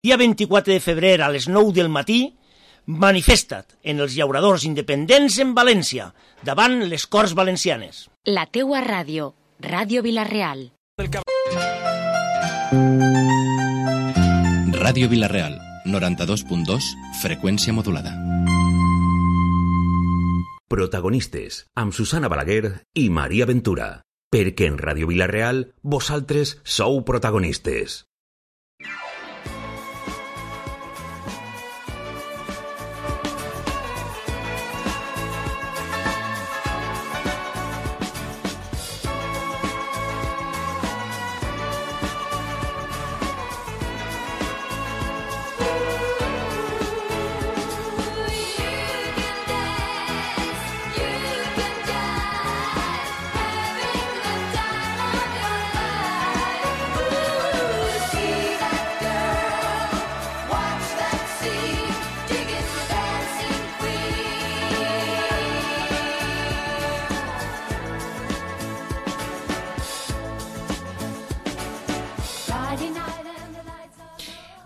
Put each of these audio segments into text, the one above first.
Dia 24 de febrer a les 9 del matí, manifesta't en els llauradors independents en València, davant les Corts Valencianes. La teua ràdio, Ràdio Vila-real. Ràdio Vila-real, 92.2, freqüència modulada. Protagonistes, amb Susana Balaguer i Maria Ventura. Perquè en Ràdio Vila-real, vosaltres sou protagonistes.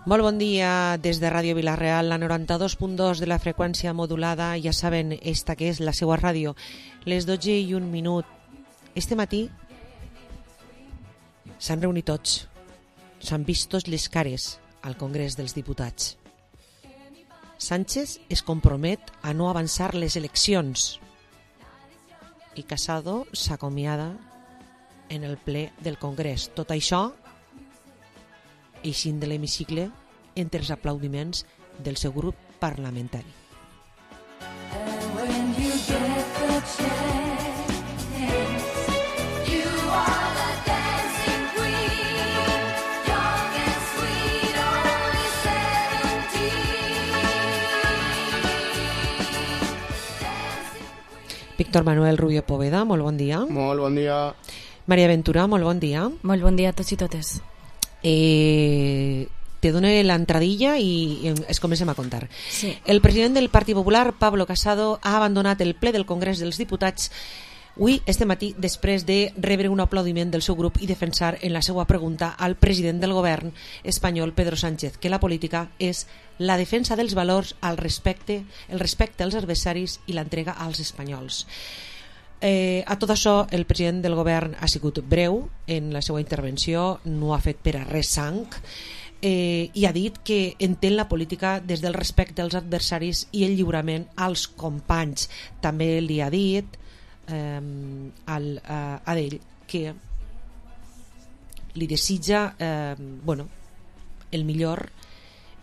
Molt bon dia des de Ràdio Vila-real, la 92.2 de la freqüència modulada. Ja saben, esta que és la seva ràdio, les 12:01. Este matí s'han reunit tots, s'han vist tots les cares al Congrés dels Diputats. Sánchez es compromet a no avançar les eleccions i Casado s'acomiada en el ple del Congrés. Tot això eixint de l'hemicicle entre els aplaudiments del seu grup parlamentari. Víctor Manuel Rubio Poveda, molt bon dia. Molt bon dia. Maria Ventura, molt bon dia. Molt bon dia a tots i totes. Te dono l'entradilla i es comencem a contar. Sí. El president del Partit Popular, Pablo Casado, ha abandonat el ple del Congrés dels Diputats avui, este matí, després de rebre un aplaudiment del seu grup i defensar en la seva pregunta al president del govern espanyol, Pedro Sánchez, que la política és la defensa dels valors, el respecte als adversaris i l'entrega als espanyols. A tot això, el president del govern ha sigut breu en la seva intervenció, no ha fet per a res sang, i ha dit que entén la política des del respecte als adversaris i el lliurament als companys. També li ha dit a ell que li desitja el millor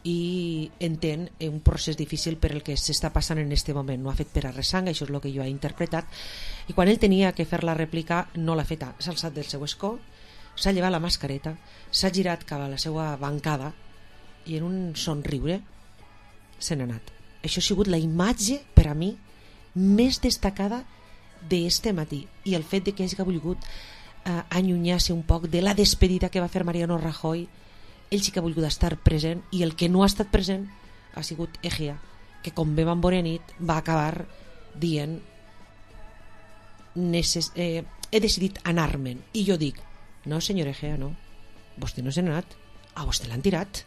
i entén un procés difícil per el que s'està passant en este moment. No ha fet per a res sang, això és el que jo he interpretat, i quan ell tenia que fer la rèplica no l'ha feta. S'ha alçat del seu escó, s'ha llevat la mascareta, s'ha girat cap a la seva bancada i en un somriure se n'ha anat. Això ha sigut la imatge per a mi més destacada d'este matí, i el fet de que hagi volgut allunyar-se un poc de la despedida que va fer Mariano Rajoy. Ell sí que ha volgut estar present, i el que no ha estat present ha sigut Egea, que com bé van bona nit va acabar dient he decidit anar-me'n. I jo dic, no senyor Egea, no, vostè no se n'ha anat, a vostè l'han tirat.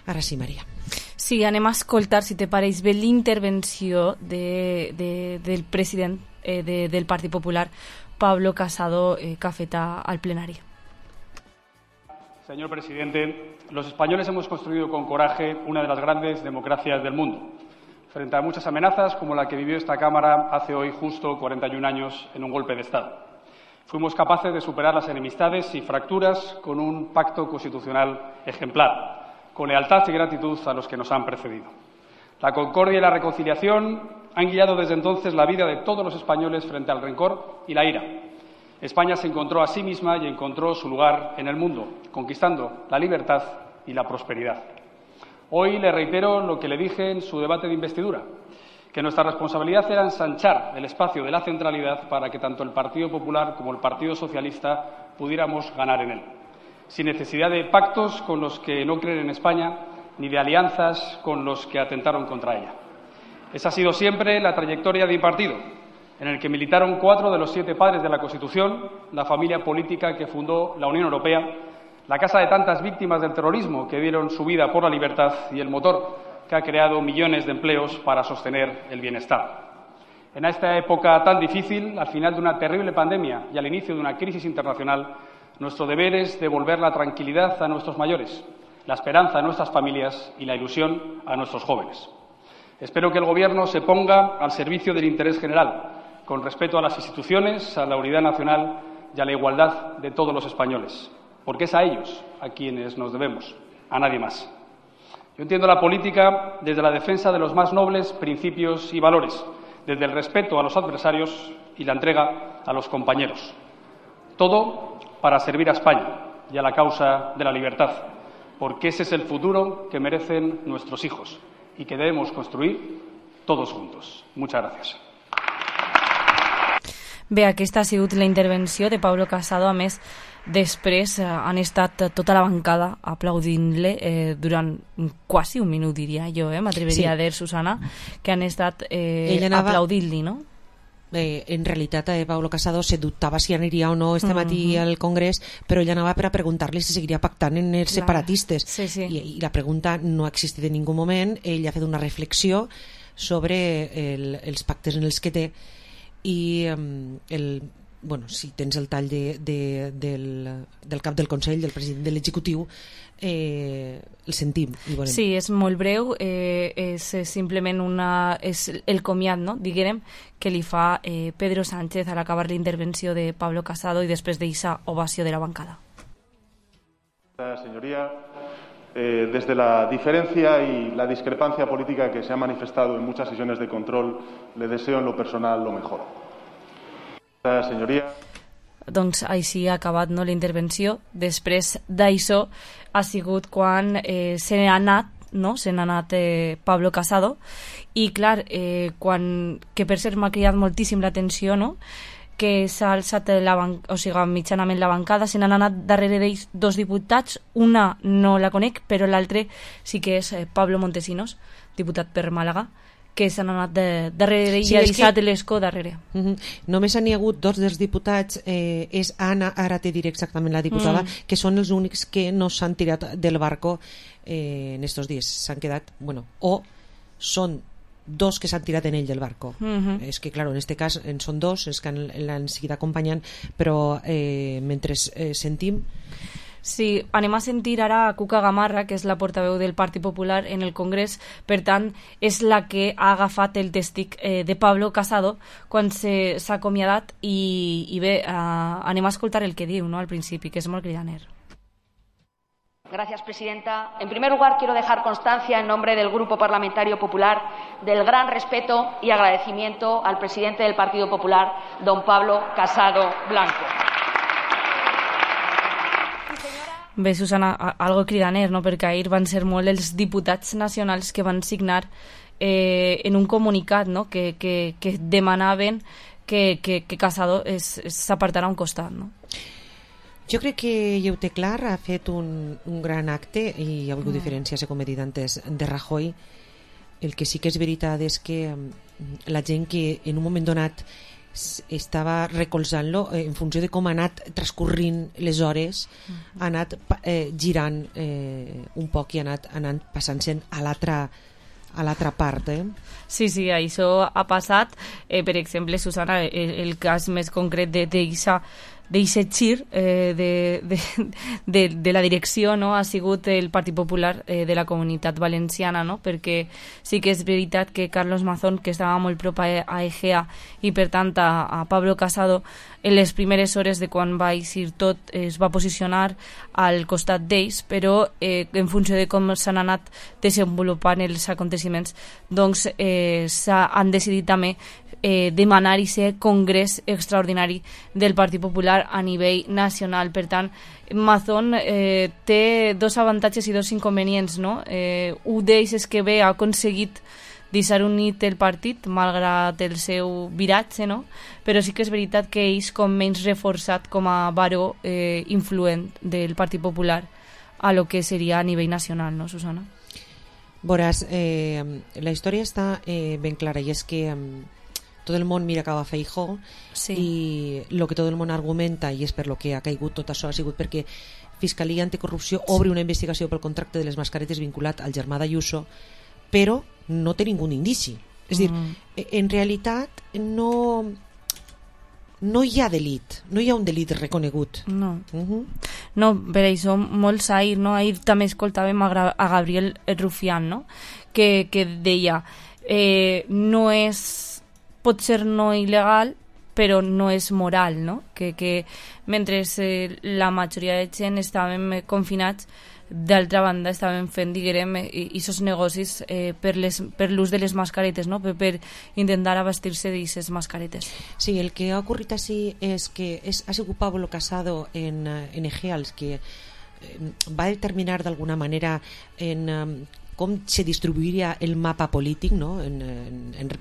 Ara sí, Maria. Sí, anem a escoltar, si te pareix bé, l'intervenció del president del Partit Popular, Pablo Casado, que ha fet al plenari. Señor presidente, los españoles hemos construido con coraje una de las grandes democracias del mundo, frente a muchas amenazas como la que vivió esta Cámara hace hoy justo 41 años en un golpe de Estado. Fuimos capaces de superar las enemistades y fracturas con un pacto constitucional ejemplar, con lealtad y gratitud a los que nos han precedido. La concordia y la reconciliación han guiado desde entonces la vida de todos los españoles frente al rencor y la ira. España se encontró a sí misma y encontró su lugar en el mundo, conquistando la libertad y la prosperidad. Hoy le reitero lo que le dije en su debate de investidura, que nuestra responsabilidad era ensanchar el espacio de la centralidad para que tanto el Partido Popular como el Partido Socialista pudiéramos ganar en él, sin necesidad de pactos con los que no creen en España ni de alianzas con los que atentaron contra ella. Esa ha sido siempre la trayectoria de mi partido, en el que militaron 4 de los 7 padres de la Constitución, la familia política que fundó la Unión Europea, la casa de tantas víctimas del terrorismo que dieron su vida por la libertad y el motor que ha creado millones de empleos para sostener el bienestar. En esta época tan difícil, al final de una terrible pandemia y al inicio de una crisis internacional, nuestro deber es devolver la tranquilidad a nuestros mayores, la esperanza a nuestras familias y la ilusión a nuestros jóvenes. Espero que el Gobierno se ponga al servicio del interés general, con respeto a las instituciones, a la unidad nacional y a la igualdad de todos los españoles, porque es a ellos a quienes nos debemos, a nadie más. Yo entiendo la política desde la defensa de los más nobles principios y valores, desde el respeto a los adversarios y la entrega a los compañeros. Todo para servir a España y a la causa de la libertad, porque ese es el futuro que merecen nuestros hijos y que debemos construir todos juntos. Muchas gracias. Bé, aquesta ha sigut la intervenció de Pablo Casado. A més, després han estat tota la bancada aplaudint-le durant quasi un minut, diria jo, m'atreveria a dir, Susana, que han estat aplaudint-li, no? En realitat Pablo Casado se dubtava si aniria o no este matí al Congrés, però ell anava per a preguntar-li si seguiria pactant en els separatistes. Sí, sí. I la pregunta no ha existit en ningú moment. Ell ha fet una reflexió sobre els pactes en els que té i si tens el tall del cap del Consell, del president de l'executiu, el sentim. Sí, és molt breu, és simplement és el comiat, no? diguem, que li fa Pedro Sánchez al acabar la intervenció de Pablo Casado i després d'eixa ovació de la bancada. Señoría, desde la diferencia y la discrepancia política que se ha manifestado en muchas sesiones de control, le deseo en lo personal lo mejor. Señoría. Doncs així ha acabat, no, la intervenció. Després d'això ha sigut quan se n'ha anat, no? Se n'ha anat Pablo Casado, i clar, que per cert m'ha cridat moltíssim l'atenció, no? Que s'ha alçat mitjanament la bancada, se n'han anat darrere d'ells dos diputats, una no la conec, però l'altre sí que és Pablo Montesinos, diputat per Màlaga, que s'han anat darrere d'ell i ha deixat l'escó darrere. Només n'hi ha hagut dos dels diputats, és Anna, ara te diré exactament la diputada, que són els únics que no s'han tirat del barco en estos dies. S'han quedat, o són dos que s'han tirat en ell del barco. És que, clar, en este cas en són dos, és que l'han seguit acompanyant, però mentre sentim... Sí, anem a sentir ara a Cuca Gamarra, que és la portaveu del Partit Popular en el Congrés, per tant, és la que ha agafat el tèstic de Pablo Casado quan s'ha acomiadat i bé, anem a escoltar el que diu, no, al principi, que és molt cridaner. Gracias, presidenta. En primer lugar, quiero dejar constancia en nombre del Grupo Parlamentario Popular del gran respeto y agradecimiento al presidente del Partido Popular, don Pablo Casado Blanco. Bé, Susana, algo cridaner, no? Perquè ahir van ser molt els diputats nacionals que van signar en un comunicat, no? que demanaven que Casado s'apartarà a un costat, no? Jo crec que Lleu Teclar ha fet un gran acte i hi ha hagut diferències, com he dit antes, de Rajoy. El que sí que és veritat és que la gent que en un moment donat estava recolzant-lo en funció de com ha anat transcorrint les hores, ha anat girant un poc i ha anat passant-se'n a l'altra part. Sí, això ha passat. Per exemple, Susana, el cas més concret d'eixa gir de la direcció, no? Ha sigut el Partit Popular de la Comunitat Valenciana, no? Perquè sí que és veritat que Carlos Mazón, que estava molt prop a Egea i per tant a Pablo Casado, en les primeres hores de quan va eixir tot es va posicionar al costat d'ells, però en funció de com s'han anat desenvolupant els aconteciments, doncs han decidit també demanar aquest congrés extraordinari del Partit Popular a nivell nacional. Per tant, Mazón té dos avantatges i dos inconvenients, no? Un d'ells és que bé ha aconseguit deixar unit el partit malgrat el seu viratge, no? Però sí que és veritat que ells com menys reforçat com a baró influent del Partit Popular a lo que seria a nivell nacional, no, Susana? Veuràs, la història està ben clara i és que tot el món mira cap a Feijóo, sí. I el que tot el món argumenta, i és per lo que ha caigut tot això, ha sigut perquè Fiscalia Anticorrupció obri una investigació pel contracte de les mascaretes vinculat al germà d'Ayuso, però no té ningú indici. És a dir, en realitat no hi ha delit, no hi ha un delit reconegut. No, no, per això molts ahir, no? Ahir també escoltàvem a Gabriel Rufián, no? Que deia no és, pot ser no il·legal, però no és moral, no? Que mentre la majoria de gent estàvem confinats, d'altra banda estàvem fent, diguem, aquests negocis per l'ús de les mascaretes, no? Per intentar abastir-se d'aquestes mascaretes. Sí, el que ha ocorrit així és que ha sigut Pablo Casado en Egea el que va determinar d'alguna manera en com se distribuiria el mapa polític, no?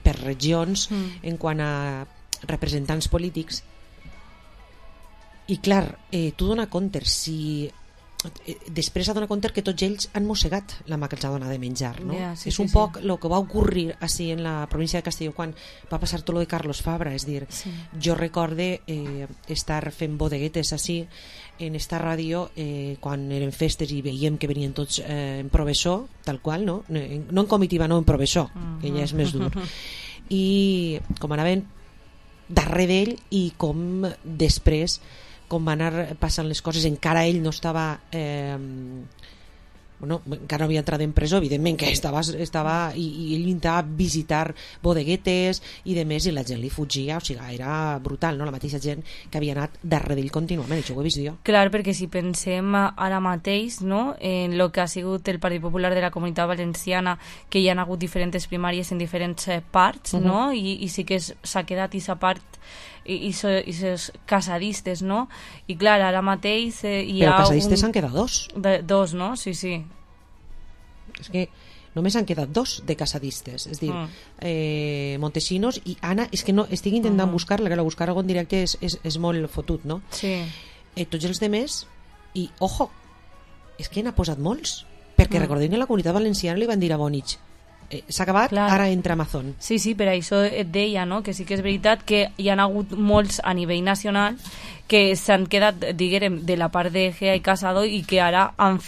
Per regions en quant a representants polítics. I clar, tu dona compte després dona compte que tots ells han mossegat la mà que els ha donat de menjar, no? Sí, és un poc el que va ocorrir així en la província de Castelló quan va passar tot lo de Carlos Fabra. És dir, jo recorde estar fent bodeguetes així en esta ràdio quan eren festes i veiem que venien tots en professor, tal qual, no en comitiva, no en professor, que ja és més dur, i com anaven darrere d'ell i com després com van anar passant les coses. Encara ell no estava encara no havia entrat en presó, evidentment que estava i ell intentava visitar bodeguetes i de més, i la gent li fugia, o sigui, era brutal, no? La mateixa gent que havia anat darrere d'ell contínuament, això ho he vist jo. Clar, perquè si pensem ara mateix, no, en el que ha sigut el Partit Popular de la Comunitat Valenciana, que hi ha hagut diferents primàries en diferents parts, no? I sí que s'ha quedat aquesta part i ses casadistes, no? I clar, ara mateix hi ha... Però casadistes s'han quedat dos, no? Sí. És que només han quedat dos de casadistes, és dir, Montesinos i Anna. És que no, estic intentant buscar-la, que la buscar algun directe és molt fotut, no? Sí. Tots els demés, i ojo, és que n'ha posat molts, perquè recordem que la Comunitat Valenciana li van dir a Bonich s'ha acabat, clar. Ara entra Amazon. Sí, per això et deia, no? Que sí que és veritat que hi ha hagut molts a nivell nacional que s'han quedat, diguem, de la part de Egea i Casado i que ara han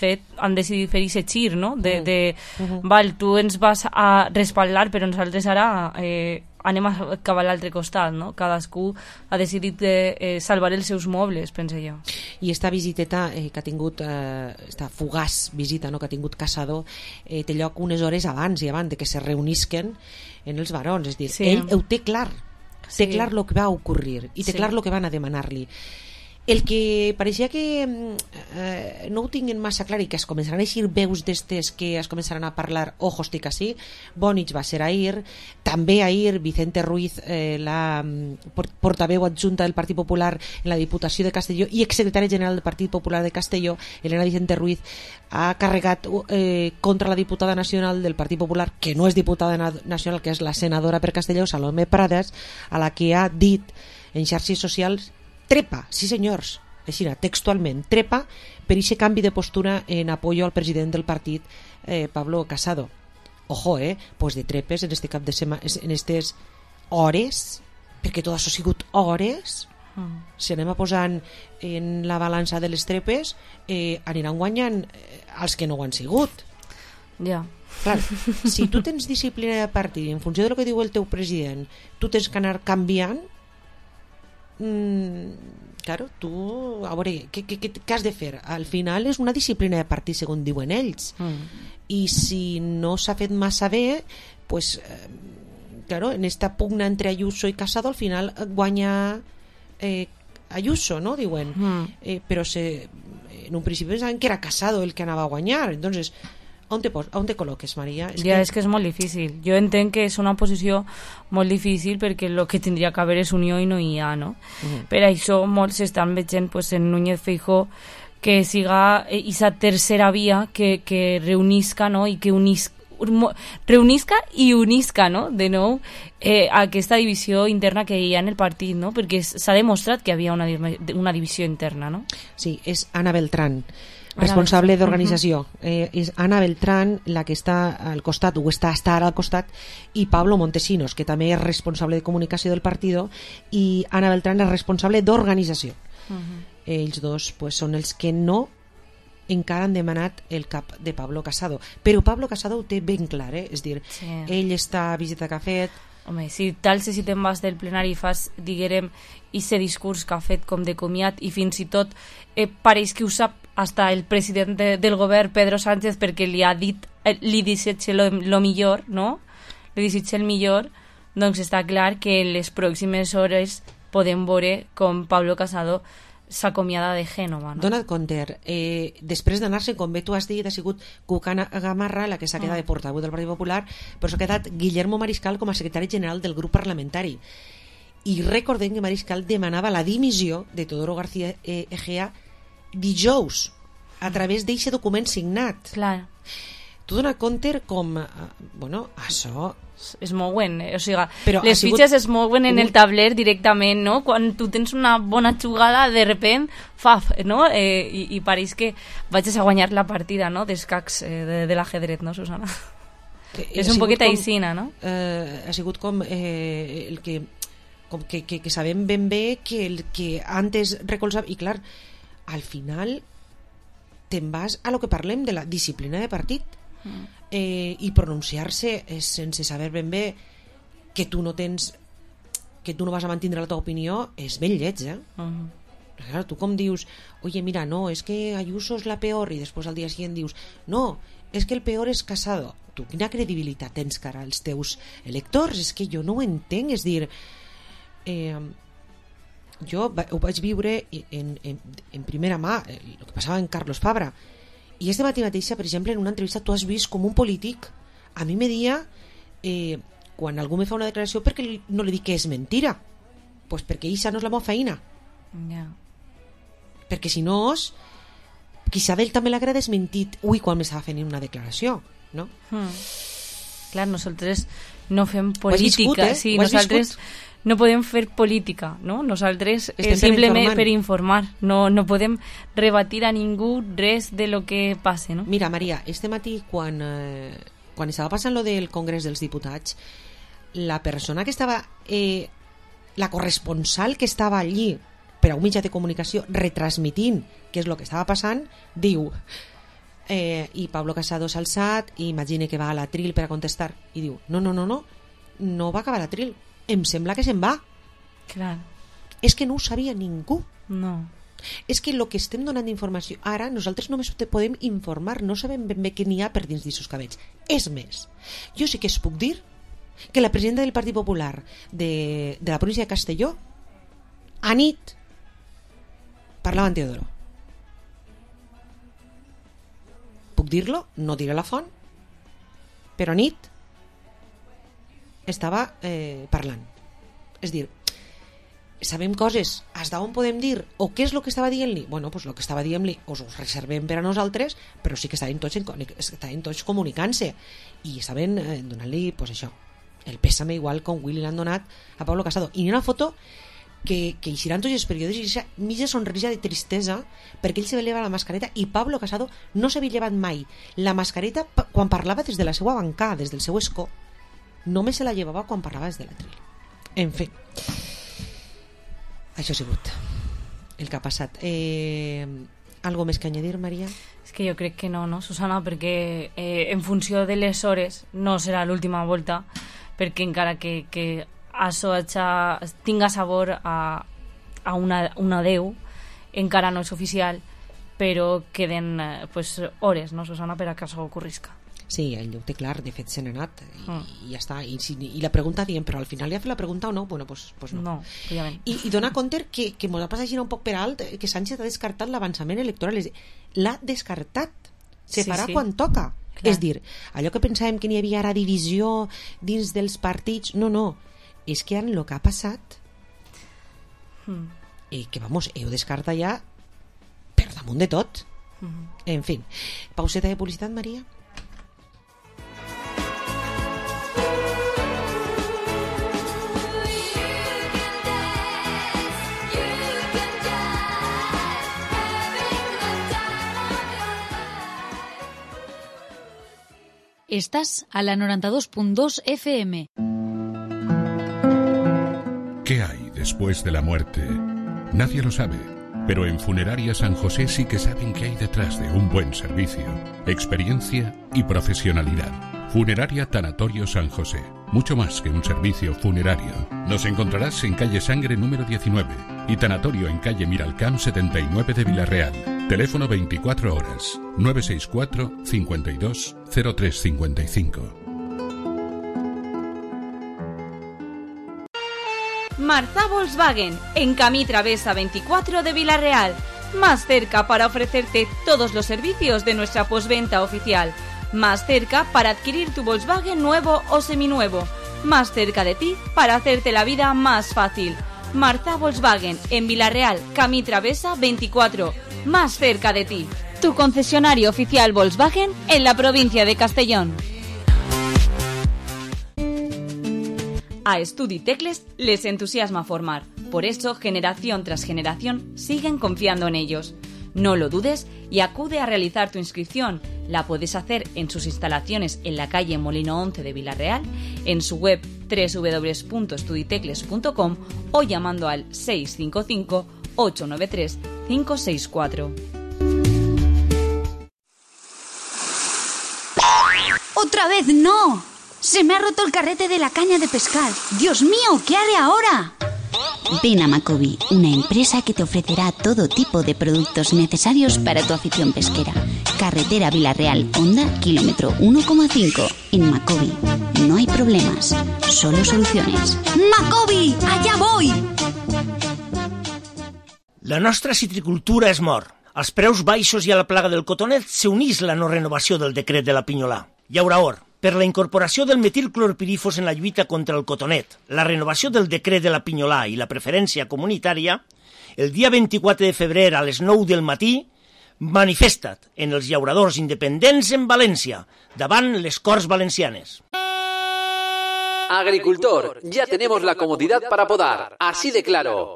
decidit fer aquest gir, no? Val, tu ens vas a respaldar, però nosaltres ara anem a cap a l'altre costat, no? Cadascú ha decidit salvar els seus mobles, pense jo. I esta visiteta que ha tingut, esta fugaç visita, no?, que ha tingut Casado, té lloc unes hores abans de que se reunisquen en els barons, és dir, ell ho té clar, té clar el que va ocorrir i té clar el que van a demanar-li. El que pareixia que no ho tinguin massa clar i que es començaran a eixir veus d'estes que es començaran a parlar, ojo, estic així. Bonich va ser ahir, també ahir Vicente Ruiz, la portaveu adjunta del Partit Popular en la Diputació de Castelló i exsecretari general del Partit Popular de Castelló, Elena Vicente Ruiz, ha carregat contra la diputada nacional del Partit Popular, que no és diputada nacional, que és la senadora per Castelló, Salomé Prades, a la que ha dit en xarxes socials: trepa, sí senyors, així textualment, trepa per aquest canvi de postura en apoyo al president del partit, Pablo Casado. Ojo, pues de trepes en este cap de setmana, en aquestes hores, perquè tot això ha sigut hores, si anem a posant en la balança de les trepes, aniran guanyant els que no ho han sigut. Ja. Clar, si tu tens disciplina de partit en funció del que diu el teu president, tu tens que anar canviant. Claro, tu a veure, què has de fer? Al final és una disciplina de partit segons diuen ells, i si no s'ha fet massa bé, pues claro, en esta pugna entre Ayuso i Casado al final guanya Ayuso, no? Diuen, però en un principi pensaven que era Casado el que anava a guanyar. Entonces, on te col·loques, Maria? És que és molt difícil. Jo entenc que és una posició molt difícil perquè el que tindria que haver és unió i no hi ha, no? Per això molts estan veient en Núñez Feijóo que siga aquesta tercera via que reunisca, no? I que reunisca i unisca, no? De nou aquesta divisió interna que hi ha en el partit, no? Perquè s'ha demostrat que hi havia una divisió interna, no? Sí, és Ana Beltrán, responsable d'organització. És Ana Beltrán la que està al costat, o està ara al costat, i Pablo Montesinos, que també és responsable de comunicació del partit, i Ana Beltrán és responsable d'organització. Ells dos pues, són els que no encara han demanat el cap de Pablo Casado, però Pablo Casado ho té ben clar, és dir, ell està a visita que ha fet. Home, si t'alces i te'n vas del plenari i fas, diguem, ese discurs que ha fet com de comiat, i fins i tot pareix que ho sap hasta el president del govern, Pedro Sánchez, perquè li ha dit, li desitja lo millor, no? Li desitja el millor, doncs està clar que en les pròximes hores podem veure com Pablo Casado s'acomiada de Génova, no? Dona't compte, després d'anar-se, com bé tu has dit, ha sigut Cucana Gamarra la que s'ha quedat de portaveu del Partit Popular, però s'ha quedat Guillermo Mariscal com a secretari general del grup parlamentari. I recordem que Mariscal demanava la dimissió de Teodoro García Egea dijous, a través d'aquest document signat. Clar. Tu dona't compte com... bueno, això... es mouen, o sigui, les fitxes es mouen en el tabler directament, no? Quan tu tens una bona jugada, de repent, faf, no? I pareix que vaig a guanyar la partida, no? D'escacs de l'ajedret, no, Susana? És un poquet aixina, no? Ha sigut com el que... com que sabem ben bé que el que antes recolzava... I clar, al final te'n vas a lo que parlem de la disciplina de partit. I pronunciar-se sense saber ben bé que tu no vas a mantindre la teva opinió és ben lleig, Claro, tu com dius, oye, mira, no, es que Ayuso es la peor, i després al dia siguiente dius, no, es que el peor és Casado. Tu quina credibilitat tens cara als teus electors? És que jo no ho entenc, és dir, jo ho vaig viure en primera mà, el que passava en Carlos Fabra. I este matí mateixa, per exemple, en una entrevista tu has vist com un polític a mi me dia quan algú me fa una declaració perquè no li dic que és mentira, pues perquè això no és la meva feina, perquè si no quizá d'ell també l'haguera desmentit quan m'estava fent una declaració, no? Clar, nosaltres no fem política, sí, nosaltres no podem fer política, no? Nosaltres simplement per informar, no podem rebatir a ningú res de lo que passe, no? Mira, Maria, este matí quan estava passant lo del Congrés dels Diputats, la persona que estava la corresponsal que estava allí per a un mitjà de comunicació retransmitint què és el que estava passant, diu i Pablo Casado s'ha alçat i imagina que va a l'atril per a contestar i diu, no va acabar l'atril, em sembla que se'n va. Clar. És que no ho sabia ningú. No. És que el que estem donant d'informació ara, nosaltres només te podem informar, no sabem ben bé què n'hi ha per dins d'eixos cabells. És més, jo sí que es puc dir que la presidenta del Partit Popular de la província de Castelló a nit parlava amb Teodoro. Puc dir-lo? No diré la font, però a nit estava parlant. És dir, sabem coses, hasta on podem dir o què és el que estava dient-li? Bueno, pues el que estava dient-li us ho reservem per a nosaltres, però sí que estaven tots comunicant-se i estaven donant-li, pues això, el pèsame igual com Willy l'han donat a Pablo Casado. I hi ha una foto que eixiran tots els periodistes i aquesta mitja sonrisa de tristesa perquè ell se lleva la mascareta i Pablo Casado no s'havia llevat mai la mascareta quan parlava des de la seva bancada, des del seu escó. Només se la llevava quan parlava des de l'atril. En fi, això ha sigut el que ha passat. Algo més que añadir, Maria? És que jo crec que no, Susana, perquè en funció de les hores no serà l'última volta, perquè encara que això tinga sabor a un adeu, encara no és oficial, però queden hores, no, Susana, per a que això ocorrisca. Sí, ell ho té clar, de fet se n'ha anat i ja està, i la pregunta dient, però al final li ha fet la pregunta o no? Bueno, pues no. No, òbviament. I dona compte que m'ho ha passat un poc per alt, que Sánchez ha descartat l'avançament electoral, l'ha descartat, se farà quan toca. Clar. És dir, allò que pensàvem que n'hi havia ara divisió dins dels partits, no, és que el que ha passat que vamos, ho descarta ja per damunt de tot. En fi, pauseta de publicitat, Maria. Estás a la 92.2 FM. ¿Qué hay después de la muerte? Nadie lo sabe. Pero en Funeraria San José sí que saben qué hay detrás de un buen servicio, experiencia y profesionalidad. Funeraria Tanatorio San José. Mucho más que un servicio funerario. Nos encontrarás en calle Sangre número 19 y Tanatorio en calle Miralcamp 79 de Villarreal. Teléfono 24 horas 964 52 0355. Marza Volkswagen, en Camí Travesa 24 de Villarreal. Más cerca para ofrecerte todos los servicios de nuestra postventa oficial. Más cerca para adquirir tu Volkswagen nuevo o seminuevo. Más cerca de ti para hacerte la vida más fácil. Marza Volkswagen, en Villarreal, Camí Travesa 24. Más cerca de ti. Tu concesionario oficial Volkswagen en la provincia de Castellón. A Estudi Tecles les entusiasma formar. Por eso, generación tras generación, siguen confiando en ellos. No lo dudes y acude a realizar tu inscripción. La puedes hacer en sus instalaciones en la calle Molino 11 de Villarreal, en su web www.estuditecles.com o llamando al 655 893 564. ¡Otra vez no! ¡Se me ha roto el carrete de la caña de pescar! ¡Dios mío! ¿Qué haré ahora? Ven a Macobi, una empresa que te ofrecerá todo tipo de productos necesarios para tu afición pesquera. Carretera Villarreal, Honda, kilómetro 1,5. En Macobi no hay problemas, solo soluciones. ¡Macobi! ¡Allá voy! La nostra citricultura és mort. Als preus baixos i a la plaga del cotonet s'unís la no renovació del decret de la Pinyolà. I ara per la incorporació del metilclorpirifos en la lluita contra el cotonet, la renovació del decret de la Pinyolà i la preferència comunitària, el dia 24 de febrer a les 9 del matí, manifesta't en els llauradors independents en València, davant les Corts Valencianes. Agricultor, ya tenemos la comodidad para podar, así de claro.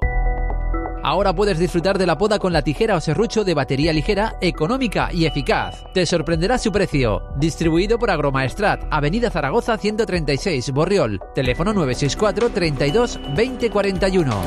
Ahora puedes disfrutar de la poda con la tijera o serrucho de batería ligera, económica y eficaz. Te sorprenderá su precio. Distribuido por Agromaestrat, Avenida Zaragoza 136, Borriol. Teléfono 964 32 20 41.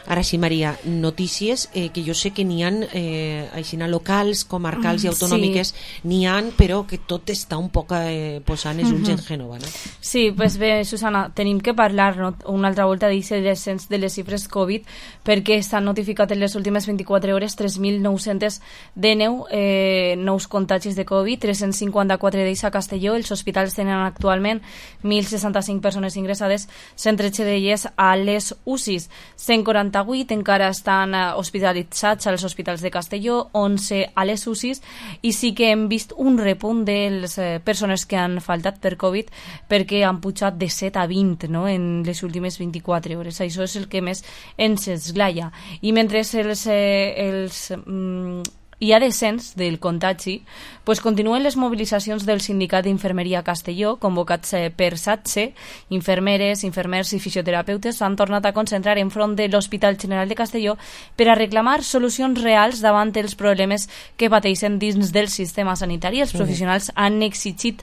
Ara sí, Maria, notícies que jo sé que n'hi ha aixina locals, comarcals i autonòmiques, sí. N'hi ha, però que tot està un poc posant els ulls en Gènova, no? Sí, pues bé, Susana, tenim que parlar una altra volta d'aquest descens de les xifres Covid, perquè s'han notificat en les últimes 24 hores 3.919 nous contagis de Covid, 354 d'ells a Castelló. Els hospitals tenen actualment 1.065 persones ingressades, 113 d'elles a les UCIs, 148 encara estan hospitalitzats als hospitals de Castelló, 11 a les UCIs, i sí que hem vist un repunt de les persones que han faltat per Covid, perquè han pujat de 7 a 20, no?, en les últimes 24 hores. Això és el que més ens esglaia. I mentre hi ha descens del contagi, pues continuen les mobilitzacions del Sindicat d'Infermeria a Castelló, convocats per SATSE. Infermeres, infermers i fisioterapeutes s'han tornat a concentrar enfront de l'Hospital General de Castelló per a reclamar solucions reals davant els problemes que pateixen dins del sistema sanitari. Els professionals han eixit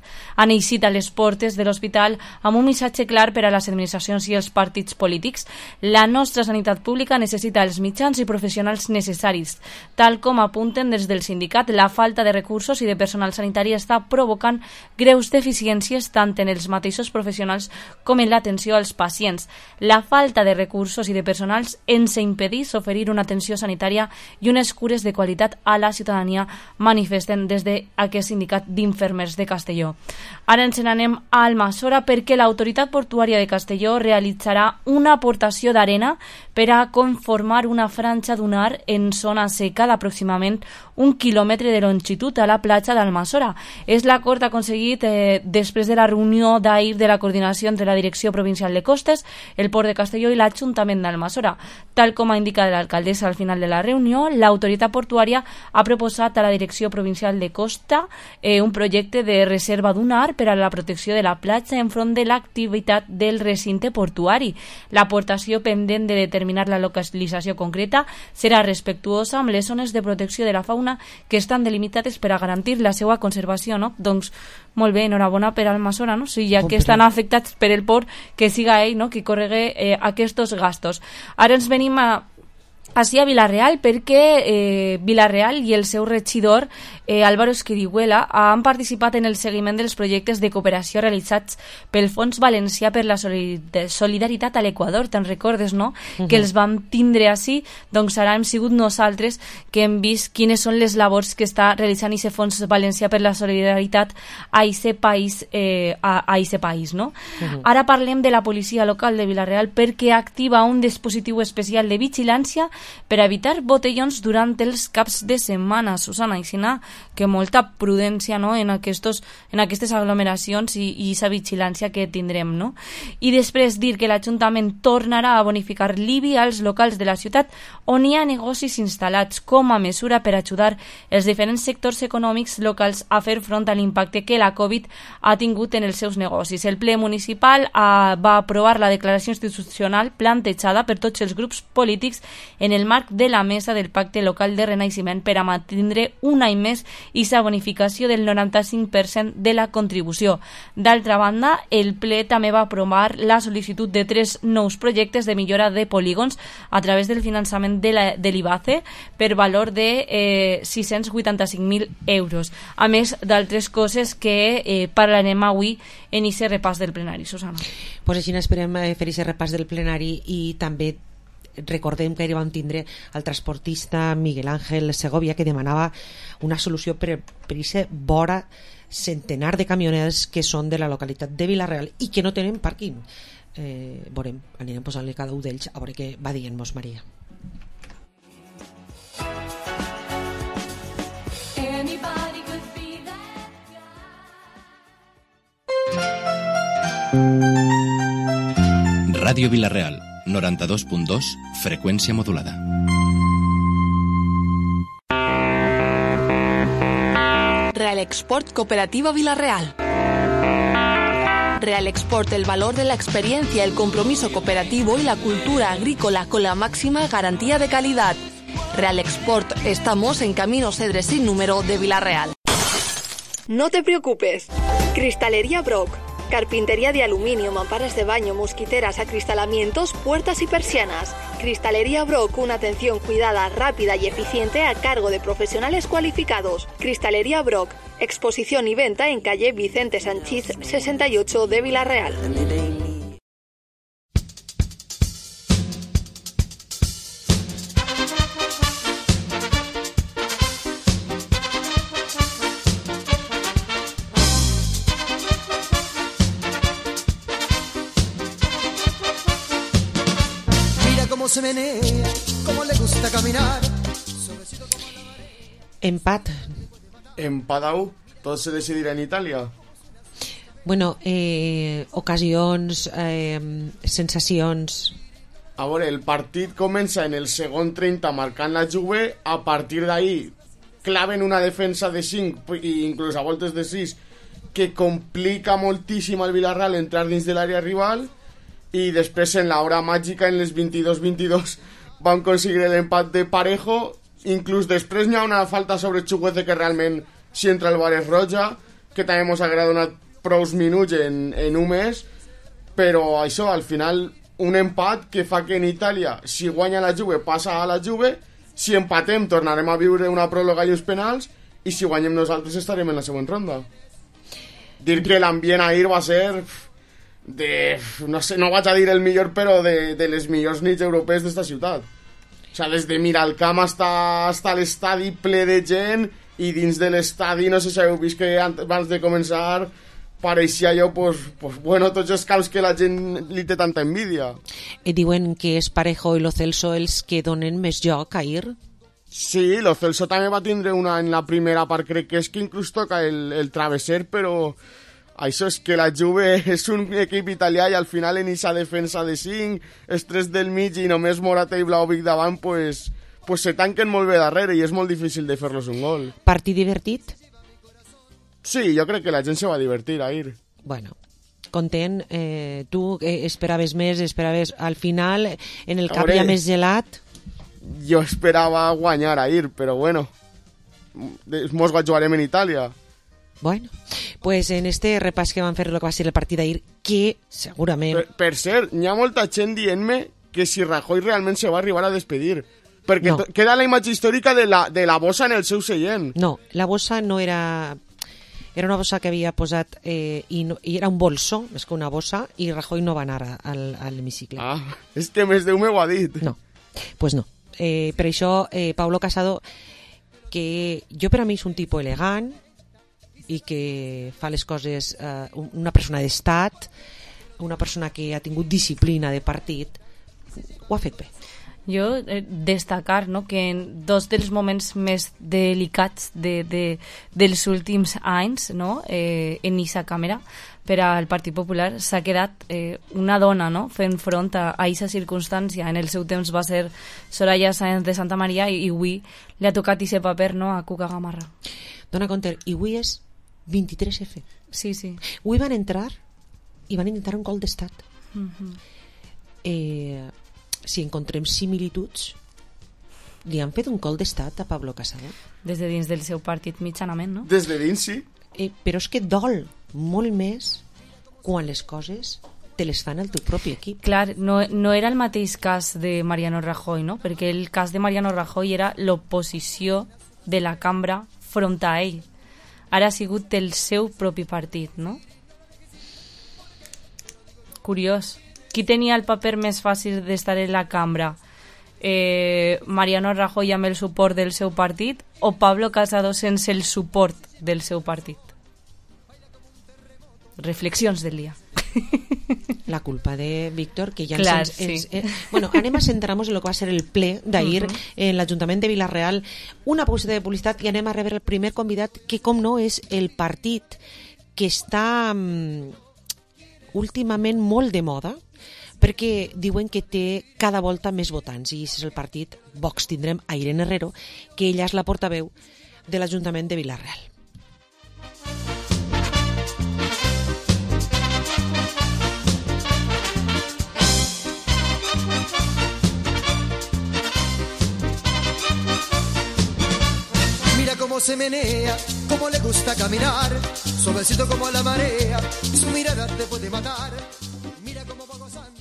a les portes de l'hospital amb un missatge clar per a les administracions i els partits polítics. La nostra sanitat pública necessita els mitjans i professionals necessaris. Tal com apunten des del sindicat, la falta de recursos i de personal sanitari està provocant greus deficiències tant en els mateixos professionals com en l'atenció als pacients. La falta de recursos i de personals ens impedeix oferir una atenció sanitària i unes cures de qualitat a la ciutadania, manifesten des d'aquest sindicat d'infermers de Castelló. Ara ens n'anem a Almassora perquè l'autoritat portuària de Castelló realitzarà una aportació d'arena per a conformar una franja dunar en zona seca d'aproximadament 1 quilòmetre de longitud a la platja d'Almassora. És l'acord aconseguit després de la reunió d'ahir de la coordinació entre la Direcció Provincial de Costes, el Port de Castelló i l'Ajuntament d'Almassora. Tal com ha indicat l'alcaldessa al final de la reunió, l'autoritat portuària ha proposat a la Direcció Provincial de Costa un projecte de reserva dunar per a la protecció de la platja enfront de l'activitat del recinte portuari. L'aportació pendent de determinar la localització concreta serà respectuosa amb les zones de protecció de la fauna que estan delimitades per a garantir la seva conservació, no? Doncs molt bé, enhorabona per Almassora, no? Si ja que estan afectats per el port, que siga ell, no?, qui corregui aquests gastos. Ara ens venim així a Vila-real perquè Vila-real i el seu regidor Álvaro Esquiriguela han participat en el seguiment dels projectes de cooperació realitzats pel Fons Valencià per la Solidaritat a l'Equador. Te'n recordes, no? Que els vam tindre així, doncs ara hem sigut nosaltres que hem vist quines són les labors que està realitzant aquest Fons Valencià per la Solidaritat a aquest país, no? Ara parlem de la policia local de Vila-real perquè activa un dispositiu especial de vigilància per evitar botellons durant els caps de setmana, Susana, i sinó que molta prudència, no?, en aquestes aglomeracions i aquesta vigilància que tindrem, no? I després dir que l'Ajuntament tornarà a bonificar l'IBI als locals de la ciutat on hi ha negocis instal·lats com a mesura per ajudar els diferents sectors econòmics locals a fer front a l'impacte que la Covid ha tingut en els seus negocis. El ple municipal va aprovar la declaració institucional plantejada per tots els grups polítics en el marc de la mesa del Pacte Local de Renaixement per a mantindre un any més i sa bonificació del 95% de la contribució. D'altra banda, el ple també va aprovar la sol·licitud de 3 nous projectes de millora de polígons a través del finançament de l'IBACE per valor de 685.000 euros, a més d'altres coses que parlarem avui en aquest repàs del plenari. Susana. Pues així esperem fer aquest repàs del plenari i també recordem que ahir vam tindre el transportista Miguel Ángel Segovia que demanava una solució per aquest vora centenar de camioners que són de la localitat de Vila-real i que no tenen pàrquing. Veurem, anirem posant-li cada un d'ells a veure què va dient-nos Maria. Ràdio Vila-real 92.2, freqüència modulada. Real Export Cooperativa Vila-real. Real Export, el valor de la experiencia, el compromiso cooperativo y la cultura agrícola con la máxima garantía de calidad. Real Export, estamos en Camino Cedres sin número de Vila-real. No te preocupes. Cristalería Brock. Carpintería de aluminio, mamparas de baño, mosquiteras, acristalamientos, puertas y persianas. Cristalería Brock, una atención cuidada, rápida y eficiente a cargo de profesionales cualificados. Cristalería Brock, exposición y venta en calle Vicente Sanchís 68 de Vila-real. Se menea, como le gusta caminar. Empat. Empadau, tot se decidirà en Itàlia. Bueno, ocasions, sensacions. A veure, el partit comença en el segon 30 marcant la Juve, a partir d'ahí claven una defensa de 5 i inclús a voltes de 6 que complica moltíssim al Villarreal entrar dins de l'àrea rival. I després en l'hora màgica en les 22-22 van aconseguir l'empat de Parejo, inclús després n'hi ha una falta sobre Chukwueze que realment si entra el bar és roja, que també ens haguera donat prous minuts en un mes, però això al final un empat que fa que en Itàlia si guanya la Juve passa a la Juve, si empatem tornarem a viure una pròrroga i uns penals i si guanyem nosaltres estarem en la següent ronda. Dir que l'ambient ahir va ser no sé, no vaig a dir el millor, però de les millors nits europees d'esta ciutat. O sigui, des de Miralcamp hasta l'estadi ple de gent, i dins de l'estadi, no sé si heu vist que abans de començar pareixia allò, pues bueno, tots els caus que la gent li té tanta envidia. Diuen que és Parejo i Lo Celso els que donen més joc a ir. Sí, lo Celso també va tindre una en la primera part, crec que és que inclús toca el travesser, però això és que la Juve és un equip italià i al final en aquesta defensa de 5, els 3 del mig i només Morata i Vlahovic davant, pues se tanquen molt bé darrere i és molt difícil de fer-los un gol. Partit divertit? Sí, jo crec que la gent se va divertir ahir. Bueno, content. Tu esperaves més, esperaves al final, en el camp ja més gelat... Jo esperava guanyar ahir, però bueno, mos jugarem en Itàlia. Bueno, pues en este repàs que van fer el que va ser el partit d'ahir, que segurament... Per cert, hi ha molta gent dient-me que si Rajoy realment se va arribar a despedir, perquè no. Queda la imatge històrica de la bossa en el seu seient. No, la bossa no era... Era una bossa que havia posat i era un bolso, més que una bossa, i Rajoy no va anar a l'hemicicle. Ah, és que més Déu m'ho ha dit. No, pues no. Per això Pablo Casado, que jo per a mi és un tipus elegant i que fa les coses, una persona d'estat, una persona que ha tingut disciplina de partit, ho ha fet bé. Jo destacar, no, que en dos dels moments més delicats dels últims anys, no, en aquesta càmera per al Partit Popular s'ha quedat una dona, no, fent front a aquesta circumstància. En el seu temps va ser Soraya Sáenz de Santa Maria i avui li ha tocat aquest paper, no, a Cuca Gamarra. Dona compte, i avui és 23F. Sí, sí. Avui van entrar i van intentar un gol d'estat. Si encontrem similituds, li han fet un gol d'estat a Pablo Casado? Des de dins del seu partit mitjanament, no? Des de dins, sí. Però és que dol molt més quan les coses te les fan el teu propi equip. Clar, no era el mateix cas de Mariano Rajoy, no? Perquè el cas de Mariano Rajoy era l'oposició de la cambra front a ell. Ara ha sigut el seu propi partit, no? Curiós. Qui tenia el paper més fàcil d'estar en la cambra? Mariano Rajoy amb el suport del seu partit o Pablo Casado sense el suport del seu partit? Reflexions del dia. La culpa de Víctor, que ja Clar, bueno, anem a centrar-nos en el que va ser el ple d'ahir en l'Ajuntament de Vila-real. Una pausa de publicitat i anem a rebre el primer convidat, que com no és el partit que està últimament molt de moda, perquè diuen que té cada volta més votants, i és el partit Vox. Tindrem a Irene Herrero, que ella és la portaveu de l'Ajuntament de Vila-real. Mira cómo se menea, cómo le gusta caminar, suavecito como la marea, su mirada te puede matar. Mira cómo va gozando.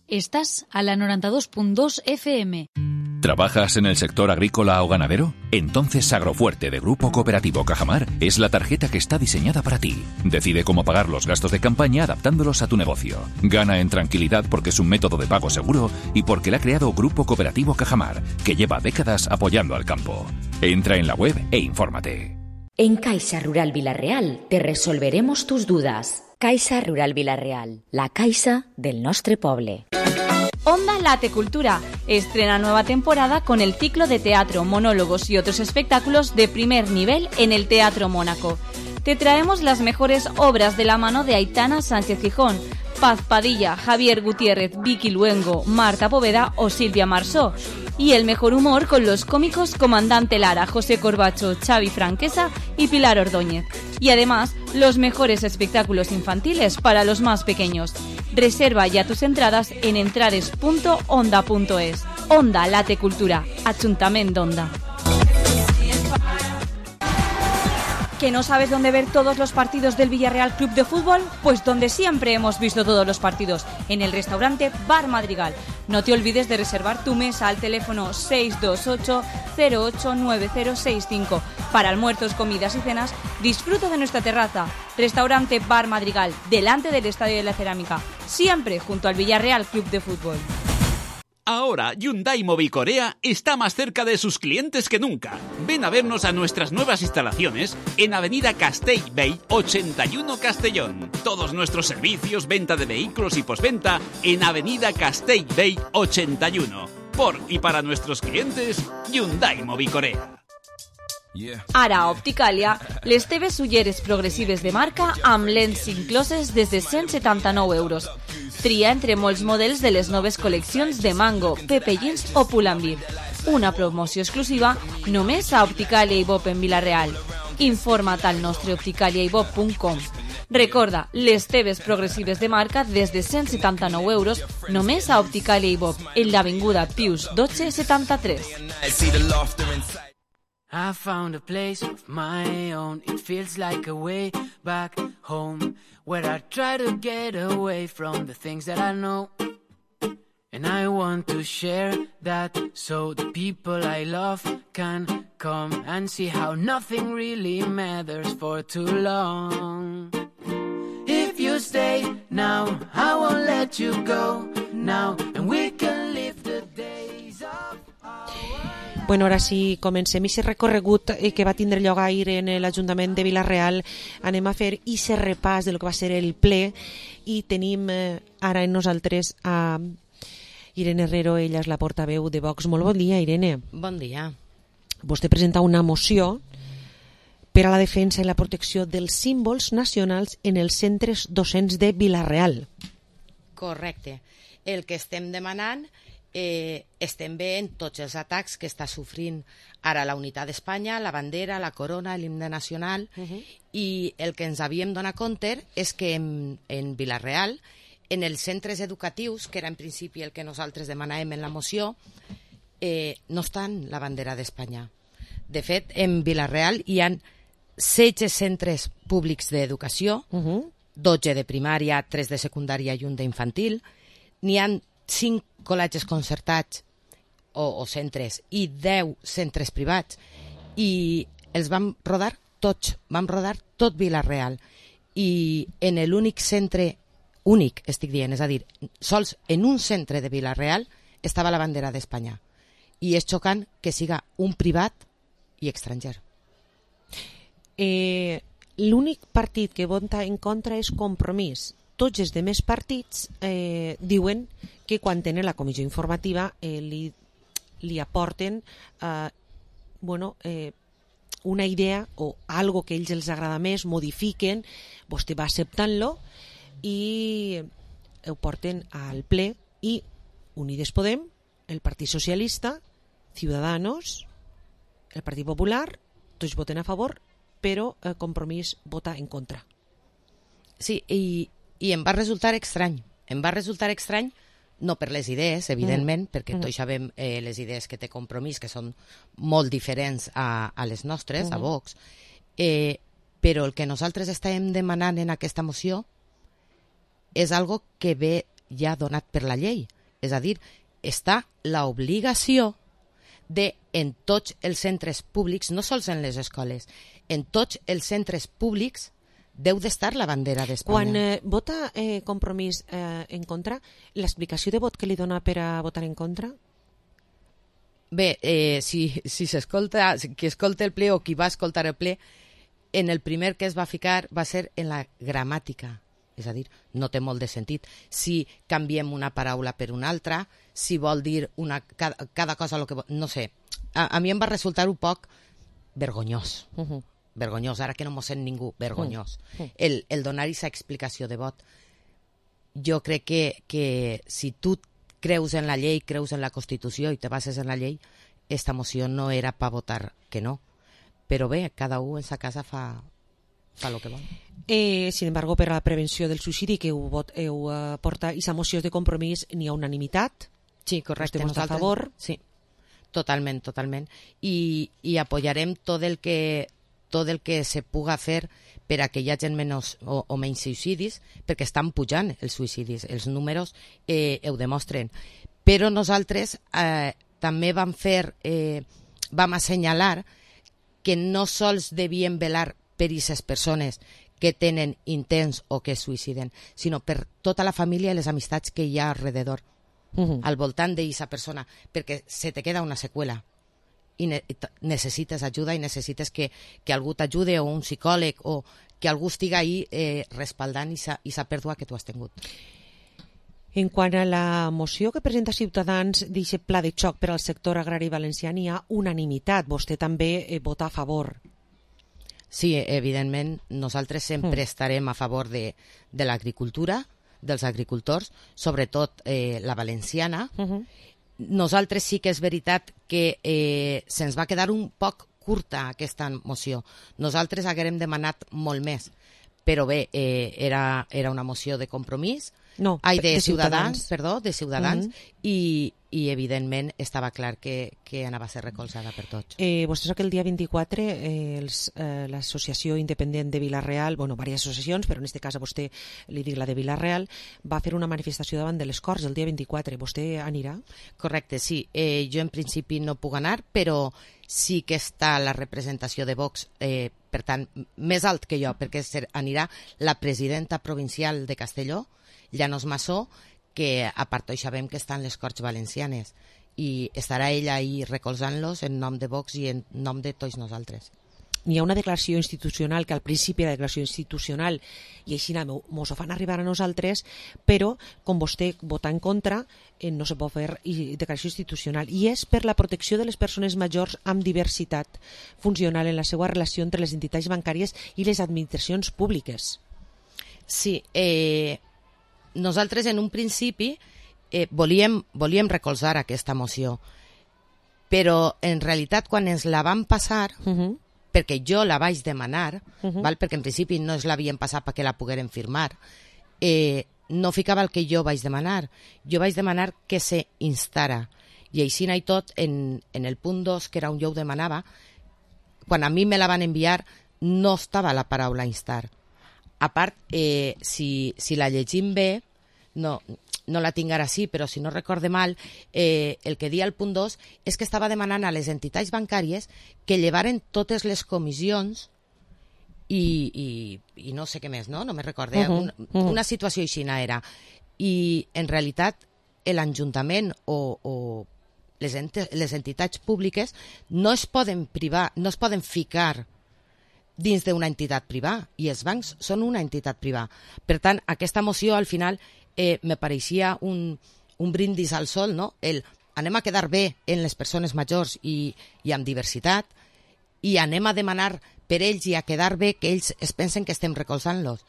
Estás a la 92.2 FM. ¿Trabajas en el sector agrícola o ganadero? Entonces Agrofuerte de Grupo Cooperativo Cajamar es la tarjeta que está diseñada para ti. Decide cómo pagar los gastos de campaña adaptándolos a tu negocio. Gana en tranquilidad porque es un método de pago seguro y porque la ha creado Grupo Cooperativo Cajamar, que lleva décadas apoyando al campo. Entra en la web e infórmate. En Caixa Rural Vila-real te resolveremos tus dudas. Caixa Rural Vila-real, la caixa del nostre poble. Onda Late Cultura estrena nueva temporada con el ciclo de teatro, monólogos y otros espectáculos de primer nivel en el Teatro Mónaco. Te traemos las mejores obras de la mano de Aitana Sánchez Gijón, Paz Padilla, Javier Gutiérrez, Vicky Luengo, Marta Poveda o Silvia Marsó. Y el mejor humor con los cómicos Comandante Lara, José Corbacho, Xavi Franquesa y Pilar Ordóñez. Y además, los mejores espectáculos infantiles para los más pequeños. Reserva ya tus entradas en entrades.onda.es. Onda Late Cultura, Ajuntament d'Onda. ¿Que no sabes dónde ver todos los partidos del Villarreal Club de Fútbol? Pues donde siempre hemos visto todos los partidos, en el restaurante Bar Madrigal. No te olvides de reservar tu mesa al teléfono 628-089065. Para almuerzos, comidas y cenas, disfruta de nuestra terraza. Restaurante Bar Madrigal, delante del Estadio de la Cerámica, siempre junto al Villarreal Club de Fútbol. Ahora Hyundai Mobicorea está más cerca de sus clientes que nunca. Ven a vernos a nuestras nuevas instalaciones en Avenida Castellbell 81 Castellón. Todos nuestros servicios, venta de vehículos y postventa en Avenida Castellbell 81. Por y para nuestros clientes, Hyundai Movicorea. Ara a Opticalia, les teves ulleres progressives de marca amb lents incloses des de 179 euros. Tria entre molts models de les noves col·leccions de Mango, Pepe Jeans o Pull&Bear. Una promoció exclusiva només a Opticalia i Bob en Vila-real. Informa't al nostre opticaliaibob.com. Recorda, les teves progressives de marca des de 179 euros només a Opticalia i Bob, en l'avinguda Pius 1273. I found a place of my own. It feels like a way back home, where I try to get away from the things that I know. And I want to share that so the people I love can come and see how nothing really matters for too long. If you stay now, I won't let you go now, and we can live the days of... Bueno, ara sí, comencem aquest recorregut que va tindre lloc ahir en l'Ajuntament de Vila-real. Anem a fer aquest repàs de lo que va ser el ple i tenim ara en nosaltres a Irene Herrero, ella és la portaveu de Vox. Molt bon dia, Irene. Bon dia. Vostè presenta una moció per a la defensa i la protecció dels símbols nacionals en els centres docents de Vila-real. Correcte. El que estem demanant, estem veient tots els atacs que està sofrint ara la unitat d'Espanya, la bandera, la corona, l'himne nacional, i el que ens havíem donat compte és que en Vila-real, en els centres educatius, que era en principi el que nosaltres demanàvem en la moció, no estan la bandera d'Espanya. De fet, en Vila-real hi ha 16 centres públics d'educació, 12 de primària, 3 de secundària i un d'infantil, n'hi ha 5 col·legis concertats o centres i 10 centres privats, i els vam rodar tots, vam rodar tot Vila-real, i en l'únic centre, únic estic dient, és a dir, sols en un centre de Vila-real estava la bandera d'Espanya, i és xocant que siga un privat i estranger. L'únic partit que vota en contra és Compromís. Tots els demés partits diuen que quan tenen la comissió informativa li aporten una idea o algo que a ells els agrada més, modifiquen, vostè va acceptant-lo i ho porten al ple, i Unides Podem, el Partit Socialista, Ciudadanos, el Partit Popular, tots voten a favor, però Compromís vota en contra. Sí, i em va resultar estrany. Em va resultar estrany, no per les idees, evidentment, perquè tots sabem les idees que té Compromís, que són molt diferents a les nostres, a Vox, però el que nosaltres estàvem demanant en aquesta moció és algo que ve ja donat per la llei. És a dir, està l'obligació de, en tots els centres públics, no sols en les escoles, en tots els centres públics deu d'estar la bandera d'Espanya. Quan vota Compromís en contra, l'explicació de vot que li dona per a votar en contra? Bé, si s'escolta, qui escolta el ple o qui va escoltar el ple, en el primer que es va ficar va ser en la gramàtica. És a dir, no té molt de sentit. Si canviem una paraula per una altra, si vol dir cada cosa el que vol... No sé, a mi em va resultar un poc vergonyós. Vergonyós, ara que no mos sent ningú, vergonyós. El donar aquesta explicació de vot. Jo crec que si tu creus en la llei, creus en la Constitució i te bases en la llei, esta moció no era per votar que no. Però bé, cada un en sa casa fa el que vol. Sin embargo, per a la prevenció del suïcidi que heu porta aquesta moció de Compromís, n'hi ha unanimitat. Sí, correcte. Estem a favor. Sí, totalment. I apoyarem tot el que se puga fer per a que hi hagi menys o menys suïcidis, perquè estan pujant els suïcidis, els números ho demostren. Però nosaltres també vam assenyalar que no sols devien velar per aquestes persones que tenen intents o que es suïciden, sinó per tota la família i les amistats que hi ha alrededor, al voltant d'aquesta persona, perquè se te queda una seqüela i necessites ajuda i necessites que algú t'ajude, o un psicòleg, o que algú estigui ahí respaldant aquesta pèrdua que tu has tingut. En quant a la moció que presenta Ciutadans d'aquest pla de xoc per al sector agrari valencià, hi ha unanimitat. Vostè també vota a favor. Sí, evidentment, nosaltres sempre estarem a favor de l'agricultura, dels agricultors, sobretot la valenciana. Nosaltres sí que és veritat que se'ns va quedar un poc curta aquesta moció. Nosaltres haguérem demanat molt més, però bé, era una moció de compromís, de Ciutadans, i evidentment estava clar que anava a ser recolzada per tots. Vostè sap que el dia 24 l'associació independent de Vila-real, diverses associacions, però en aquest cas a vostè li dic la de Vila-real, va fer una manifestació davant de les Corts el dia 24. Vostè anirà? Correcte, sí. Jo en principi no puc anar, però sí que està la representació de Vox, per tant, més alt que jo, perquè anirà la presidenta provincial de Castelló, Llanos Massó, que a part d'això sabem que estan les Corts Valencianes, i estarà ella ahí recolzant-los en nom de Vox i en nom de tots nosaltres. Hi ha una declaració institucional que al principi era declaració institucional i així mos ho fan arribar a nosaltres, però com vostè vota en contra no se pot fer declaració institucional, i és per la protecció de les persones majors amb diversitat funcional en la seva relació entre les entitats bancàries i les administracions públiques. Sí, nosaltres en un principi volíem recolzar aquesta moció, però en realitat quan ens la van passar, perquè jo la vaig demanar, perquè en principi no ens l'havien passat perquè la poguérem firmar, no ficava el que jo vaig demanar. Jo vaig demanar que se instara, i així i tot en el punt 2, que era on jo ho demanava, quan a mi me la van enviar no estava la paraula instar. A part, si la llegim bé, no la tinc ara sí, però si no recorde mal, el que dia el punt 2 és que estava demanant a les entitats bancàries que llevaren totes les comissions i no sé què més, no me recorde. Una situació així era. I en realitat l'Ajuntament o les entitats públiques no es poden privar, no es poden ficar dins d'una entitat privada, i els bancs són una entitat privada. Per tant, aquesta moció al final me pareixia un brindis al sol, no? Anem a quedar bé en les persones majors i amb diversitat, i anem a demanar per ells i a quedar bé que ells es pensen que estem recolzant-los.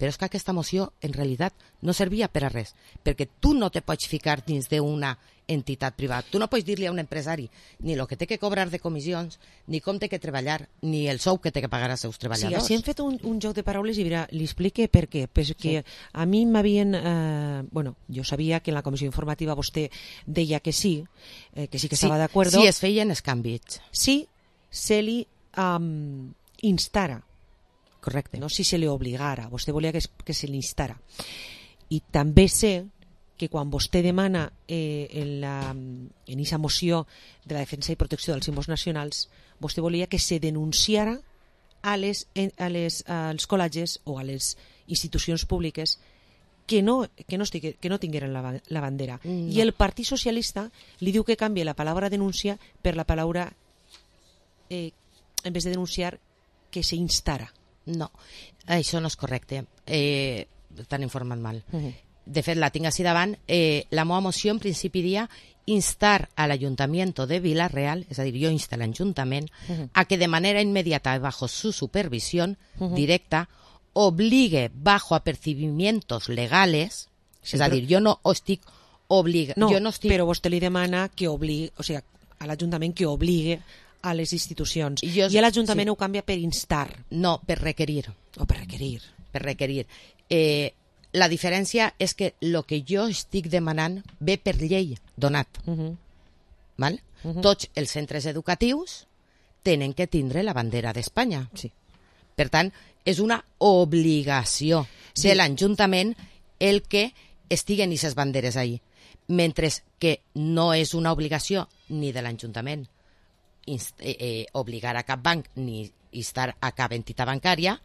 Però és que aquesta moció en realitat no servia per a res, perquè tu no te pots ficar dins d'una entitat privada. Tu no pots dir-li a un empresari ni el que té que cobrar de comissions, ni com té que treballar, ni el sou que té que pagar als seus treballadors. Sí, hem fet un joc de paraules i li explique per què. Perquè a mi m'havien... jo sabia que en la comissió informativa vostè deia que sí que estava d'acord. Sí, es feien els canvis. Sí, se li instara. Correcte. No si se li obligara, vostè volia que se li instara. I també sé que quan vostè demana en aquesta moció de la defensa i protecció dels símbols nacionals, vostè volia que se denunciara als col·legis o a les institucions públiques que no tingueren la bandera. I el Partit Socialista li diu que canvia la paraula denuncia per la paraula, en vez de denunciar, que se instara. No, això no és correcte. T'han informat mal. De fet, la tinc així davant. La meva moció en principi dia instar a l'Ayuntamiento de Vila-real, és a dir, jo insto a l'Ajuntament a que de manera inmediata, bajo su supervisión directa, obligue bajo apercibimientos legales, és a dir, jo no estic obligant... No, però vostè li demana que obligue, o sigui, a l'Ajuntament que obligue a les institucions. I l'Ajuntament ho canvia per instar. No, per requerir. O per requerir. Per requerir. La diferència és que el que jo estic demanant ve per llei donat. Val? Tots els centres educatius tenen que tindre la bandera d'Espanya. Sí. Per tant, és una obligació de l'Ajuntament el que estiguen aquestes banderes ahí. Mentre que no és una obligació ni de l'Ajuntament obligar a cap banc ni instar a cap entitat bancària,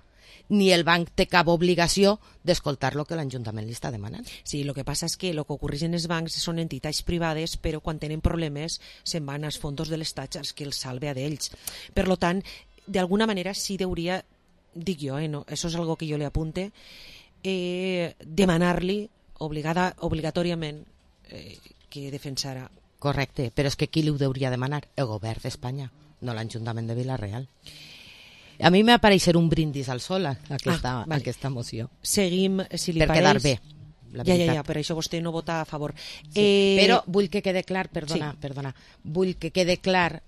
ni el banc té cap obligació d'escoltar el que l'Ajuntament li està demanant. Sí, el que passa és que el que ocorreix en els bancs són entitats privades, però quan tenen problemes se'n van als fons de l'Estat els que els salve a d'ells. Per tant, d'alguna manera sí hauria, dic jo, no, això és algo que jo li apunte, demanar-li obligatòriament que defensarà. Correcte, però és que qui li ho hauria de demanar? El govern d'Espanya, no l'Ajuntament de Vila-real. A mi m'apareix ser un brindis al sol aquesta moció. Seguim, si li per pareix... quedar bé. Ja, per això vostè no vota a favor. Sí, però vull que quede clar, perdona, vull que quede clar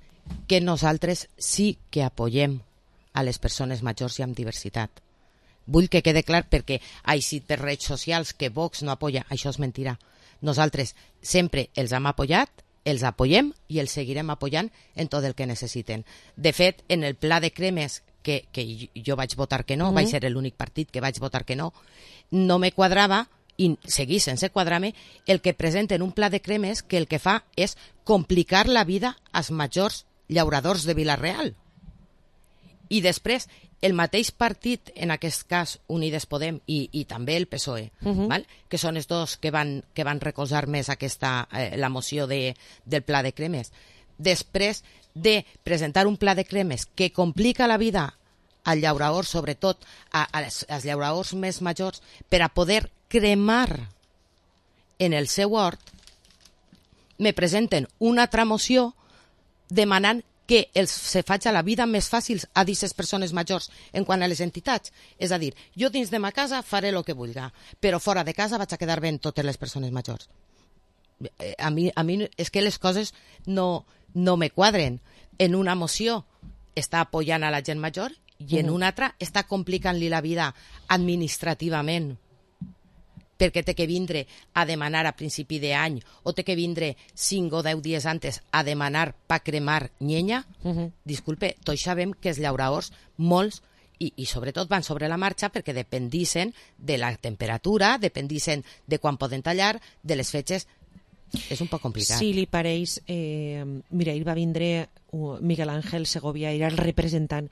que nosaltres sí que apoyem a les persones majors i amb diversitat. Vull que quede clar perquè així per redes socials que Vox no apoya, això és mentira. Nosaltres sempre els hem apoyat, els apoyem i els seguirem apoyant en tot el que necessiten. De fet, en el pla de cremes que jo vaig votar que no, vaig ser l'únic partit que vaig votar que no, no me quadrava i seguir sense quadrar-me el que presenten un pla de cremes que el que fa és complicar la vida als majors llauradors de Vila-real. I després, el mateix partit, en aquest cas Unides Podem i també el PSOE, val? Que són els dos que van recolzar més la moció del pla de cremes, després de presentar un pla de cremes que complica la vida al llaurador, sobretot als llauradors més majors, per a poder cremar en el seu hort, me presenten una altra moció demanant que se faci la vida més fàcil a aquestes persones majors en quant a les entitats. És a dir, jo dins de ma casa faré el que vulgui, però fora de casa vaig a quedar bé en totes les persones majors. A mi és que les coses no me quadren. En una moció està apoyant a la gent major i en una altra està complicant-li la vida administrativament, perquè té que vindre a demanar a principi d'any o té que vindre 5 o 10 dies antes a demanar pa cremar llenya. Disculpe, tots sabem que els llauradors, molts, i sobretot van sobre la marxa perquè dependissin de la temperatura, dependissin de quan poden tallar, de les fetges. És un poc complicat. Si li pareix, mira, ahir va vindre Miguel Ángel Segovia, era el representant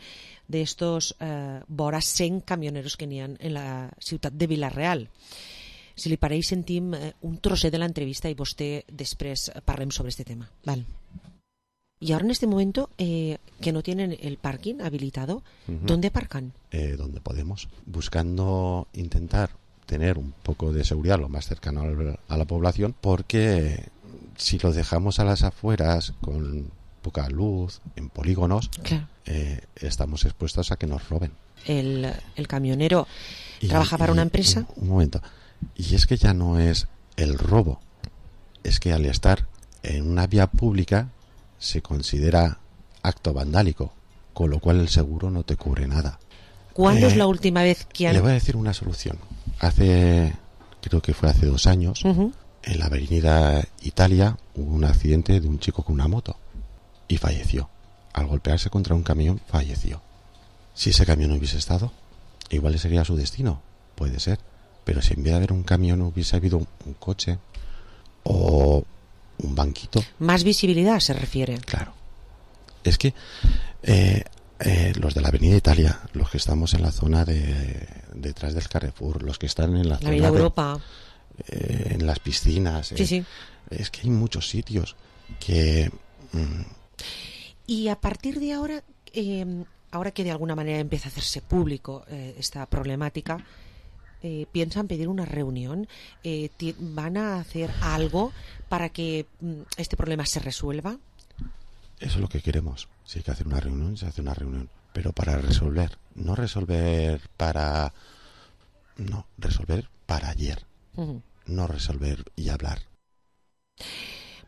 d'estos vora 100 camioneros que n'hi ha en la ciutat de Vila-real. Si li pareix, sentim un trosset de l'entrevista i vostè després parlem sobre este tema. Vale. Y ahora en este momento que no tienen el parking habilitado, ¿dónde aparcan? Donde podemos, buscando intentar tener un poco de seguridad lo más cercano a la población, porque si lo dejamos a las afueras con poca luz, en polígonos, claro, estamos expuestos a que nos roben. El camionero trabaja para una empresa. Un momento. Y es que ya no es el robo, es que al estar en una vía pública se considera acto vandálico, con lo cual el seguro no te cubre nada. ¿Cuándo es la última vez que han...? Le voy a decir una solución. Creo que fue hace 2 años, en la avenida Italia hubo un accidente de un chico con una moto y falleció. Al golpearse contra un camión, falleció. Si ese camión no hubiese estado, igual ese sería su destino, puede ser. Pero si en vez de haber un camión hubiese habido un coche o un banquito... Más visibilidad se refiere. Claro. Es que los de la Avenida Italia, los que estamos en la zona detrás del Carrefour, los que están en la zona de Europa, en las piscinas... Sí. Es que hay muchos sitios que... Y a partir de ahora, ahora que de alguna manera empieza a hacerse público esta problemática... ¿piensan pedir una reunión? ¿Van a hacer algo para que este problema se resuelva? Eso es lo que queremos. Si hay que hacer una reunión, se hace una reunión. Pero para resolver. No resolver para... No, resolver para ayer. No resolver y hablar.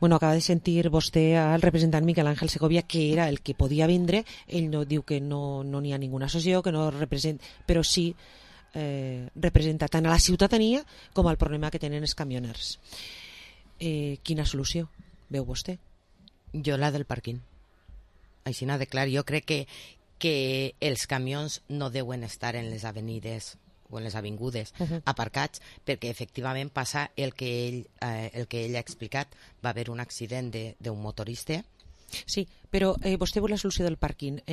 Bueno, acaba de sentir vostè al representant Miguel Ángel Segovia, que era el que podia vindre. Ell no diu que no n'hi ha ninguna associació, que no representa... Però sí... representa tant a la ciutadania com al problema que tenen els camioners. Quina solució veu vostè? Jo la del pàrquing. Així n'ha de clar. Jo crec que els camions no deuen estar en les avenides o en les avingudes aparcats, perquè efectivament passa el que ell ha explicat. Va haver un accident d'un motorista. Sí, però vostè vol la solució del pàrquing.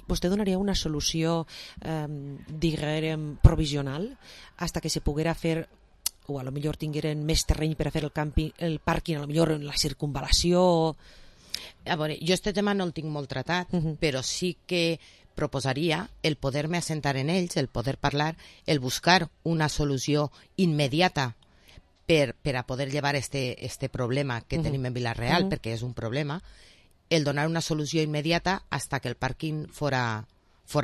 ¿Vostè donaria una solució, diguem, provisional hasta que se poguera fer, o a lo millor tingueren més terreny per a fer el pàrquing, a lo millor en la circunvalació? A veure, jo este tema no el tinc molt tratat, però sí que proposaria el poder-me assentar en ells, el poder parlar, el buscar una solució immediata per a poder llevar este problema que tenim en Vila-real, perquè és un problema, el donar una solució immediata hasta que el pàrquing fora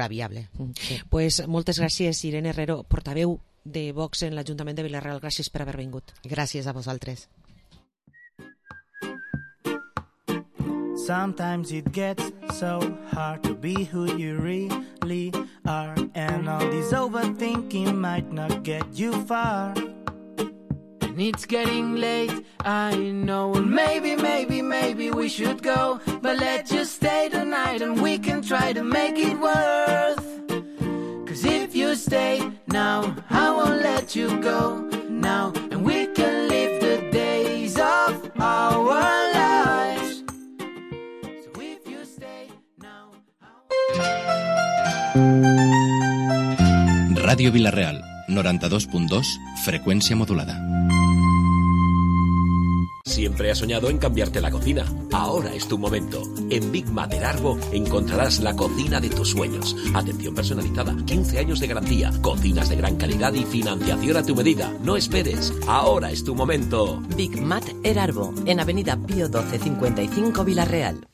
viable. Sí. Pues moltes gràcies, Irene Herrero, portaveu de Vox en l'Ajuntament de Vila-real. Gràcies per haver vingut. Gràcies a vosaltres. Sometimes it gets so hard to be who you really are, and all this overthinking might not get you far. And it's getting late, I know. And maybe we should go, but let's just stay tonight and we can try to make it worth. 'Cause if you stay now, I won't let you go now, and we can live the days of our lives. So if you stay now, Radio Vila-real, 92.2, frecuencia modulada. Siempre has soñado en cambiarte la cocina. Ahora es tu momento. En Big Mat Erarbo encontrarás la cocina de tus sueños. Atención personalizada, 15 años de garantía, cocinas de gran calidad y financiación a tu medida. No esperes. Ahora es tu momento. Big Mat Erarbo, en Avenida Pío 12 55 Vila-real.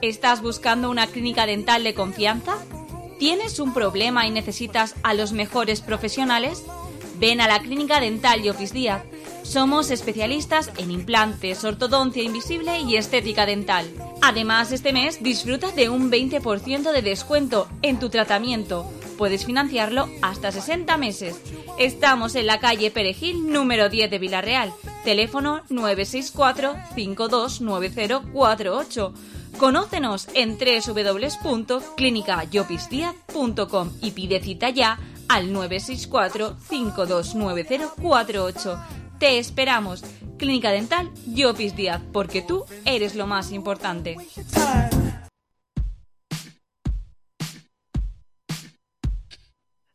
¿Estás buscando una clínica dental de confianza? ¿Tienes un problema y necesitas a los mejores profesionales? Ven a la Clínica Dental Llopis Díaz. Somos especialistas en implantes, ortodoncia invisible y estética dental. Además, este mes disfruta de un 20% de descuento en tu tratamiento. Puedes financiarlo hasta 60 meses. Estamos en la calle Perejil, número 10 de Vila-real. Teléfono 964-529048. Conócenos en www.clinicallopisdiaz.com y pide cita ya al 964-529048. Te esperamos. Clínica Dental Llopis Díaz, porque tú eres lo más importante.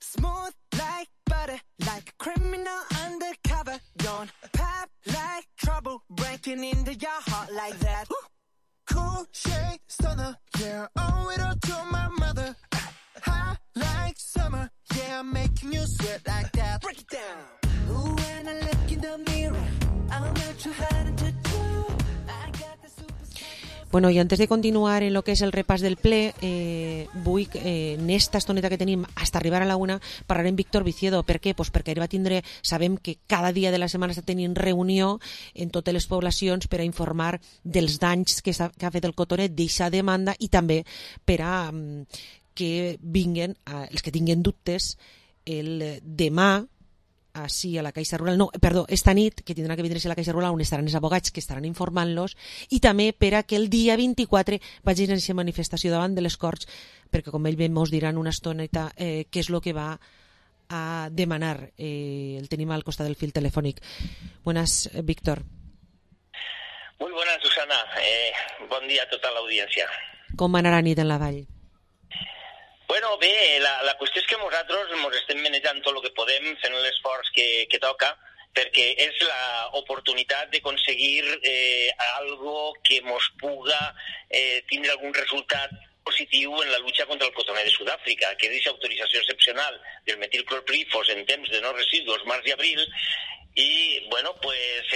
Smooth like butter, like a criminal undercover. Don't pop like trouble, breaking into your heart like that. Cool shade stunner, yeah, owe it all to my mother. High like summer, yeah, I'm making you sweat like that. Break it down. Ooh, when I look in the mirror, I'm not too hard to do. I got the super. Bueno, i antes de continuar en lo que és el repàs del ple, vull, en esta estoneta que tenim hasta arribar a la una, parlar amb Víctor Viciedo. Per què? Pues perquè ell va tindre, sabem que cada dia de la setmana està tenint reunió en totes les poblacions per a informar dels danys que ha fet el cotonet d'eixa demanda i també per a que vinguen, els que tinguen dubtes, el demà, sí, a la Caixa Rural, no, perdó, esta nit, que tindrà que vindre-se a la Caixa Rural, on estaran els abogats que estaran informant-los, i també per a que el dia 24 vagin a aquesta manifestació davant de les Corts, perquè com ell bé mos diran una estoneta què és el que va a demanar. El tenim al costat del fil telefònic. Buenas, Víctor. Muy buenas, Susana. Bon dia a tota l'audiència. Com va anar la nit en la vall? Bueno, bé, la qüestió és que nosaltres ens estem manejant tot el que podem, fent l'esforç que toca, perquè és l'oportunitat d'aconseguir algo que mos puga tindre algun resultat positiu en la lucha contra el cotoner de Sud-àfrica, que és aquesta autorització excepcional del metilclorpirifos en temps de no residus, març i abril. I, bueno, pues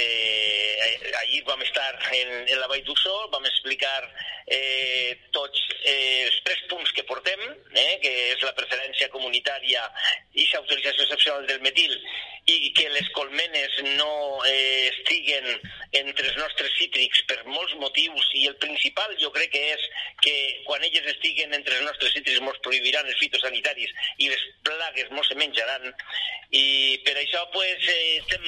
ahir vam estar en la Vall d'Uixó, vam explicar tots els 3 punts que portem, que és la preferència comunitària i l'autorització excepcional del metil, i que les colmenes no estiguen entre els nostres cítrics per molts motius, i el principal jo crec que és que quan elles estiguen entre els nostres cítrics mos prohibiran els fitosanitaris i les plagues mos se menjaran, i per això pues estem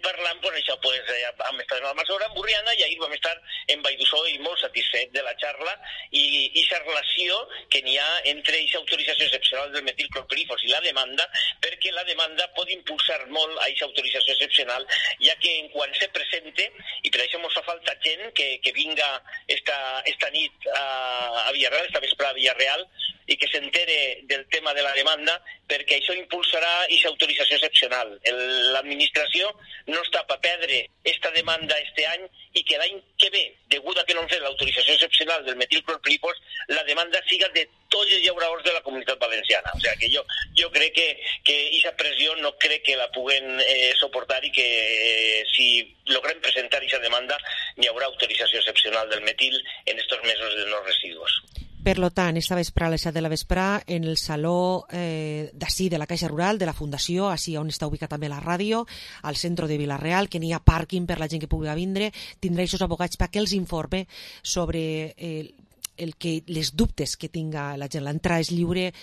parlant, pues això pues vam estar en Almassora, en Borriana, i ahir vam estar en Vall d'Uixó i molt satisfet de la xarra i aquesta relació que n'hi ha entre aquesta autorització excepcional del metilclorpirifos i la demanda, perquè la demanda pot impulsar molt a aquesta autorització excepcional, ja que en quan se presente, i per això ens fa falta gent que vinga esta nit a Villarreal, esta vesprada a Villarreal, i que s'entere del tema de la demanda, perquè això impulsarà aquesta autorització excepcional. L'administració no està per perdre aquesta demanda este any i que l'any que ve, degut a que no han fet l'autorització excepcional del metilclorpirifos, la demanda siga de tots els llauradors de la Comunitat Valenciana. O sea que jo crec que aquesta pressió no crec que la puguen soportar i que si logrem presentar aquesta demanda hi haurà autorització excepcional del metil en estos mesos de no residuos. Per tant, esta vesprà a les 7 de la vesprà, en el saló d'ací de la Caixa Rural, de la Fundació, així on està ubicat també la ràdio, al centre de Vila-real, que n'hi ha pàrquing per la gent que pugui vindre, tindrà aquests abogats perquè els informe sobre les dubtes que tinga la gent. L'entrada és lliure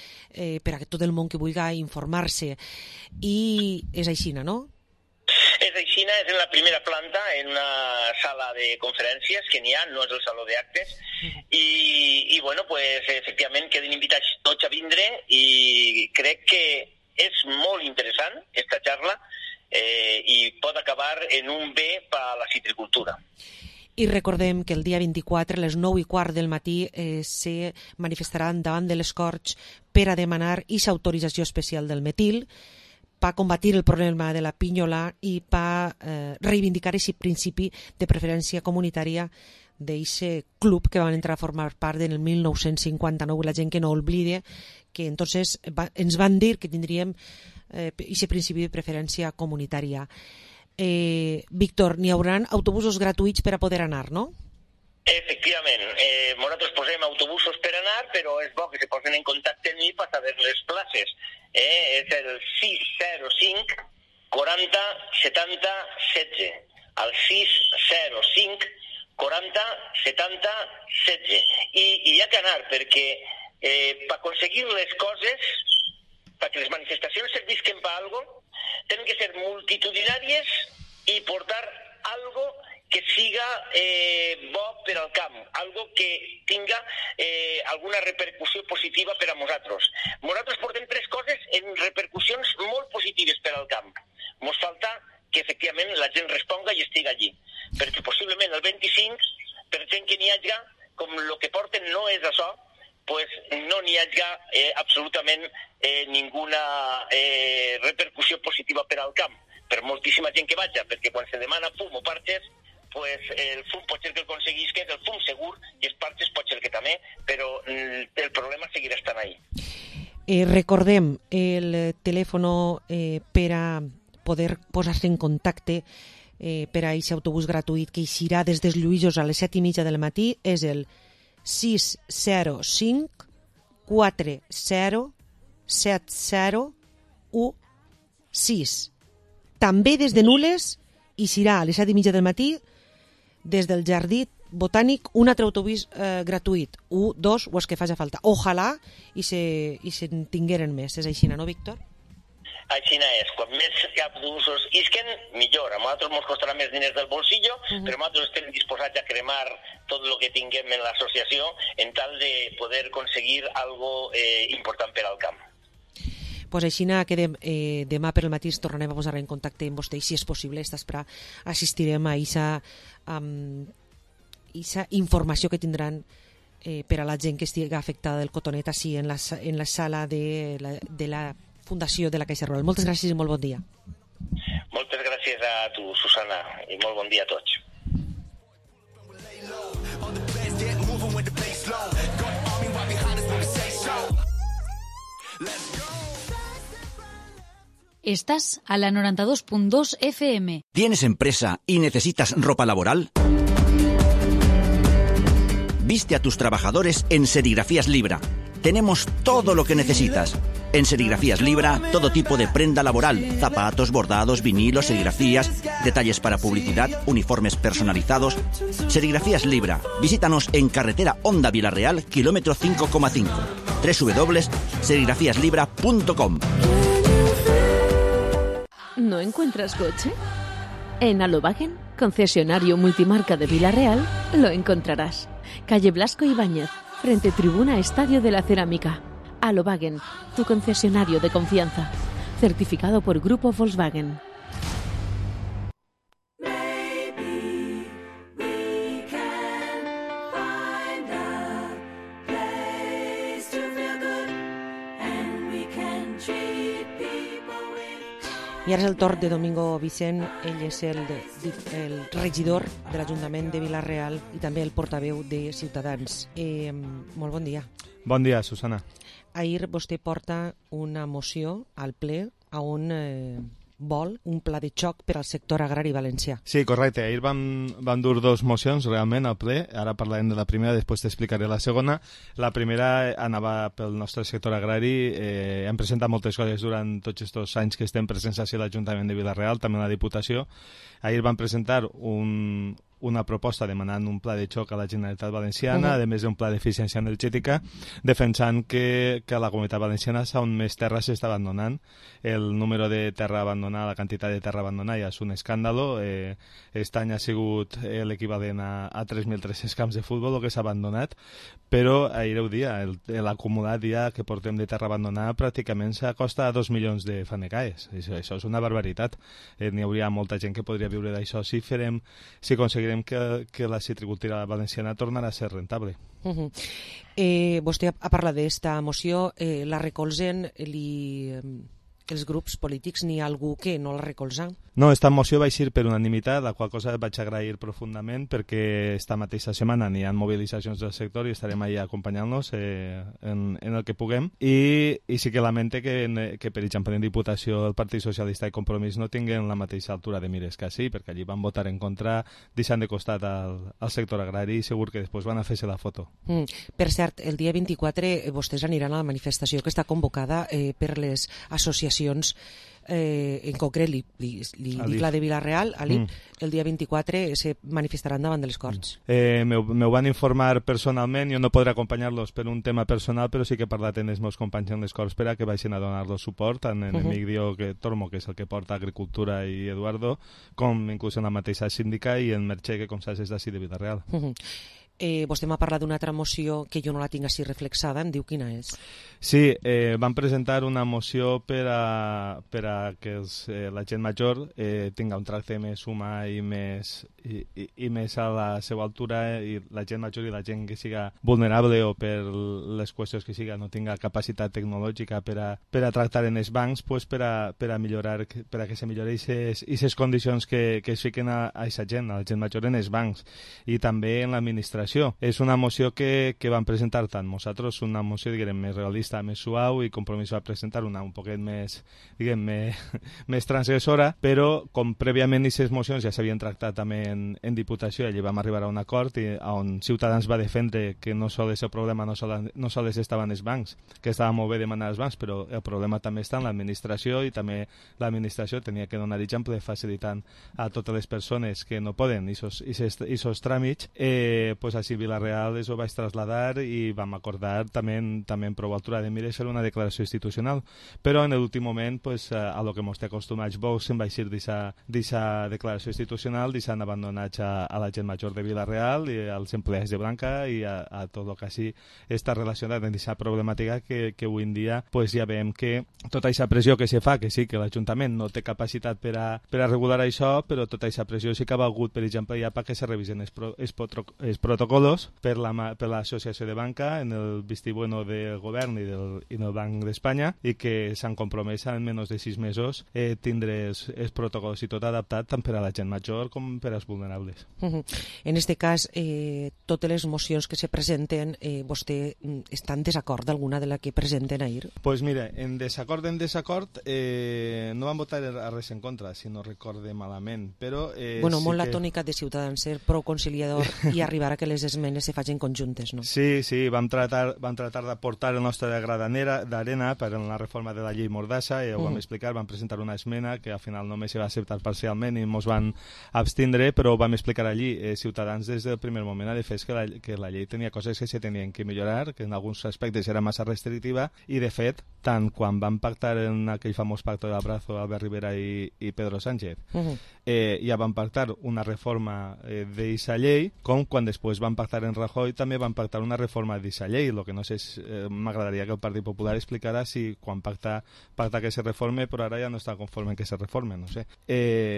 per a tot el món que vulgui informar-se. I és així, no? És així, és en la primera planta, en una sala de conferències que n'hi ha, no és el saló d'actes, i bueno, pues, efectivament queden invitats tots a vindre i crec que és molt interessant aquesta xarra i pot acabar en un bé per a la citricultura. I recordem que el dia 24, a les 9:15 del matí, se manifestaran davant de les Corts per a demanar aquesta autorització especial del metil, per combatir el problema de la pinyola i per reivindicar aquest principi de preferència comunitària d'aquest club que van entrar a formar part en el 1959. La gent que no oblide que entonces ens van dir que tindríem aquest principi de preferència comunitària. Víctor, n'hi haurà autobusos gratuïts per a poder anar, no? Efectivament, nosaltres posem autobusos per anar, però és bo que se posen en contacte amb mi per saber les places. És el 605 40 70 16. El 605 40 70 16. I hi ha que anar, perquè per aconseguir les coses, perquè les manifestacions servisquen per alguna cosa, tenen que ser multitudinàries i portar algo que siga bo per al camp, algo que tinga alguna repercussió positiva per a nosaltres. Nosaltres portem tres coses en repercussions molt positives per al camp. Ens falta que efectivament la gent responga i estigui allí, perquè possiblement el 25, per gent que n'hi hagi, com el que porten no és això, pues no n'hi hagi absolutament ninguna repercussió positiva per al camp, per moltíssima gent que vagi, perquè quan se demana fum o parxes, pues el fum pot ser que el aconseguís, que és el fum segur, i els parxes pot ser que també, però el problema seguirà estant ahí. Recordem el telèfon per a poder posar-se en contacte per a aquest autobús gratuït que eixirà des dels Lluïsos a les 7:30 del matí, és el 605 40 70 16. També des de Nules eixirà a les 7:30 del matí des del Jardí Botànic un altre autobús gratuït, 1, 2 o els que faci falta. Ojalà i se'n tingueren més. És així, no, Víctor? Així és. Quan més autobusos isquen, millor. A nosaltres ens costarà més diners del bolsillo, però nosaltres estem disposats a cremar tot el que tinguem en l'associació en tal de poder aconseguir algo important per al camp. Pues així que demà per el matí ens tornarem a posar en contacte amb vostè i si és possible esta espera assistirem a aquesta informació que tindran per a la gent que estigui afectada del cotonet així en la sala de la Fundació de la Caixa Rural. Moltes gràcies i molt bon dia. Moltes gràcies a tu, Susana, i molt bon dia a tots. Estás a la 92.2 FM. ¿Tienes empresa y necesitas ropa laboral? Viste a tus trabajadores en Serigrafías Libra. Tenemos todo lo que necesitas. En Serigrafías Libra, todo tipo de prenda laboral, zapatos, bordados, vinilos, serigrafías, detalles para publicidad, uniformes personalizados. Serigrafías Libra. Visítanos en carretera Honda Vila-real, kilómetro 5,5. www.serigrafíaslibra.com. ¿No encuentras coche? En Alobagen, concesionario multimarca de Vila-real, lo encontrarás. Calle Blasco Ibáñez, frente tribuna Estadio de la Cerámica. Alobagen, tu concesionario de confianza. Certificado por Grupo Volkswagen. I ara és el torn de Domingo Vicent, ell és el regidor de l'Ajuntament de Vila-real i també el portaveu de Ciutadans. Molt bon dia. Bon dia, Susana. Ahir vostè porta una moció al ple on vol un pla de xoc per al sector agrari valencià. Sí, correcte. Ahir vam dur dos mocions realment al ple. Ara parlarem de la primera, després t'explicaré la segona. La primera anava pel nostre sector agrari. Hem presentat moltes coses durant tots aquests anys que estem presents a l'Ajuntament de Vila-real, també a la Diputació. Ahir vam presentar una proposta demanant un pla de xoc a la Generalitat Valenciana, a més d'un pla d'eficiència energètica, defensant que a la Comunitat Valenciana és on més terra s'està abandonant. El número de terra abandonada, la quantitat de terra abandonada ja és un escàndalo. Aquest any ha sigut l'equivalent a 3.300 camps de futbol el que s'ha abandonat, però ahir ho dia, l'acumulat ja que portem de terra abandonada pràcticament s'acosta a 2 milions de fanecaes. Això és una barbaritat. N'hi hauria molta gent que podria viure d'això si aconseguirem que la citricultura valenciana tornarà a ser rentable. Vostè ha parlat d'esta moció, la recolzen els grups polítics, n'hi ha algú que no la recolza? No, aquesta moció va eixir per unanimitat, la qual cosa vaig agrair profundament perquè esta mateixa setmana n'hi ha mobilitzacions del sector i estarem allà acompanyant-los en el que puguem. I sí que lamente que per exemple, en Diputació el Partit Socialista i Compromís no tinguen la mateixa altura de mires que així, perquè allí van votar en contra, deixant de costat al sector agrari i segur que després van a fer-se la foto. Per cert, el dia 24 vostès aniran a la manifestació que està convocada per les associacions, en concret la de Vila-real, el dia 24 se manifestaran davant de les Corts. M'ho van informar personalment, jo no podré acompanyar-los per un tema personal, però sí que he parlat amb els meus companys en les Corts per a que vagin a donar-los suport, tant en Emigdio Tormo, que és el que porta Agricultura, i Eduardo, com inclús en la mateixa síndica i en Merche, que com saps és d'ací de Vila-real. Vostè m'ha parlat d'una altra moció que jo no la tinc així reflexada, em diu quina és? Sí, van presentar una moció per a que la gent major tinga un tracte més humà i més a la seva altura, i la gent major i la gent que siga vulnerable o per les qüestions que siga no tinga capacitat tecnològica per a tractar en els bancs, pues per a millorar, per a que se millori aquestes condicions que es fiquen a aquesta gent, a la gent major en els bancs i també en l'administració. És una moció que van presentar tant nosaltres, una moció diguem més realista, més suau, i Compromís va presentar una un poquet més, diguem, més transgressora, però com prèviament aquestes mocions ja s'havien tractat també en Diputació, allí vam arribar a un acord on Ciutadans va defendre que no sols el problema no sols estaven els bancs, que estava molt bé demanar als bancs, però el problema també està en l'administració, i també l'administració tenia que donar exemple facilitant a totes les persones que no poden aquests tràmits, pues així Vila-real ho vaig traslladar i vam acordar també en prou altura de mires fer una declaració institucional, però en l'últim moment pues, a lo que mos té acostumats Vox se'n va eixir d'aquesta declaració institucional, deixant abandonats a la gent major de Vila-real i als empleats de Blanca i a tot el que així està relacionat amb aquesta problemàtica que avui en dia pues, ja veiem que tota aquesta pressió que se fa, que sí que l'Ajuntament no té capacitat per a regular això, però tota aquesta pressió sí que ha valgut, per exemple, ja perquè se revisen els protocolos per l'Associació de Banca en el vistibueno del govern i del Banc d'Espanya, i que s'han compromès en menys de 6 mesos tindre els protocols i tot adaptat tant per a la gent major com per als vulnerables. En aquest cas, totes les mocions que se presenten, vostè està en desacord d'alguna de la que presenten ahir? Pues mira, en desacord no van votar a res en contra, si no recorde malament, però... Bueno, molt la tònica de Ciutadans, ser prou conciliador i arribar a que les esmenes se facin conjuntes, no? Sí, vam tratar d'aportar el nostre gra d'arena per a la reforma de la llei Mordassa, i ho vam explicar, vam presentar una esmena que al final només se va acceptar parcialment i ens van abstindre, però ho vam explicar allí. Ciutadans des del primer moment ha defès que la llei tenia coses que se tenien que millorar, que en alguns aspectes era massa restrictiva, i de fet, tant quan van pactar en aquell famós pacte d'Abrazo Albert Rivera i Pedro Sánchez, ja van pactar una reforma d'aquesta llei, com quan després després van pactar en Rajoy, també van pactar una reforma d'aquesta llei. Lo que no sé, m'agradaria que el Partit Popular explicara si quan pacta que se reforme, però ara ja no està conforme que se reforme, no sé.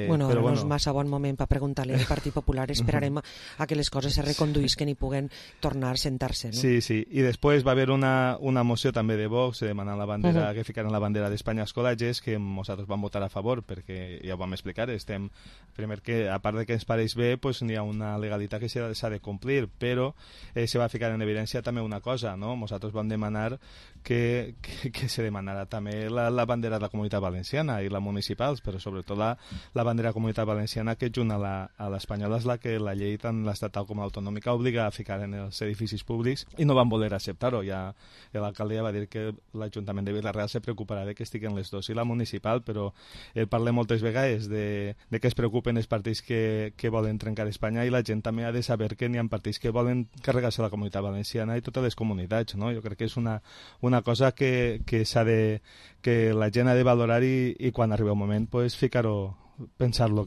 Bueno, ara no és massa bon moment per preguntar-li al Partit Popular, esperarem a que les coses se reconduïsquen i puguen tornar a sentar-se, no? Sí, sí, i després va haver una moció també de Vox demanant la bandera, que ficaran la bandera d'Espanya als col·legis, que nosaltres vam votar a favor, perquè ja ho vam explicar, primer que, a part de que ens pareix bé, pues n'hi ha una legalitat que s'ha de complir, però se va ficar en evidència també una cosa, no? Nosaltres vam demanar que se demanara també la bandera de la Comunitat Valenciana i la municipals, però sobretot la bandera de la Comunitat Valenciana, que junt a l'espanyola és la que la llei tant l'estatal com l'autonòmica obliga a ficar en els edificis públics, i no van voler acceptar-ho. Ja l'alcaldia va dir que l'Ajuntament de Vila-real se preocuparà de que estiguen les dues, i la municipal, però parlem moltes vegades de que es preocupen els partits que volen trencar Espanya, i la gent també ha de saber que n'hi ha partits que volen carregar-se la Comunitat Valenciana i totes les comunitats, no? Jo crec que és una cosa que la gent ha de valorar, i quan arriba el moment pues ficar-ho, pensar-lo,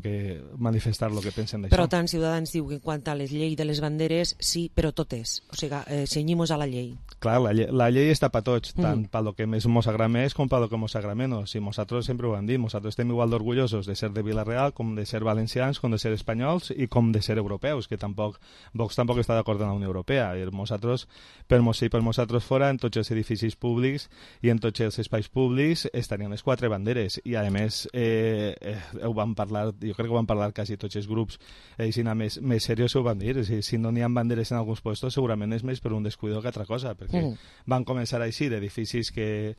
manifestar lo que pensen d'això. Però tant Ciutadans diu que en quant a les lleis de les banderes, sí, però totes. O sigui, cenyimos a la llei. Clar, la llei està per tots, tant pel que mos agrada més com pel que mos agrada menys. I nosaltres sempre ho hem dit, nosaltres estem igual d'orgullosos de ser de Vila-real, com de ser valencians, com de ser espanyols i com de ser europeus, que Vox tampoc està d'acord amb la Unió Europea. I nosaltres, per nosaltres fora, en tots els edificis públics i en tots els espais públics estarien les 4 banderes. I a més, ho vam parlar, jo crec que ho van parlar quasi tots els grups, més serios ho van dir. Si no n'hi ha banderes en alguns puestos, segurament és més per un descuido que altra cosa, perquè van començar així d'edificis que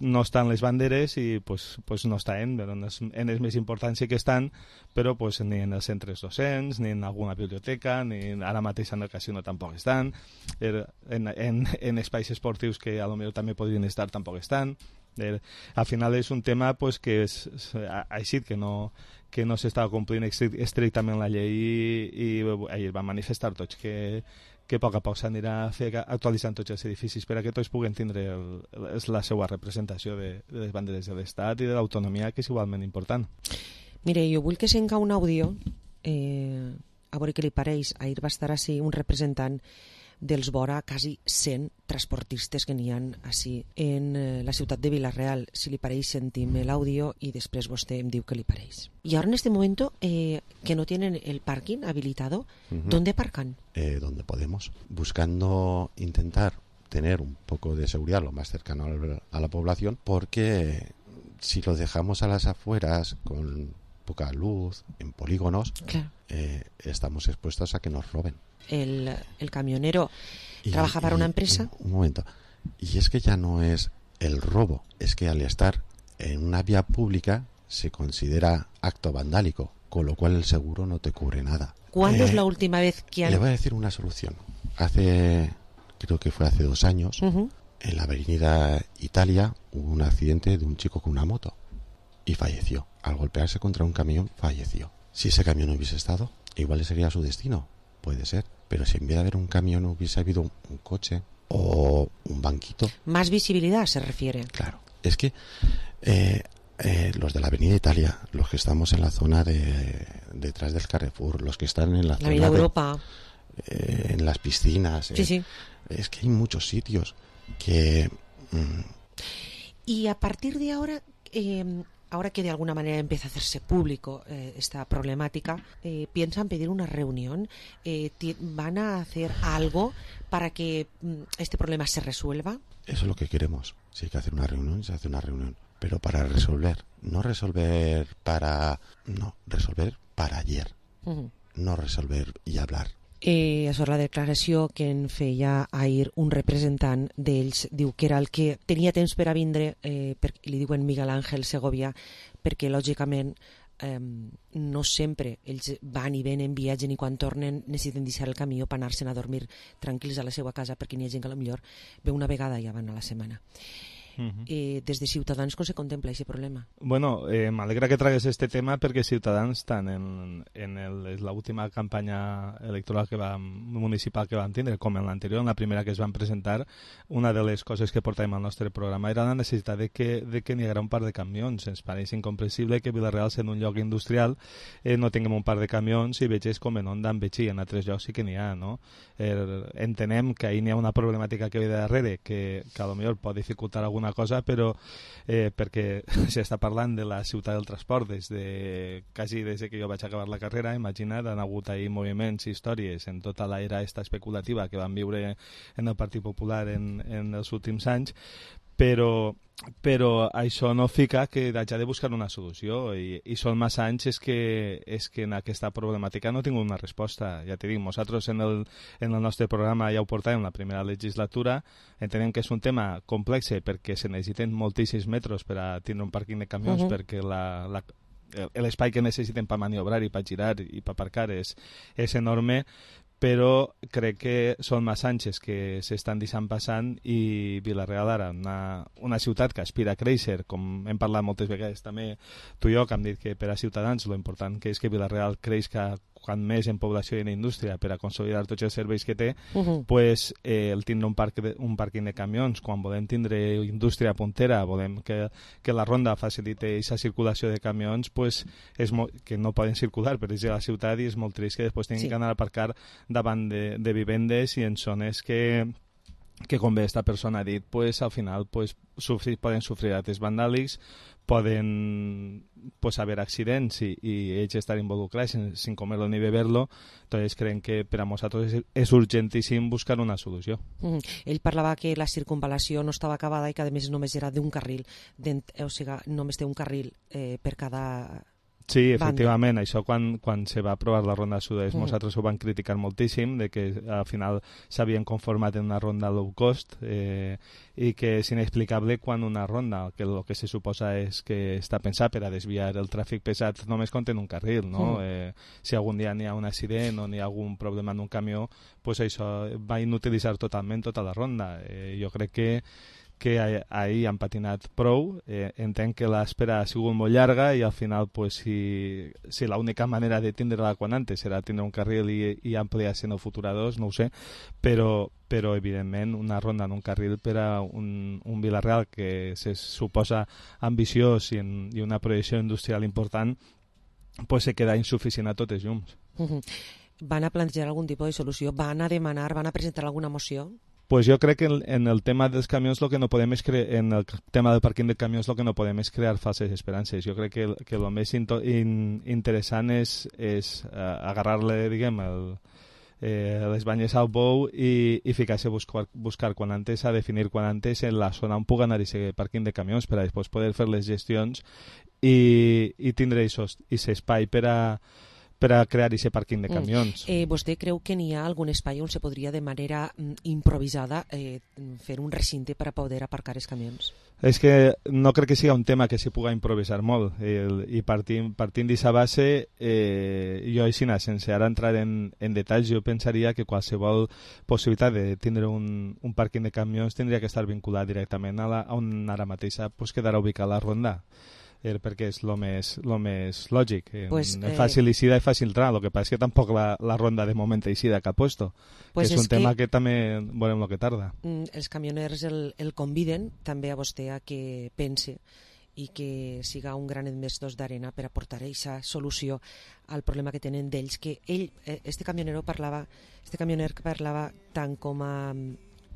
no estan les banderes i pues no estan, però en els més importants sí que estan, però pues ni en els centres docents, ni en alguna biblioteca, ni ara mateix en el casino tampoc estan, en espais esportius que a lo millor també podrien estar tampoc estan. Al final és un tema pues, que és així, que no s'estava complint estrictament la llei, i ahir van manifestar tots que a poc s'anirà actualitzant tots els edificis per a que tots puguen tindre la seva representació de les banderes de l'Estat i de l'autonomia, que és igualment important. Mire, jo vull que s'enca un àudio, a veure què li pareix. Ahir va estar així un representant dels vora quasi 100 transportistes que n'hi ha així en la ciutat de Vila-real. Si li pareix, sentim l'àudio i després vostè em diu què li pareix. Y ahora en este momento que no tienen el parking habilitado, ¿dónde aparcan? Donde podemos, buscando intentar tener un poco de seguridad lo más cercano a la población, porque si lo dejamos a las afueras con poca luz, en polígonos, claro, estamos expuestos a que nos roben. El camionero trabaja para una empresa. Un momento. Y es que ya no es el robo, es que al estar en una vía pública se considera acto vandálico, con lo cual el seguro no te cubre nada. ¿Cuándo es la última vez que han...? Le voy a decir una solución. Creo que fue hace 2 años, en la avenida Italia hubo un accidente de un chico con una moto y falleció. Al golpearse contra un camión, falleció. Si ese camión no hubiese estado, igual ese sería su destino. Puede ser, pero si en vez de haber un camión hubiese habido un coche o un banquito. Más visibilidad se refiere. Claro, es que los de la Avenida Italia, los que estamos en la zona detrás del Carrefour, los que están en la zona de Europa, en las piscinas, sí. Es que hay muchos sitios que... Y a partir de ahora... ahora que de alguna manera empieza a hacerse público esta problemática, ¿piensan pedir una reunión? ¿Van a hacer algo para que este problema se resuelva? Eso es lo que queremos. Si hay que hacer una reunión, se hace una reunión. Pero para resolver. No resolver para... No, resolver para ayer. No resolver i hablar. Això és la declaració que en feia ahir un representant d'ells. Diu que era el que tenia temps per a vindre, li diuen Miguel Ángel Segovia, perquè lògicament no sempre ells van i venen, viatgen, i quan tornen necessiten deixar el camió per anar-se'n a dormir tranquils a la seva casa, perquè n'hi ha gent que potser ve una vegada i ja van a la setmana. Des de Ciutadans com se contempla aquest problema? Bueno, m'alegra que tragues este tema perquè Ciutadans, tant en l'última campanya electoral municipal que vam tindre, com en l'anterior, en la primera que es van presentar, una de les coses que portàvem al nostre programa era la necessitat de que n'hi haguera un par de camions. Ens pareix incomprensible que Vila-real, sent un lloc industrial, no tinguem un par de camions i veges com en Onda, en Betxí, en altres llocs sí que n'hi ha, no? Entenem que ahir n'hi ha una problemàtica que ve de darrere que potser pot dificultar alguna cosa, però perquè s'està parlant de la ciutat del transport quasi des que jo vaig acabar la carrera. Imagina't, han hagut ahir moviments i històries en tota l'era especulativa que van viure en el Partit Popular en els últims anys, però això no fica que hagi de buscar una solució i són massa anys és que en aquesta problemàtica no he tingut una resposta. Ja t'he dit, nosaltres en el nostre programa ja ho portàvem en la primera legislatura. Entenem que és un tema complex perquè se necessiten moltíssims metres per a tindre un pàrquing de camions, perquè l'espai que necessiten per maniobrar i per girar i per aparcar és enorme, però crec que són massa anys que s'estan deixant passant i Vila-real ara, una ciutat que aspira a créixer, com hem parlat moltes vegades també tu i jo, que hem dit que per a Ciutadans lo important que és que Vila-real creixi quan més en població i en indústria per a consolidar tots els serveis que té, pues, el tindre un pàrquing de camions, quan volem tindre indústria puntera, volem que la ronda facilite aquesta circulació de camions, pues, que no poden circular per la ciutat, i és molt trist que després tinguin que anar a aparcar davant de vivendes i en zones que com bé esta persona ha dit, pues, al final pues, poden sofrir actes vandàlics, poden haver accidents i ells estar involucrats sin comer-lo ni beber-lo. Entonces creiem que per a nosaltres és urgentíssim buscar una solució. Ell parlava que la circunvalació no estava acabada i que a més només era d'un carril, o sigui, només té un carril per cada... Sí, efectivament, això quan se va aprovar la ronda sud-est nosaltres ho vam criticar moltíssim, de que al final s'havien conformat en una ronda low cost i que és inexplicable quan una ronda, que el que se suposa és que està pensat per a desviar el tràfic pesat, només contén un carril, no? Si algun dia n'hi ha un accident o n'hi ha algun problema en un camió, pues això va inutilitzar totalment tota la ronda. Jo crec que ahir han patinat prou, entenc que l'espera ha sigut molt llarga i al final pues, si l'única manera de tindre-la quan antes serà tindre un carril i ampliar-se en el futur a dos, no ho sé, però evidentment una ronda en un carril per a un Vila-real que se suposa ambiciós i una projecció industrial important, pues se queda insuficient a totes llums. Van a plantejar algun tipus de solució? Van a demanar, van a presentar alguna moció? Pues jo crec que en el tema dels camions lo que no podem és en el tema del pàrquing de camions lo que no podem és crear falses esperances. Jo crec que el més interessant és agarrar-le, diguem, les banyes al bou i ficar-se a buscar quan antes, a definir quan antes en la zona on pugui anar aquest pàrquing de camions per a després poder fer les gestions i tindre aquest espai per a crear aquest pàrquing de camions. Vostè creu que n'hi ha algun espai on se podria de manera improvisada fer un recinte per a poder aparcar els camions? És que no crec que sigui un tema que s'hi pugui improvisar molt i partint d'aquesta base jo així, sense ara entrar en detalls, jo pensaria que qualsevol possibilitat de tindre un pàrquing de camions tindria que estar vinculat directament a on ara mateix quedarà ubicada la ronda, perquè és el més lògic. Fàcil eixida i fàcil entrar. El que passa és que tampoc la ronda de moment eixida que ha puesto, que és un tema que també veurem el que tarda. Els camioners el conviden també a vostè a que pense i que siga un gran investidor d'arena per aportar aquesta solució al problema que tenen d'ells, que ell, este camioner parlava tant com a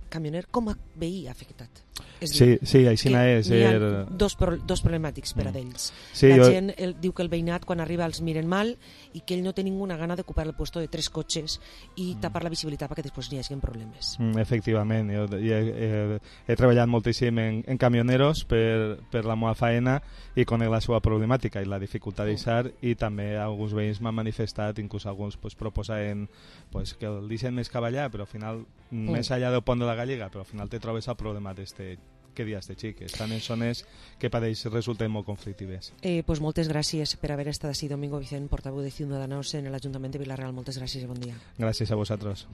camioner com a veí afectat. Sí, així és. Hi ha dos problemàtics per a d'ells. La gent diu que el veïnat quan arriba els miren mal i que ell no té ninguna gana d'ocupar el puesto de 3 cotxes i tapar la visibilitat perquè després n'hi hagi problemes. Efectivament, jo he treballat moltíssim en camioneros per la meva feina i conec la seva problemàtica i la dificultat d'eixar, i també alguns veïns m'han manifestat, inclús alguns proposaven que el deixen més cavallar, però al final més allà del pont de la Gallega, però al final te trobes el problema que dies de xic, estan en zones que per ells resulten molt conflictives. Pues moltes gràcies per haver estat així, Domingo Vicent, portaveu de Ciudadanos en l'Ajuntament de Vila-real. Moltes gràcies i bon dia. Gràcies a vosaltres.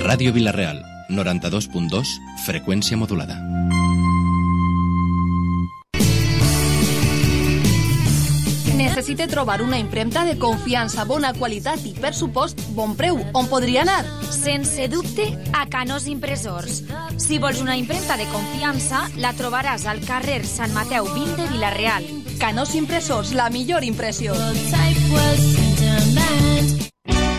Ràdio Vila-real, 92.2, freqüència modulada. Necessita trobar una impremta de confiança, bona qualitat i, per supost, bon preu. On podria anar? Sense dubte, a Canós Impressors. Si vols una impremta de confiança, la trobaràs al carrer Sant Mateu 20 de Vila-real. Canós Impressors, la millor impressió.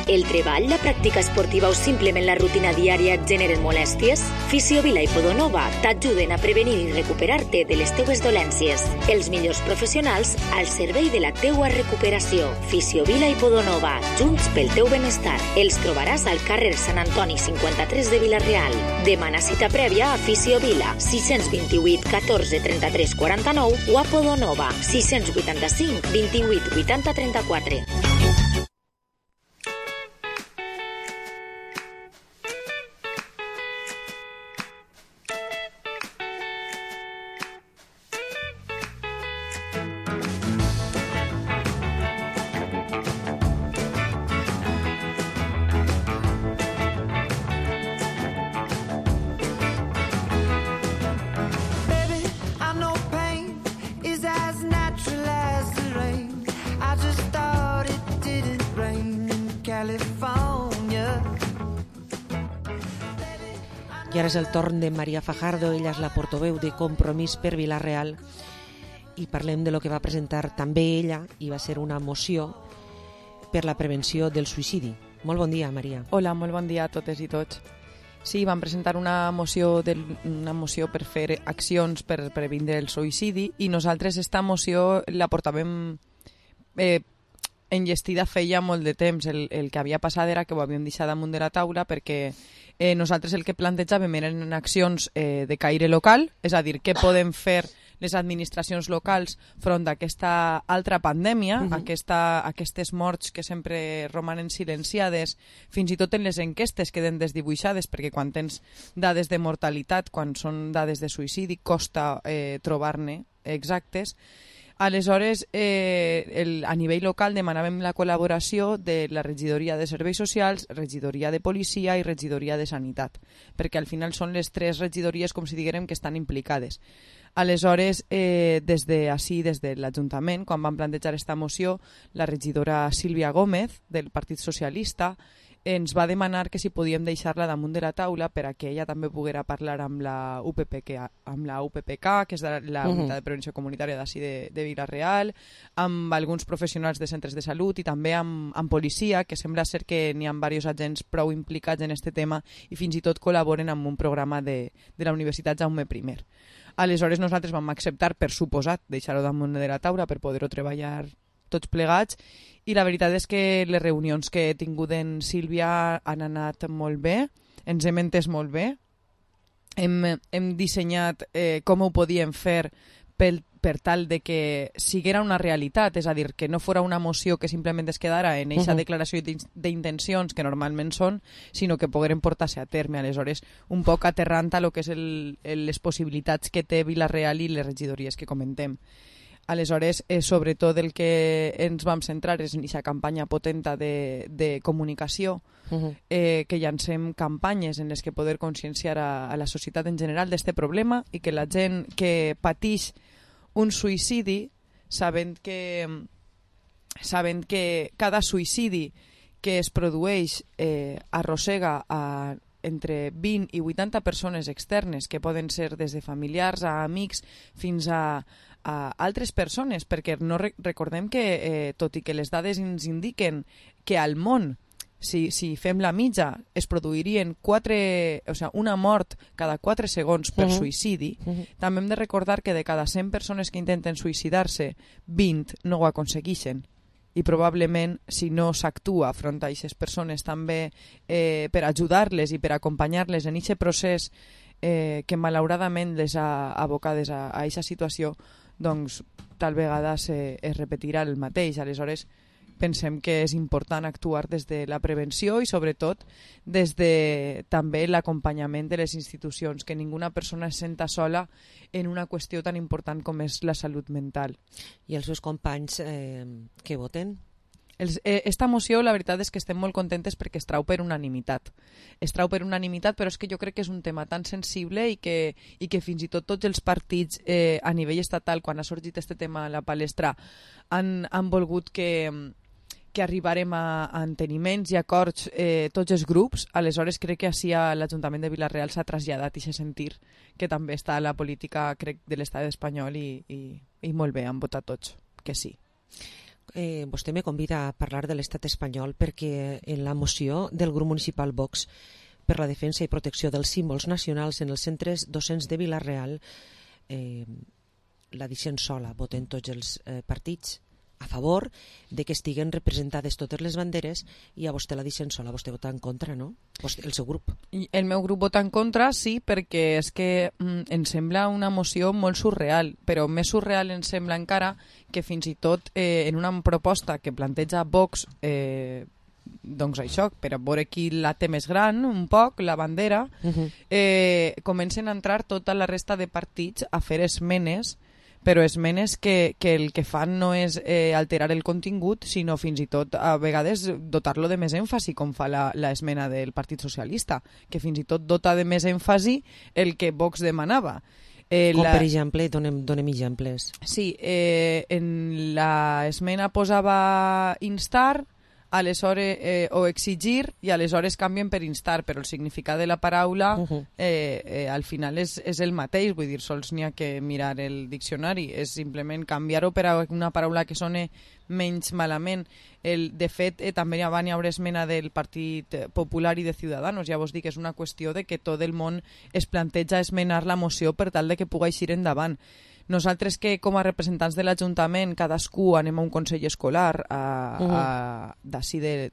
El treball, la pràctica esportiva o simplement la rutina diària et generen molèsties? Fisiovila i Podonova t'ajuden a prevenir i recuperar-te de les teues dolències. Els millors professionals al servei de la teua recuperació. Fisiovila i Podonova, junts pel teu benestar. Els trobaràs al carrer Sant Antoni 53 de Vila-real. Demana cita prèvia a Fisiovila, 628 14 33 49 o a Podonova, 685 28 80 34. I ara és el torn de Maria Fajardo, ella és la portaveu de Compromís per Vila-real i parlem de lo que va presentar també ella i va ser una moció per la prevenció del suïcidi. Molt bon dia, Maria. Hola, molt bon dia a totes i tots. Sí, vam presentar una moció per fer accions per previndre el suïcidi i nosaltres esta moció la portàvem enllestida feia molt de temps. El que havia passat era que ho havíem deixat damunt de la taula perquè nosaltres el que plantejàvem eren accions de caire local, és a dir, què podem fer les administracions locals front a aquesta altra pandèmia, aquestes morts que sempre romanen silenciades, fins i tot en les enquestes queden desdibuixades, perquè quan tens dades de mortalitat, quan són dades de suïcidi, costa trobar-ne exactes. Aleshores, a nivell local demanàvem la col·laboració de la regidoria de serveis socials, regidoria de policia i regidoria de sanitat, perquè al final són les tres regidories, com si diguérem, que estan implicades. Aleshores, des de l'Ajuntament, quan vam plantejar aquesta moció, la regidora Sílvia Gómez, del Partit Socialista, ens va demanar que si podíem deixar-la damunt de la taula per a que ella també poguera parlar amb la UPPK, que és la Unitat de Prevenció Comunitària d'ací de Vila-real, amb alguns professionals de centres de salut i també amb policia, que sembla ser que n'hi ha diversos agents prou implicats en aquest tema i fins i tot col·laboren amb un programa de la Universitat Jaume I. Aleshores nosaltres vam acceptar, per suposat, deixar-ho damunt de la taula per poder-ho treballar tots plegats, i la veritat és que les reunions que he tingut en Sílvia han anat molt bé, ens hem entès molt bé, hem dissenyat com ho podíem fer per tal de que siguera una realitat, és a dir, que no fora una moció que simplement es quedara en aquesta declaració d'intencions que normalment són, sinó que pogueren portar-se a terme. Aleshores, un poc aterrant a lo que és les possibilitats que té Vila-real i les regidories que comentem. Aleshores, sobretot el que ens vam centrar és en aquesta campanya potenta de comunicació, que llancem campanyes en les que poder conscienciar a la societat en general d'aquest problema i que la gent que pateix un suïcidi, sabent que cada suïcidi que es produeix arrossega entre 20 i 80 persones externes, que poden ser des de familiars a amics fins a altres persones, perquè no recordem que, tot i que les dades ens indiquen que al món, si fem la mitja, es produirien una mort cada 4 segons per suïcidi, també hem de recordar que de cada 100 persones que intenten suïcidar-se, 20 no ho aconsegueixen. I probablement, si no s'actua front a aquestes persones també per ajudar-les i per acompanyar-les en aquest procés que malauradament les ha abocades a aquesta situació, doncs tal vegada es repetirà el mateix. Aleshores, pensem que és important actuar des de la prevenció i sobretot des de també l'acompanyament de les institucions, que ninguna persona es senta sola en una qüestió tan important com és la salut mental. I els seus companys que voten? Esta moció, la veritat és que estem molt contentes perquè es trau per unanimitat. Es trau per unanimitat, però és que jo crec que és un tema tan sensible i que fins i tot tots els partits a nivell estatal, quan ha sorgit este tema a la palestra, han volgut que arribarem a enteniments i acords tots els grups. Aleshores crec que així a l'Ajuntament de Vila-real s'ha traslladat i s'ha sentir que també està la política, crec, de l'estat espanyol i molt bé, han votat tots que sí. Vostè me convida a parlar de l'estat espanyol perquè en la moció del grup municipal Vox per la defensa i protecció dels símbols nacionals en els centres docents de Vila-real la deixen sola, voten tots els partits a favor de que estiguen representades totes les banderes i a vostè la deixen sola, vostè vota en contra, no? El seu grup. El meu grup vota en contra, sí, perquè és que em sembla una moció molt surreal, però més surreal em sembla encara que fins i tot en una proposta que planteja Vox, doncs això, per a veure qui la té més gran, un poc, la bandera, comencen a entrar tota la resta de partits a fer esmenes, però esmenes que el que fan no és alterar el contingut, sinó fins i tot a vegades dotar-lo de més èmfasi, com fa l'esmena del Partit Socialista, que fins i tot dota de més èmfasi el que Vox demanava. Com per exemple, donem exemples. Sí, en l'esmena posava instar, aleshores o exigir, i aleshores canvien per instar, però el significat de la paraula al final és el mateix, vull dir, sols n'hi ha que mirar el diccionari, és simplement canviar-ho per a una paraula que soni menys malament. De fet, també hi haurà esmena del Partit Popular i de Ciudadanos, ja vos dic que és una qüestió de que tot el món es planteja esmenar la moció per tal de que pugui eixir endavant. Nosaltres que com a representants de l'Ajuntament cadascú anem a un consell escolar d'ací de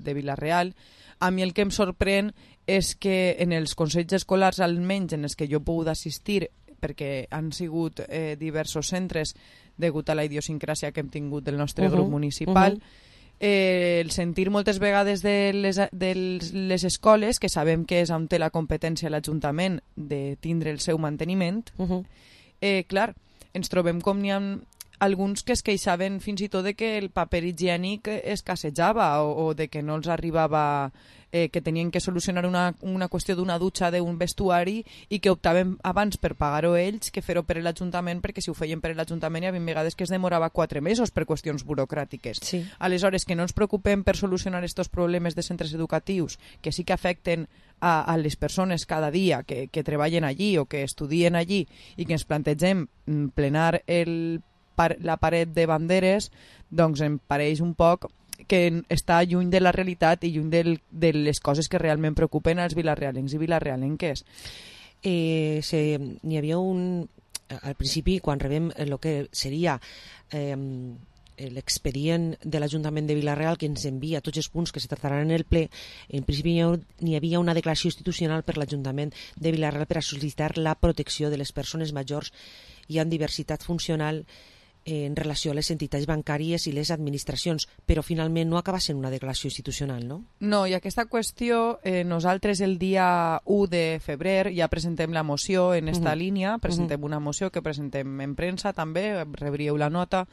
Vila-real, a mi el que em sorprèn és que en els consells escolars, almenys en els que jo he pogut assistir, perquè han sigut diversos centres degut a la idiosincràsia que hem tingut del nostre grup municipal, el sentir moltes vegades de les escoles, que sabem que és on té la competència l'Ajuntament de tindre el seu manteniment, clar, ens trobem com n'hi ha alguns que es queixaven fins i tot de que el paper higiènic escassejava o de que no els arribava, que tenien que solucionar una qüestió d'una dutxa d'un vestuari i que optaven abans per pagar-ho ells que fer-ho per l'Ajuntament, perquè si ho feien per l'Ajuntament hi havia vegades que es demorava 4 mesos per qüestions burocràtiques. Sí. Aleshores, que no ens preocupem per solucionar aquests problemes de centres educatius que sí que afecten a les persones cada dia que treballen allí o que estudien allí i que ens plantegem plenar la paret de banderes, doncs em pareix un poc que està lluny de la realitat i lluny de les coses que realment preocupen als vilarealencs i vilarealenques. N'hi havia al principi, quan rebem el que seria l'expedient de l'Ajuntament de Vila-real que ens envia tots els punts que se trataran en el ple, en principi n'hi havia una declaració institucional per l'Ajuntament de Vila-real per a sol·licitar la protecció de les persones majors i amb diversitat funcional en relació a les entitats bancàries i les administracions, però finalment no acaba sent una declaració institucional, no? No, i aquesta qüestió, nosaltres el dia 1 de febrer ja presentem la moció en esta línia, presentem una moció que presentem en premsa també, rebríeu la nota,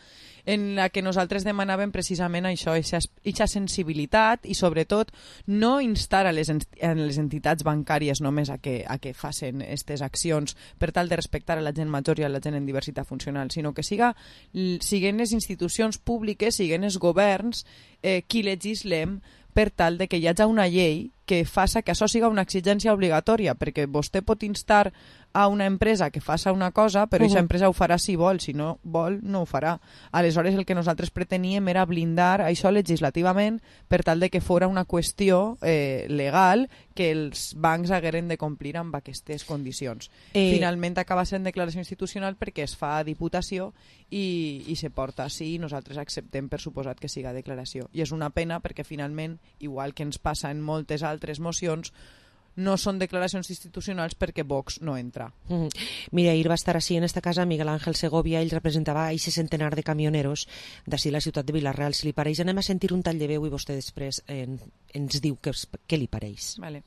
en la que nosaltres demanàvem precisament això, aquesta sensibilitat i sobretot no instar a les entitats bancàries només a que facin aquestes accions per tal de respectar a la gent major i a la gent en diversitat funcional, sinó que siguen les institucions públiques, siguen els governs qui legislem per tal de que hi hagi una llei que faça que això siga una exigència obligatòria, perquè vostè pot instar a una empresa que faça una cosa, però aquesta empresa ho farà si vol, si no vol no ho farà. Aleshores el que nosaltres preteníem era blindar això legislativament per tal de que fora una qüestió legal que els bancs hagueren de complir amb aquestes condicions. Finalment acaba sent declaració institucional perquè es fa a Diputació i se porta així i nosaltres acceptem per suposat que siga declaració. I és una pena perquè finalment, igual que ens passa en moltes altres mocions, no són declaracions institucionals perquè Vox no entra. Mira, ahir va estar així en esta casa Miguel Ángel Segovia, ell representava a aquest centenar de camioneros d'ací la ciutat de Vila-real. Si li pareix, anem a sentir un tall de veu i vostè després ens diu què li pareix. Vale.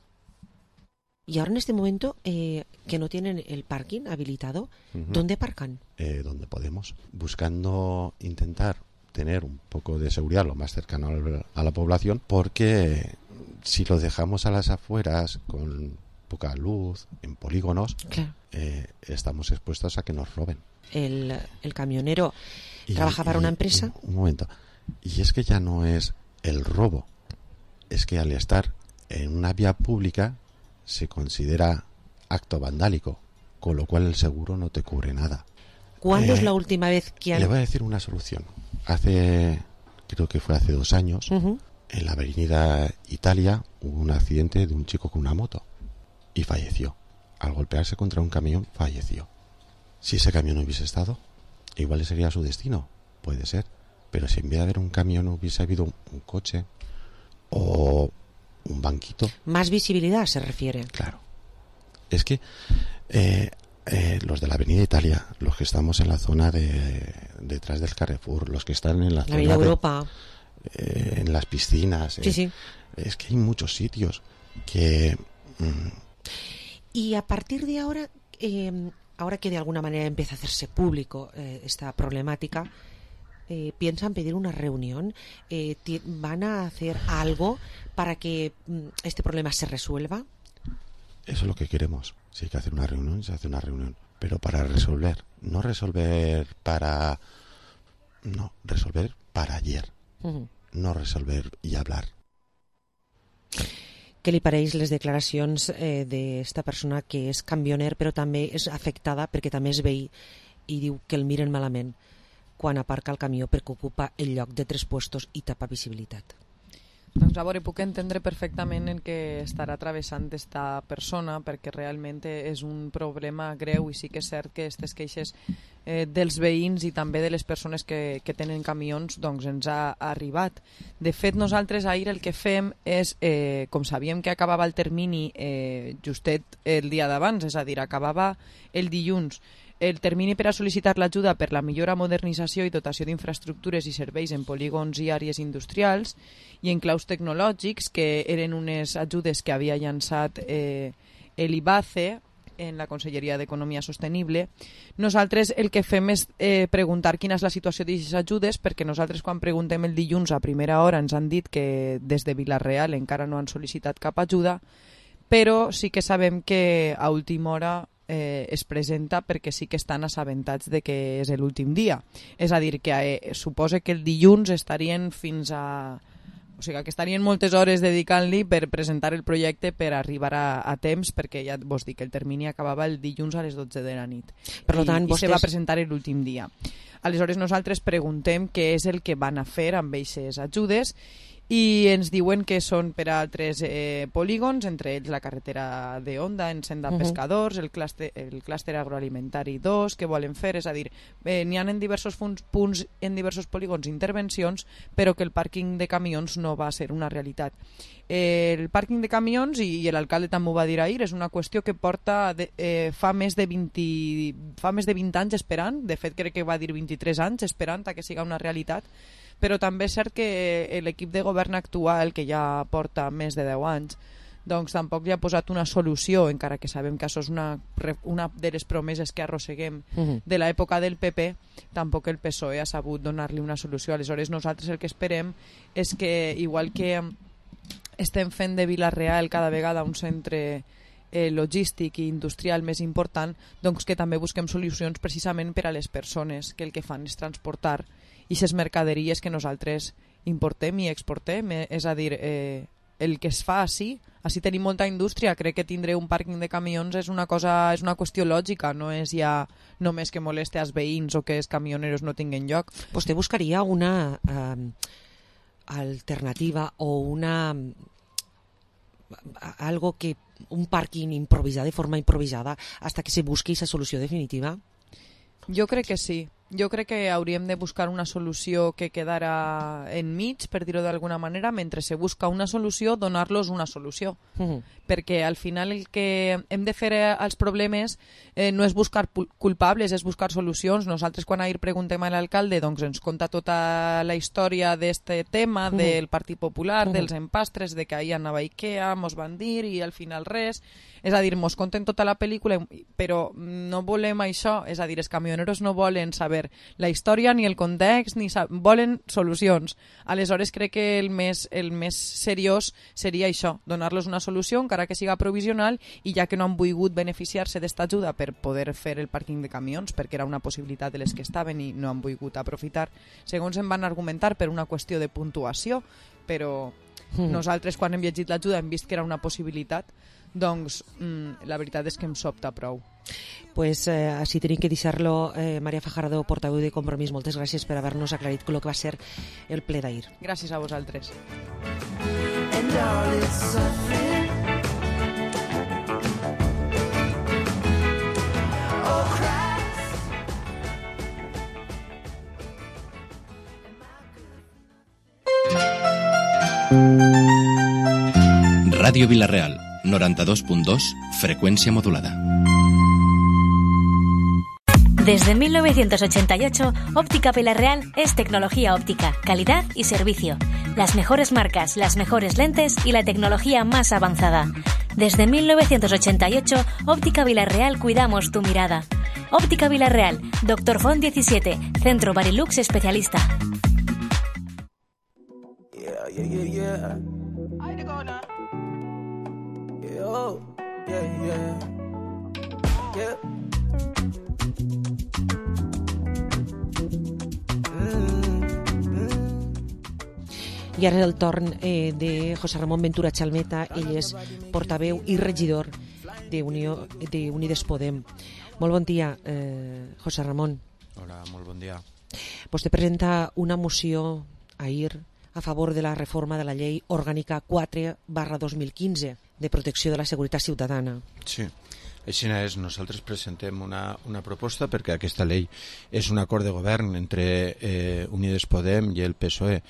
Y ahora en este momento que no tienen el parking habilitado, ¿dónde aparcan? Donde podemos, buscando intentar tener un poco de seguridad lo más cercano a la población, porque si lo dejamos a las afueras con poca luz, en polígonos, claro, estamos expuestos a que nos roben. El camionero trabaja para una empresa. Un momento. Y es que ya no es el robo, es que al estar en una vía pública se considera acto vandálico, con lo cual el seguro no te cubre nada. ¿Cuándo es la última vez que Le voy a decir una solución. Creo que fue hace 2 años, en la avenida Italia hubo un accidente de un chico con una moto y falleció. Al golpearse contra un camión, falleció. Si ese camión no hubiese estado, igual sería su destino, puede ser. Pero si en vez de haber un camión hubiese habido un coche o un banquito... Más visibilidad se refiere. Claro. Es que los de la Avenida Italia, los que estamos en la zona detrás del Carrefour, los que están en la zona de Europa, en las piscinas, sí. Es que hay muchos sitios que... Y a partir de ahora, ahora que de alguna manera empieza a hacerse público esta problemática, ¿piensan pedir una reunión? ¿Van a hacer algo para que este problema se resuelva? Eso es lo que queremos. Si hay que hacer una reunión, se hace una reunión. Pero para resolver. No resolver para... No, resolver para ayer. No resolver i hablar. Què li pareix les declaracions d'esta persona que és camioner però també és afectada perquè també és veí i diu que el miren malament quan aparca el camió perquè ocupa el lloc de 3 puestos i tapa visibilitat? Doncs a veure, puc entendre perfectament el que estarà travessant esta persona, perquè realment és un problema greu i sí que és cert que aquestes queixes dels veïns i també de les persones que tenen camions doncs ens ha arribat. De fet, nosaltres ahir el que fem és, com sabíem que acabava el termini justet el dia d'abans, és a dir, acabava el dilluns, el termini per a sol·licitar l'ajuda per la millora, modernització i dotació d'infraestructures i serveis en polígons i àrees industrials i en claus tecnològics, que eren unes ajudes que havia llançat l'IBACE en la Conselleria d'Economia Sostenible. Nosaltres el que fem és preguntar quina és la situació d'aquestes ajudes, perquè nosaltres quan preguntem el dilluns a primera hora ens han dit que des de Vila-real encara no han sol·licitat cap ajuda, però sí que sabem que a última hora es presenta perquè sí que estan assabentats de que és l'últim dia. És a dir, que suposa que el dilluns estarien fins a... O sigui, que estarien moltes hores dedicant-li per presentar el projecte per arribar a temps, perquè ja vos dic que el termini acabava el dilluns a les 12 de la nit. Per tant, I se va presentar l'últim dia. Aleshores nosaltres preguntem què és el que van a fer amb aquestes ajudes i ens diuen que són per a altres polígons, entre ells la carretera de Onda en Senda Pescadors, el clúster agroalimentari 2 que volen fer, és a dir, n'hi ha en diversos punts, en diversos polígons intervencions, però que el pàrquing de camions no va ser una realitat. El pàrquing de camions, i l'alcalde també ho va dir ahir, és una qüestió que porta fa més de 20 anys esperant, de fet crec que va dir 23 anys esperant a que siga una realitat, però també és cert que l'equip de govern actual, que ja porta més de 10 anys, doncs tampoc li ha posat una solució, encara que sabem que això és una de les promeses que arrosseguem de l'època del PP, tampoc el PSOE ha sabut donar-li una solució. Aleshores nosaltres el que esperem és que, igual que estem fent de Vila-real cada vegada un centre logístic i industrial més important, doncs que també busquem solucions precisament per a les persones que el que fan és transportar i les mercaderies que nosaltres importem i exportem, és a dir, el que es fa així tenim molta indústria, crec que tindre un pàrquing de camions és una qüestió lògica, no és ja només que moleste als veïns o que els camioneros no tinguin lloc. Vostè buscaria una alternativa o algo que un pàrquing improvisat de forma improvisada hasta que se busqui esa solució definitiva? Jo crec que sí. Jo crec que hauríem de buscar una solució que quedara enmig, per dir-ho d'alguna manera, mentre se busca una solució, donar-los una solució. Perquè al final el que hem de fer als problemes no és buscar culpables, és buscar solucions. Nosaltres quan ahir preguntem a l'alcalde doncs ens conta tota la història d'este tema, del Partit Popular, dels empastres, de que ahir anava a Ikea, mos van dir i al final res. És a dir, mos conten tota la pel·lícula, però no volem això. És a dir, els camioneros no volen saber saber la història ni el context, volen solucions. Aleshores crec que el més seriós seria això, donar-los una solució, encara que siga provisional, i ja que no han volgut beneficiar-se d'esta ajuda per poder fer el pàrquing de camions, perquè era una possibilitat de les que estaven i no han volgut aprofitar, segons em van argumentar, per una qüestió de puntuació, però nosaltres quan hem llegit l'ajuda hem vist que era una possibilitat, doncs la veritat és que em sobta prou. Pues així tenim que deixar-lo. Maria Fajardo, portaveu de Compromís, moltes gràcies per haver-nos aclarit el que va ser el ple d'ahir. Gràcies a vosaltres. Radio Vila-real, 92.2, frecuencia modulada. Desde 1988, Óptica Vila-real es tecnología óptica, calidad y servicio. Las mejores marcas, las mejores lentes y la tecnología más avanzada. Desde 1988, Óptica Vila-real cuidamos tu mirada. Óptica Vila-real, Dr. Font 17, Centro Barilux Especialista. Yeah. Oh, yeah. I ara és el torn de José Ramón Ventura Chalmeta. Ell és portaveu i regidor d'Unides Podem. Molt bon dia, José Ramón. Hola, molt bon dia. Vostè presenta una moció ahir a favor de la reforma de la llei orgànica 4/2015 de protecció de la seguretat ciutadana. Sí, així és. Nosaltres presentem una proposta perquè aquesta llei és un acord de govern entre Unides Podem i el PSOE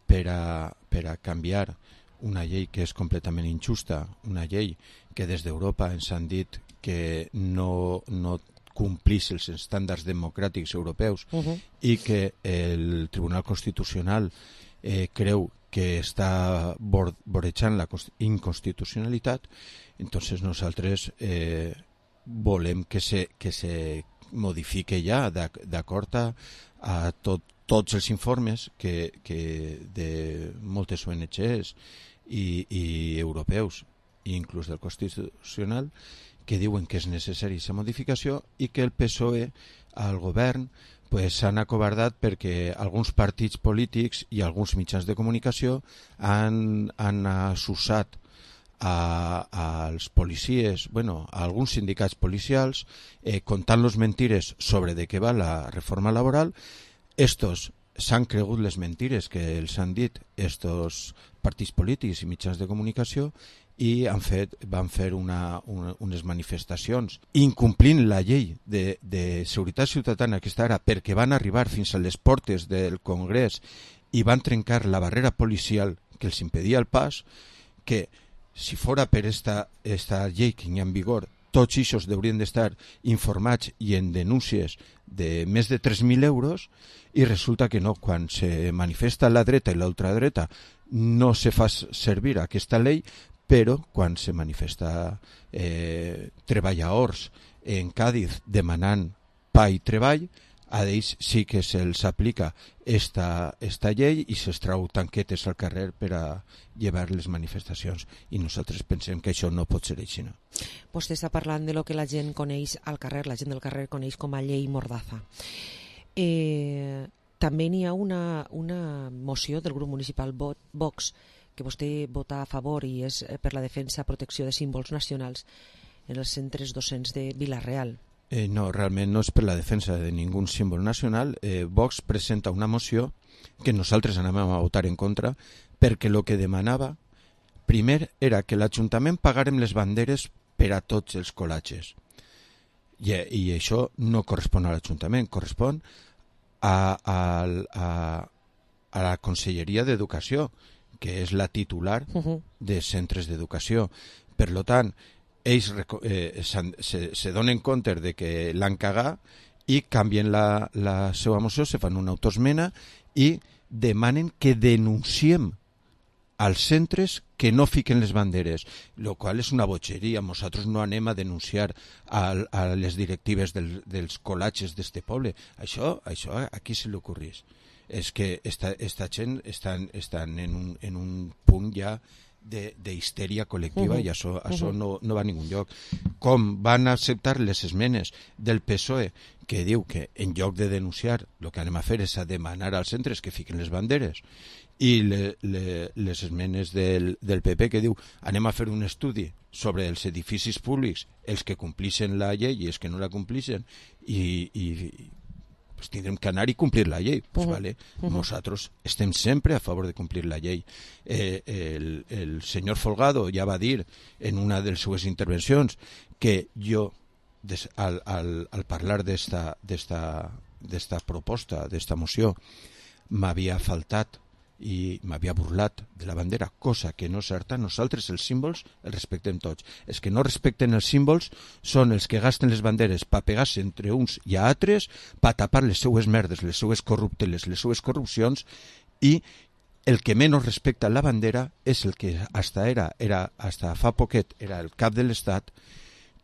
per a canviar una llei que és completament injusta, una llei que des d'Europa ens han dit que no complís els estàndards democràtics europeus i que el Tribunal Constitucional creu que està vorejant la inconstitucionalitat. Entonces nosaltres volem que se modifique ja d'acord a tots els informes que de moltes ONGs i europeus i inclús del Constitucional que diuen que és necessària aquesta modificació i que el PSOE al govern s'han acobardat perquè alguns partits polítics i alguns mitjans de comunicació han assusat als policies, a alguns sindicats policials, contant-los mentires sobre de què va la reforma laboral. Estos s'han cregut les mentires que els han dit estos partits polítics i mitjans de comunicació i van fer unes manifestacions incomplint la llei de seguretat ciutadana que està ara, perquè van arribar fins a les portes del Congrés i van trencar la barrera policial que els impedia el pas, que si fora per esta llei que hi ha en vigor, tots aquests haurien d'estar informats i en denúncies de més de 3.000 euros, i resulta que no. Quan se manifesta la dreta i l'ultradreta no se fa servir aquesta llei, però quan se manifesta treballadors en Càdiz demanant pa i treball, a ells sí que se'ls aplica esta llei i se'ls trau tanquetes al carrer per a llevar les manifestacions, i nosaltres pensem que això no pot ser així. Vostè està parlant de lo que la gent coneix al carrer, la gent del carrer coneix com a llei Mordaza. També n'hi ha una moció del grup municipal Vox que vostè vota a favor i és per la defensa i protecció de símbols nacionals en els centres docents de Vila-real. No, realment no és per la defensa de ningú símbol nacional. Vox presenta una moció que nosaltres anàvem a votar en contra perquè el que demanava primer era que l'Ajuntament pagarem les banderes per a tots els col·latges. I això no correspon a l'Ajuntament, correspon a la Conselleria d'Educació, que és la titular de centres d'educació. Per tant, ells se donen compte de que l'han cagat i canvien la seva moció, se fan una autoesmena i demanen que denunciem als centres que no fiquen les banderes, lo qual és una botxeria. Nosaltres no anem a denunciar a les directives dels colatges d'este poble. Això a qui se li ocorrís? És que esta gent estan en un punt ja d'histèria col·lectiva i això no va a ningun lloc. Com van acceptar les esmenes del PSOE que diu que en lloc de denunciar el que anem a fer és a demanar als centres que fiquen les banderes, i les esmenes del PP que diu anem a fer un estudi sobre els edificis públics, els que complixen la llei i els que no la complixen, i pues tindrem que anar i complir la llei. Pues vale, nosaltres estem sempre a favor de complir la llei. El senyor Folgado ja va dir en una de les seues intervencions que jo, al parlar d'esta proposta, d'esta moció, m'havia faltat i m'havia burlat de la bandera, cosa que no és certa. Nosaltres els símbols els respectem tots. Els que no respecten els símbols són els que gasten les banderes per pegar-se entre uns i altres, per tapar les seues merdes, les seues corrupteles, les seues corrupcions, i el que menys respecta la bandera és el que hasta fa poquet era el cap de l'Estat,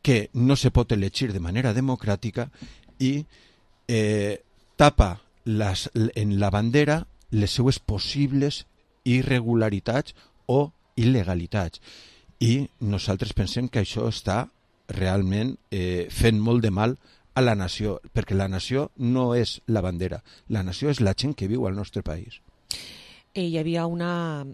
que no se pot elegir de manera democràtica i tapa en la bandera les seues possibles irregularitats o il·legalitats. I nosaltres pensem que això està realment fent molt de mal a la nació, perquè la nació no és la bandera, la nació és la gent que viu al nostre país. Hi havia una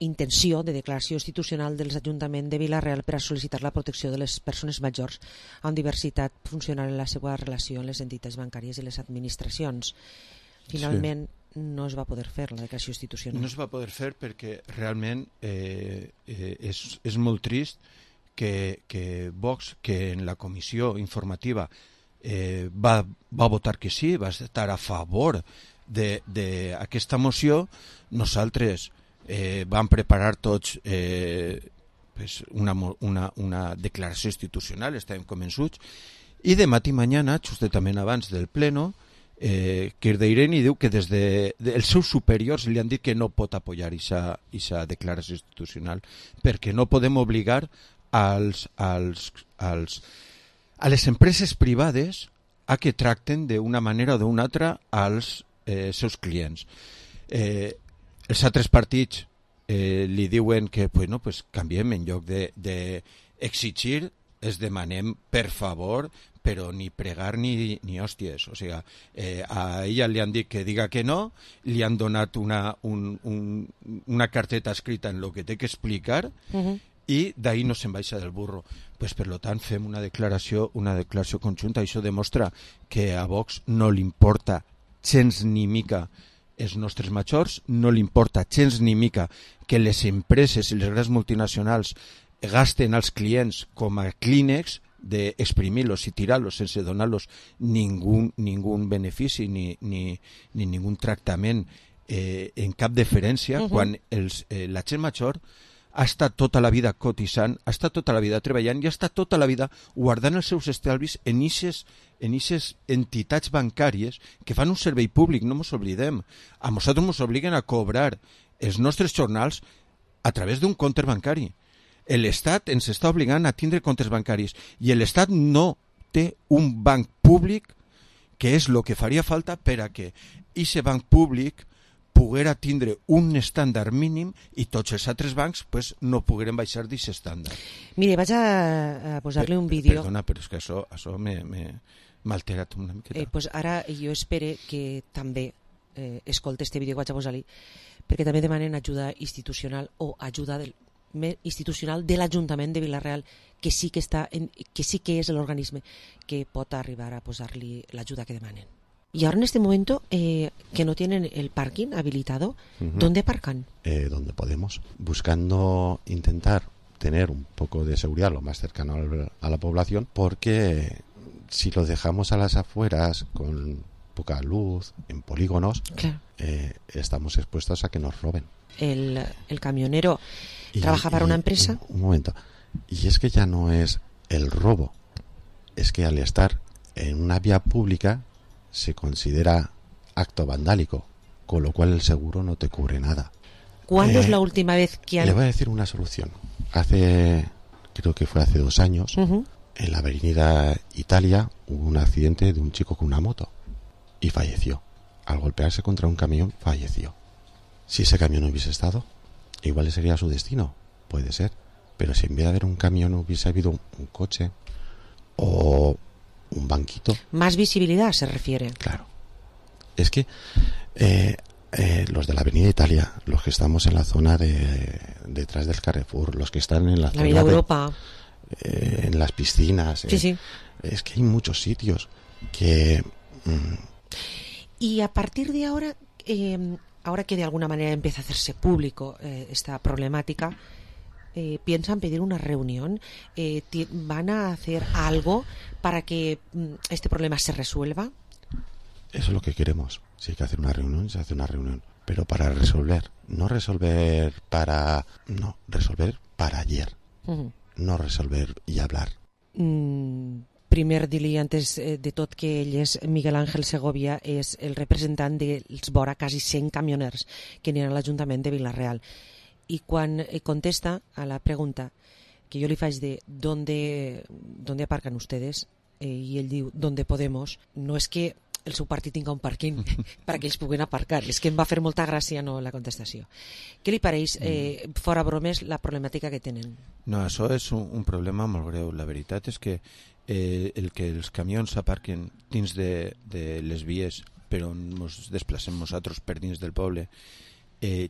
intenció de declaració institucional dels ajuntaments de Vila-real per a sol·licitar la protecció de les persones majors amb diversitat funcional en la seva relació amb les entitats bancàries i les administracions. Finalment, no es va poder fer la declaració institucional. No es va poder fer perquè realment és molt trist que Vox, que en la comissió informativa va votar que sí, va estar a favor d'aquesta moció, nosaltres vam preparar tots una declaració institucional, estàvem convençuts, i de matí mañana, justament abans del pleno, Kirdeireni diu que des dels seus superiors li han dit que no pot apoyar aquesta declaració institucional perquè no podem obligar a les empreses privades a que tracten d'una manera o d'una altra als seus clients. Els altres partits li diuen que canviem, en lloc d'exigir es demanem per favor, però ni pregar ni hòsties. O sigui, a ella li han dit que diga que no, li han donat una carteta escrita en lo que té que explicar, i d'ahí no se'n baixa del burro. Pues, per tant, fem una declaració conjunta, i això demostra que a Vox no li importa gens ni mica els nostres majors, no li importa gens ni mica que les empreses i les grans multinacionals gasten als clients com a clínex, d'exprimir-los i tirar-los sense donar-los ningun benefici ni ningun tractament en cap deferència, quan la gent major ha estat tota la vida cotitzant, ha estat tota la vida treballant i ha estat tota la vida guardant els seus estalvis en ixes entitats bancàries que fan un servei públic, no ens oblidem. A nosaltres ens obliguen a cobrar els nostres jornals a través d'un compte bancari. L'Estat ens està obligant a tindre comptes bancaris i l'Estat no té un banc públic, que és el que faria falta per a que aquest banc públic poguera tindre un estàndard mínim i tots els altres bancs no pogueren baixar d'aquest estàndard. Mire, vaig a posar-li un vídeo. Perdona, però és que això m'ha alterat una miqueta. Ara jo espero que també escolti este vídeo que vaig a posar-li, perquè també demanen ajuda institucional o ajuda institucional de l'Ajuntament de Vila-real, que sí que és l'organisme que pot arribar a posar-li l'ajuda que demanen. Y ahora en este momento que no tienen el parking habilitado, ¿dónde aparcan? Donde podemos, buscando intentar tener un poco de seguridad lo más cercano a la población, porque si lo dejamos a las afueras con poca luz, en polígonos, claro, estamos expuestos a que nos roben. El camionero trabaja para una empresa. Un momento. Y es que ya no es el robo, es que al estar en una vía pública se considera acto vandálico, con lo cual el seguro no te cubre nada. ¿Cuándo es la última vez que han...? Le voy a decir una solución. Creo que fue hace 2 años, en la avenida Italia hubo un accidente de un chico con una moto y falleció. Al golpearse contra un camión, falleció. Si ese camión no hubiese estado, igual sería su destino, puede ser. Pero si en vez de haber un camión hubiese habido un coche o un banquito... Más visibilidad se refiere. Claro. Es que los de la avenida Italia, los que estamos en la zona detrás del Carrefour, los que están en la zona avenida Europa, en las piscinas, sí. Es que hay muchos sitios que... Y a partir de ahora, ahora que de alguna manera empieza a hacerse público esta problemática, ¿piensan pedir una reunión? ¿Van a hacer algo para que este problema se resuelva? Eso es lo que queremos. Si hay que hacer una reunión, se hace una reunión. Pero para resolver. No resolver para... No, resolver para ayer. No resolver i hablar. Primer dir-li, antes de tot, que ell és Miguel Ángel Segovia, és el representant dels vora quasi 100 camioners que n'hi ha a l'Ajuntament de Vila-real. I quan contesta a la pregunta que jo li faig de ¿dónde aparcan ustedes? I ell diu ¿dónde podemos? No és que el seu partit tinga un pàrquing perquè ells puguen aparcar, és que em va fer molta gràcia la contestació. Què li pareix, fora bromes, la problemàtica que tenen? No, això és un problema molt greu. La veritat és que el que els camions aparquen dins de les vies per on ens desplacem nosaltres per dins del poble,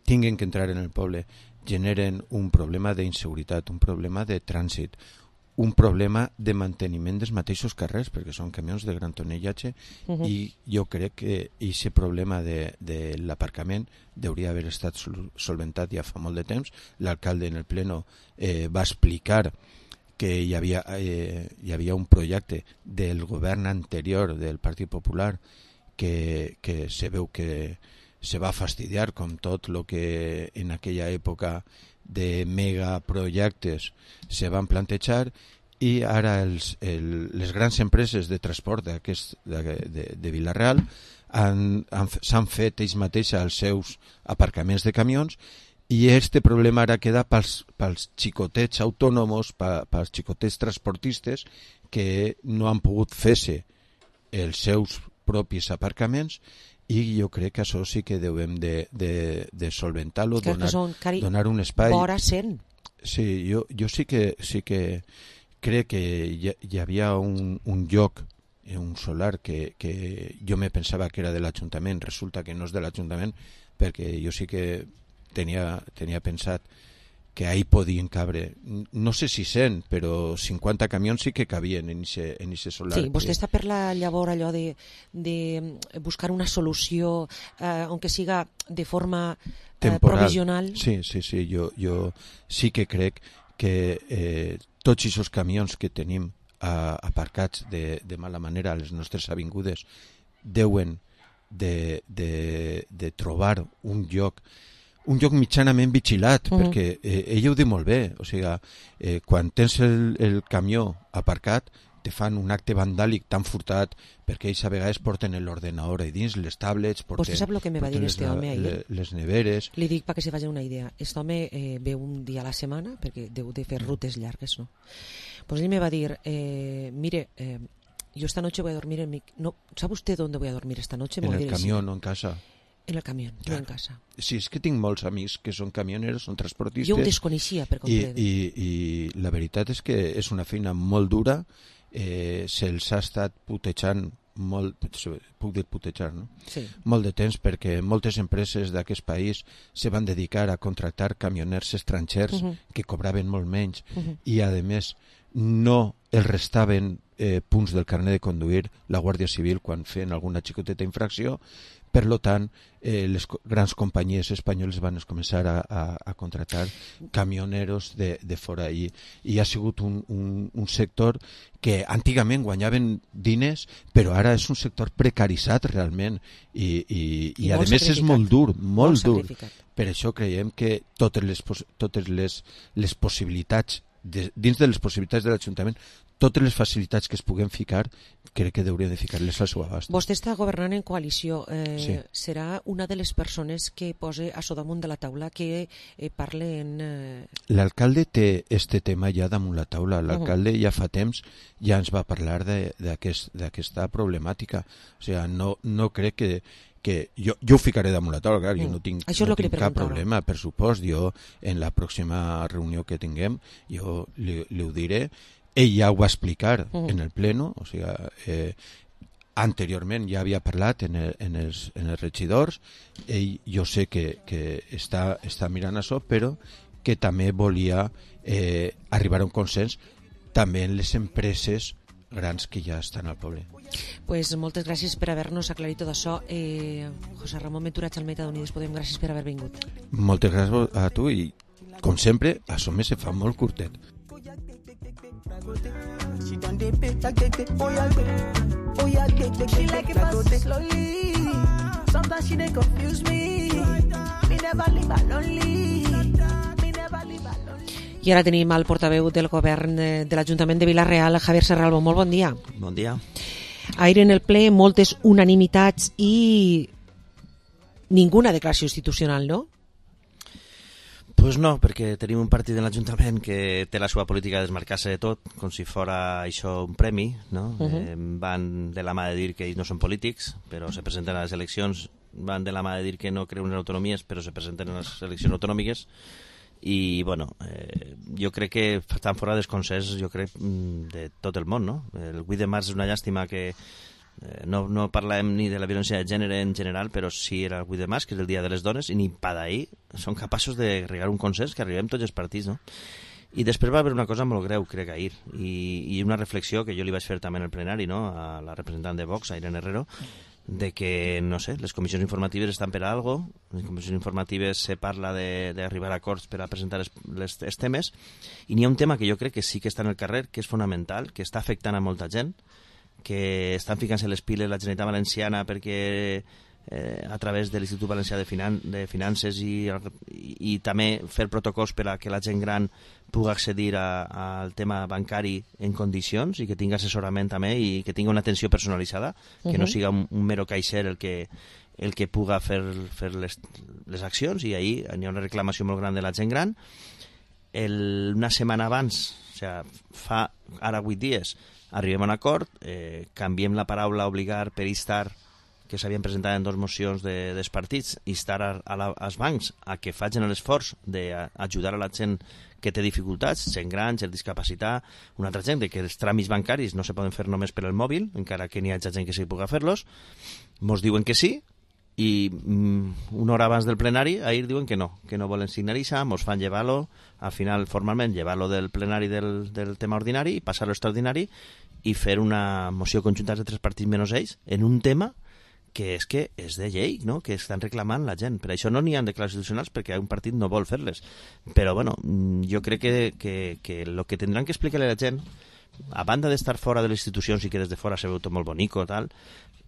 tinguen que entrar en el poble, generen un problema d'inseguretat, un problema de trànsit, un problema de manteniment dels mateixos carrers, perquè són camions de gran tonellatge, i jo crec que aquest problema de l'aparcament hauria haver estat solventat ja fa molt de temps. L'alcalde en el pleno va explicar que hi havia un projecte del govern anterior del Partit Popular que se veu que se va fastidiar, com tot el que en aquella època de megaprojectes se van plantejar, i ara les grans empreses de transport de Vila-real s'han fet ells mateixos els seus aparcaments de camions, i este problema ara queda pels xicotets autònoms, pels xicotets transportistes que no han pogut fer-se els seus propis aparcaments, i jo crec que això sí que devem de solventar-lo, donar un espai. Vora 100. Sí, jo sí que crec que hi havia un lloc, un solar, que jo me pensava que era de l'Ajuntament, resulta que no és de l'Ajuntament, perquè jo sí que tenia pensat que ahí podien cabre, no sé si 100, però 50 camions sí que cabien en ese solar. Sí, vostè està per la llavor allò de buscar una solució, aunque siga de forma provisional. Sí, jo sí que crec que tots aquests camions que tenim aparcats de mala manera a les nostres avingudes deuen de trobar un lloc mitjanament vigilat, perquè ell ho diu molt bé, o sigui, quan tens el camió aparcat te fan un acte vandàlic tan furtat, perquè ells a vegades porten l'ordenador i dins, les tablets, Vostè sap el que me va dir este home ahir? Les neveres. Li dic perquè se faci una idea. Este home ve un dia a la setmana, perquè deu de fer rutes llargues, no? Pues ell me va dir, mire, yo esta noche voy a dormir en mi... No, ¿sabe usted dónde voy a dormir esta noche? En el camión, no en casa. En el camió, no en casa. Sí, és que tinc molts amics que són camioneros, són transportistes. Jo ho desconeixia per complet. I la veritat és que és una feina molt dura, se'ls ha estat putejant molt, puc dir putejar, no? Sí. Molt de temps, perquè moltes empreses d'aquest país se van dedicar a contractar camioners estrangers que cobraven molt menys i a més no els restaven punts del carnet de conduir la Guàrdia Civil quan feien alguna xicoteta infracció. Per tant, les grans companyies espanyoles van començar a contractar camioneros de fora, i ha sigut un sector que antigament guanyaven diners, però ara és un sector precaritzat realment, i a més és molt dur, molt dur. Per això creiem que totes les possibilitats, dins de les possibilitats de l'Ajuntament, totes les facilitats que es puguen ficar, crec que hauria de ficar-les al seu abast. Vostè està governant en coalició. Sí. Serà una de les persones que posa a so damunt de la taula, que parle en... L'alcalde té este tema ja damunt la taula. L'alcalde ja fa temps ja ens va parlar d'aquesta problemàtica. O sigui, no crec que jo ho ficaré damunt la taula, clar, jo no tinc cap problema, per supost. Jo, en la pròxima reunió que tinguem, jo li ho diré. Ell ja ho va explicar en el pleno, o sigui, anteriorment ja havia parlat en els regidors. Ell, jo sé que està mirant això, però que també volia arribar a un consens també en les empreses grans que ja estan al poble. Pues moltes gràcies per haver-nos aclarit tot això. José Ramon Ventura Chalmeta d'Unides Podem, gràcies per haver vingut. Moltes gràcies a tu i, com sempre, això me se fa molt curtet. She done the bit, oh yeah, she like it fast slowly. Sometimes she dey confuse me. Me never leave her lonely. I ara tenim el portaveu del govern de l'Ajuntament de Vila-real, Javier Serralbo. Molt bon dia. Bon dia. Ahir en el ple moltes unanimitats i ninguna declaració institucional, no? Pues no, perquè tenim un partit en l'Ajuntament que té la seva política de desmarcar-se de tot, com si fora això un premi, no? Van de la mà de dir que ells no són polítics, però se presenten a les eleccions, van de la mà de dir que no creuen en autonomies, però se presenten a les eleccions autonòmiques, i bueno, jo crec que estan fora dels consensos, jo crec, de tot el món, no? El 8 de març és una llàstima que no parlem ni de la violència de gènere en general, però sí era el 8 de març, que és el dia de les dones, i ni pa d'ahir són capaços de regar un consens que arribem tots els partits, no? I després va haver una cosa molt greu, crec, ahir, i una reflexió que jo li vaig fer també en el plenari, no?, a la representant de Vox, a Irene Herrero, de que, no sé, les comissions informatives estan per a algo, les comissions informatives se parla d'arribar a acords per a presentar els temes, i n'hi ha un tema que jo crec que sí que està en el carrer, que és fonamental, que està afectant a molta gent, que estan ficant-se les piles la Generalitat Valenciana perquè a través de l'Institut Valencià de Finances i també fer protocols per a que la gent gran pugui accedir al tema bancari en condicions i que tingui assessorament també i que tingui una atenció personalitzada, que no siga un mero caixer el que pugui fer les accions, i ahir hi ha una reclamació molt gran de la gent gran. Una setmana abans, o sigui, fa ara 8 dies, arribem a un acord, canviem la paraula obligar per instar, que s'havien presentat en 2 mocions dels partits, instar als bancs a que facin l'esforç d'ajudar a la gent que té dificultats, gent gran, gent discapacitat, una altra gent, que els tràmits bancaris no se poden fer només per el mòbil, encara que n'hi hagi gent que sí pugui fer-los. Mos diuen que sí, i una hora abans del plenari ahir diuen que no volen signar-ho, mos fan llevar-lo, al final formalment llevar-lo del plenari del tema ordinari i passar-lo extraordinari i fer una moció conjunta de 3 partits menys ells en un tema que és de llei, no?, que estan reclamant la gent. Per això no n'hi ha declaracions institucionals, perquè un partit no vol fer-les. Però, bueno, jo crec que el que tindran que explicar a la gent, a banda d'estar fora de les institucions i que des de fora se veu tot molt bonico, tal,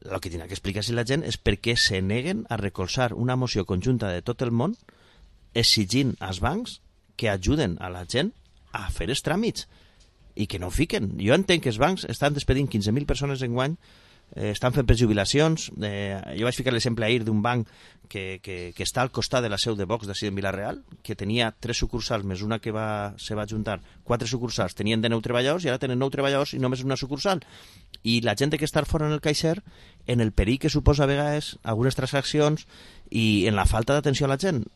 el que tindrà que explicar-se a la gent és per què se neguen a recolzar una moció conjunta de tot el món exigint als bancs que ajuden a la gent a fer els tràmits i que no ho fiquen. Jo entenc que els bancs estan despedint 15.000 persones enguany, estan fent prejubilacions. Jo vaig ficar l'exemple ahir d'un banc que està al costat de la seu de Vox d'ací en Vila-real, que tenia 3 sucursals més una que se va ajuntar, 4 sucursals, tenien de 9 treballadors i ara tenen 9 treballadors i només una sucursal. I la gent té que estar fora en el caixer, en el perill que suposa a vegades algunes transaccions i en la falta d'atenció a la gent.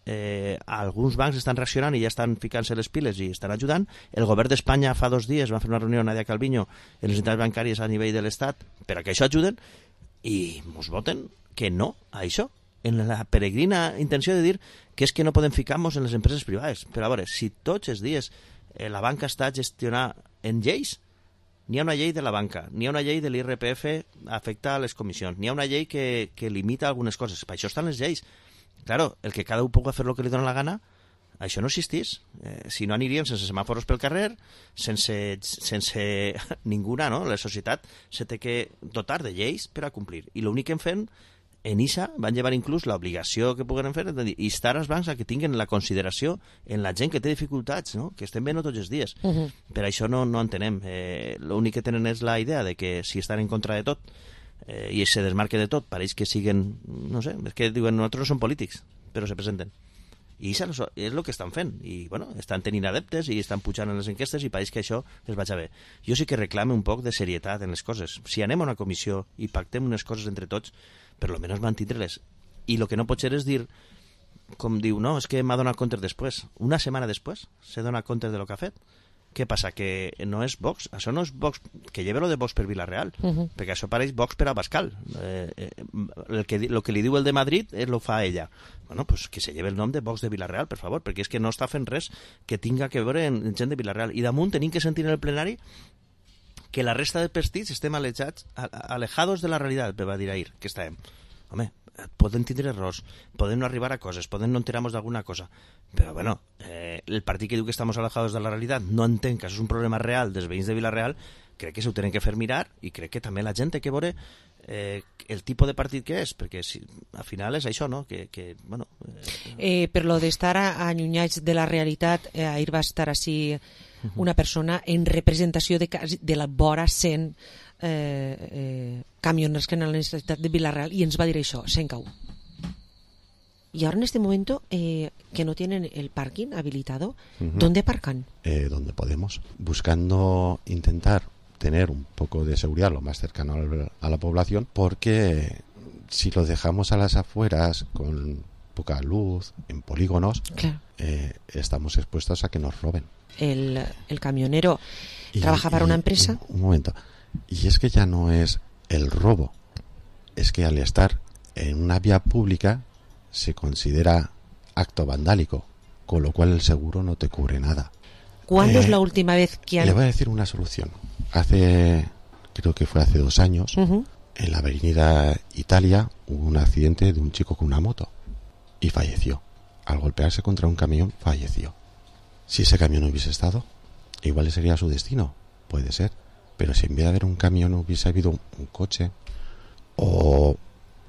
Alguns bancs estan reaccionant i ja estan ficant-se les piles i estan ajudant. El govern d'Espanya fa 2 dies va fer una reunió amb Nadia Calviño en les entitats bancàries a nivell de l'Estat per a que això ajuden, i mos voten que no a això, en la peregrina intenció de dir que és que no podem ficar-nos en les empreses privades. Però a veure, si tots els dies la banca està gestionada en lleis, n'hi ha una llei de la banca, n'hi ha una llei de l'IRPF afecta a les comissions, n'hi ha una llei que limita algunes coses. Per això estan les lleis. Claro, el que cada un pugui fer el que li dona la gana, això no existís. Si no aniríem sense semàforos pel carrer, sense ninguna, no? La societat se té que dotar de lleis per a complir. I l'únic que hem fet en ISA van llevar inclús l'obligació que puguen fer de dir, instar els bancs a que tinguin la consideració en la gent que té dificultats, no? Que estem veient tots els dies. Per això no entenem. L'únic que tenen és la idea de que si estan en contra de tot i se desmarque de tot, pareix que siguen, no sé, és que diuen nosaltres no som polítics, però se presenten. I això és el que estan fent. I, bueno, estan tenint adeptes i estan pujant en les enquestes i pareix que això es vaig a bé. Jo sí que reclame un poc de serietat en les coses. Si anem a una comissió i pactem unes coses entre tots, per lo menos mantindre-les. I el que no pot ser és dir, com diu, no, és que m'ha donat compte després. Una setmana després se dona compte de lo que ha fet. Què passa? Que no és Vox? Això no és Vox, que lleve lo de Vox per Vila-real, perquè això pareix Vox per a Abascal. El que li diu el de Madrid lo fa ella. Bueno, pues que se lleve el nom de Vox de Vila-real, per favor, perquè és que no està fent res que tinga que veure en gent de Vila-real. I damunt tenim que sentir en el plenari que la resta de partits estem alejados de la realitat, va dir ahir, que estàvem. Home, poden tindre errors, podem no arribar a coses, podem no enterar-nos d'alguna cosa, però bueno, el partit que diu que estem alejados de la realitat no entén que això és un problema real dels veïns de Vila-real, crec que s'ho tenen que fer mirar i crec que també la gent té que veure el tipus de partit que és, perquè si, al final és això, no? Bueno, per lo d'estar allunyats de la realitat, ahir va estar així una persona en representació de la vora 100 camioners que en la necessitat de Vila-real y ens va dir això, Sencau. Y ahora en este momento que no tienen el parking habilitado, ¿dónde aparcan? Donde podemos, buscando intentar tener un poco de seguridad lo más cercano a la población, porque si lo dejamos a las afueras con poca luz, en polígonos, claro, estamos expuestos a que nos roben. El camionero trabaja para una empresa. Un momento. Y es que ya no es el robo, es que al estar en una vía pública se considera acto vandálico, con lo cual el seguro no te cubre nada. ¿Cuándo es la última vez que han...? Le voy a decir una solución. Creo que fue hace 2 años, en la avenida Italia hubo un accidente de un chico con una moto y falleció. Al golpearse contra un camión, falleció. Si ese camión no hubiese estado, igual ese sería su destino, puede ser. Pero si en vez de haber un camión hubiese habido un coche o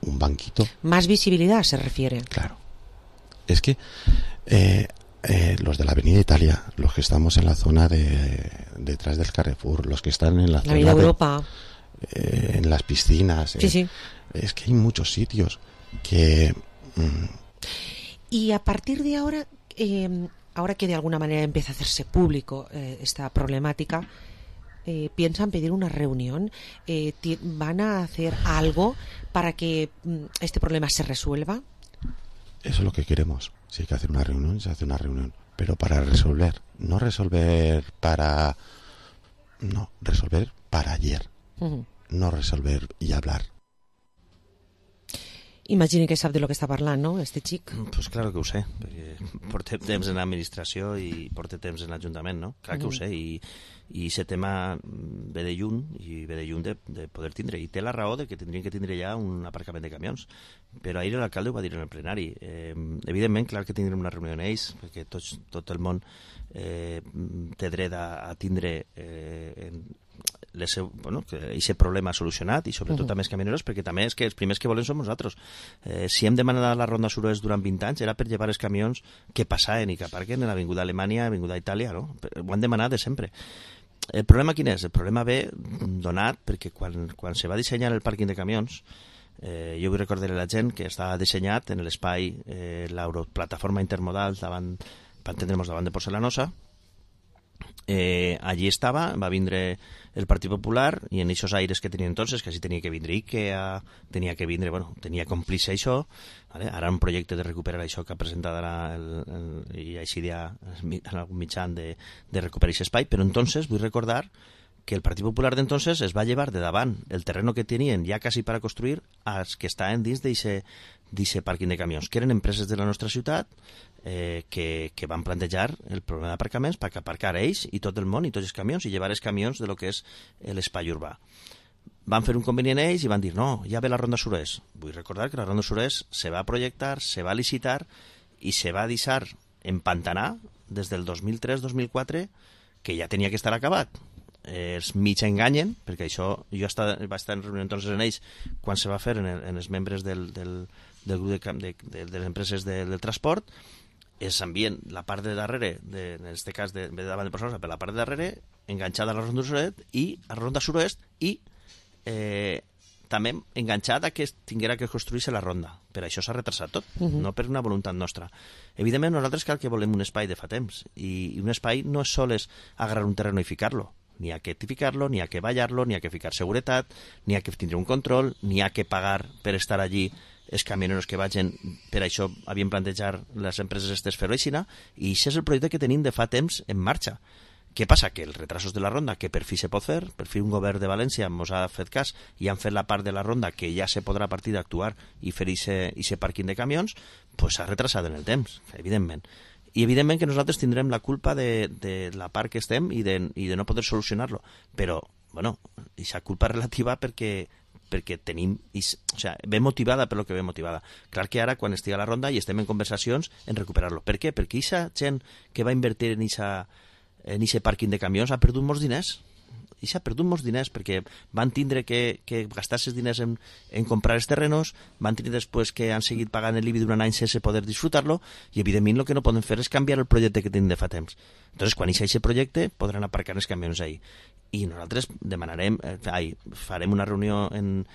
un banquito... Más visibilidad se refiere. Claro. Es que los de la Avenida Italia, los que estamos en la zona detrás del Carrefour, los que están en la zona de Europa, en las piscinas... Sí. Es que hay muchos sitios que... Y a partir de ahora, ahora que de alguna manera empieza a hacerse público esta problemática... ¿piensan pedir una reunión? ¿Van a hacer algo para que este problema se resuelva? Eso es lo que queremos. Si hay que hacer una reunión, se hace una reunión. Pero para resolver. No resolver para... No, resolver para ayer. No resolver y hablar. Imagini que sap de lo que està parlant, no, este xic? Pues claro que ho sé, perquè portem temps en l'administració i portem temps en l'Ajuntament, no? Clar que ho sé, i aquest tema ve de lluny, i ve de lluny de poder tindre, i té la raó de que tindrien que tindre ja un aparcament de camions, però ahir l'alcalde ho va dir en el plenari. Evidentment, clar que tindrem una reunió amb ells, perquè tot el món té dret a tindre aquest problema solucionat i sobretot a més camioneros, perquè també és que els primers que volem som nosaltres. Si hem demanat la Ronda Suroest durant 20 anys era per llevar els camions que passaven i que aparquen en l'Avinguda Alemanya, l'Avinguda Itàlia, no? Ho han demanat de sempre. El problema quin és? El problema ve donat perquè quan se va dissenyar el pàrquing de camions, jo vull recordar a la gent que estava dissenyat en l'espai l'Europlataforma Intermodal per entendre'ns davant de Porcelanosa. Allí estava, va vindre el Partit Popular i en aquests aires que tenien entonces, que així tenia que vindre IKEA, tenia que complir-se això, ¿vale? Ara un projecte de recuperar això que ha presentat i així en algun mitjan de recuperar aquest espai, però entonces vull recordar que el Partit Popular d'entonces es va llevar de davant el terreno que tenien ja quasi per a construir als que estaven dins d'aquest pàrquing de camions, que eren empreses de la nostra ciutat que van plantejar el problema d'aparcaments perquè aparcar ells i tot el món i tots els camions i llevar els camions de lo que és l'espai urbà. Van fer un convenient ells i van dir no, ja ve la Ronda Suroest. Vull recordar que la Ronda Suroest se va projectar, se va licitar i se va deixar empantanar des del 2003-2004 que ja tenia que estar acabat. els mig enganyen, perquè això jo vaig estar en reunió amb tots ells quan se va fer en els membres del grup de les empreses del transport, s'envien la part de darrere, en aquest cas de davant de persones, per la part de darrere, enganxada a la ronda sud-oest i també enganxada que tinguera que construir-se la ronda. Per això s'ha retrasat tot, no per una voluntat nostra. Evidentment, nosaltres cal que volem un espai de fa temps, i un espai no és sols agarrar un terreno i ficar-lo. N'hi ha que edificar-lo, n'hi ha que ballar-lo, n'hi ha que ficar seguretat, n'hi ha que tindre un control, n'hi ha que pagar per estar allí els camioneros que vagin. Per això havien plantejat les empreses estes fer-ho així, i això és el projecte que tenim de fa temps en marxa. Què passa? Que els retrasos de la ronda, que per fi se pot fer, per fi un govern de València ens ha fet cas i han fet la part de la ronda que ja se podrà a partir d'actuar i fer aquest pàrquing de camions, doncs s'ha retrasat en el temps, evidentment. I evidentment que nosaltres tindrem la culpa de la part que estem i de no poder solucionar-lo. Però, bueno, aquesta culpa relativa perquè tenim, o sea, ve motivada per lo que ve motivada. Clar que ara, quan estigui a la ronda i estem en conversacions, en recuperar-lo. Per què? Perquè aquesta gent que va invertir en aquest pàrquing de camions ha perdut molts diners. I s'ha perdut molts diners perquè van tindre que gastar-se els diners en comprar els terrenos, van tenir després que han seguit pagant l'IBI durant anys sense poder disfrutar-lo, i evidentment el que no poden fer és canviar el projecte que tenim de fa temps. Entonces, quan eixi aquest projecte podran aparcar els camions ahí. I nosaltres farem una reunió en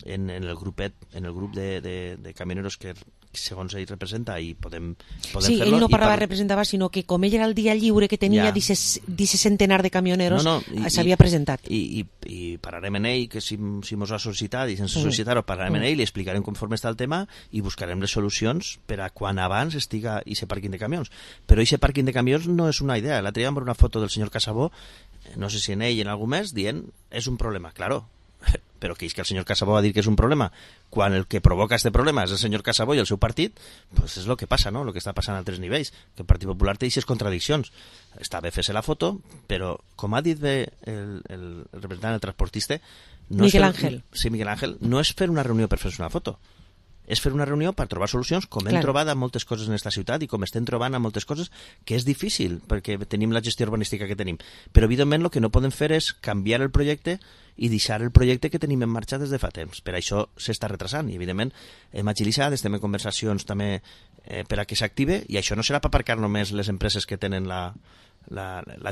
el grup de camioneros que segons ell representa, i podem fer-lo. Sí, ell no representava, sinó que com ell era el dia lliure que tenia d'aquest centenar de camioneros, s'havia presentat. I parlarem en ell, que si mos ha sol·licitat, i sense sol·licitar-ho parlarem en ell, li explicarem conforme està el tema i buscarem les solucions per a quan abans estiga aquest pàrquing de camions. Però aquest pàrquing de camions no és una idea. L'altre dia vam veure una foto del senyor Casabó, no sé si en ell en algú més, dient és un problema. Claro, però que és que el senyor Casabó va dir que és un problema quan el que provoca este problema és el senyor Casabó i el seu partit, pues és el que passa, no? El que està passant a altres nivells, que el Partit Popular té aquestes contradiccions. Està bé fer-se la foto, però com ha dit bé el representant del transportista, Miguel Ángel. Sí, Miguel Ángel, no és fer una reunió per fer-se una foto, és fer una reunió per trobar solucions, com hem trobat a moltes coses en aquesta ciutat i com estem trobant a moltes coses, que és difícil perquè tenim la gestió urbanística que tenim. Però evidentment el que no podem fer és canviar el projecte i deixar el projecte que tenim en marxa des de fa temps. Per això s'està retrasant i evidentment hem agilitzat, estem en conversacions també per a que s'active, i això no serà per aparcar només les empreses que tenen la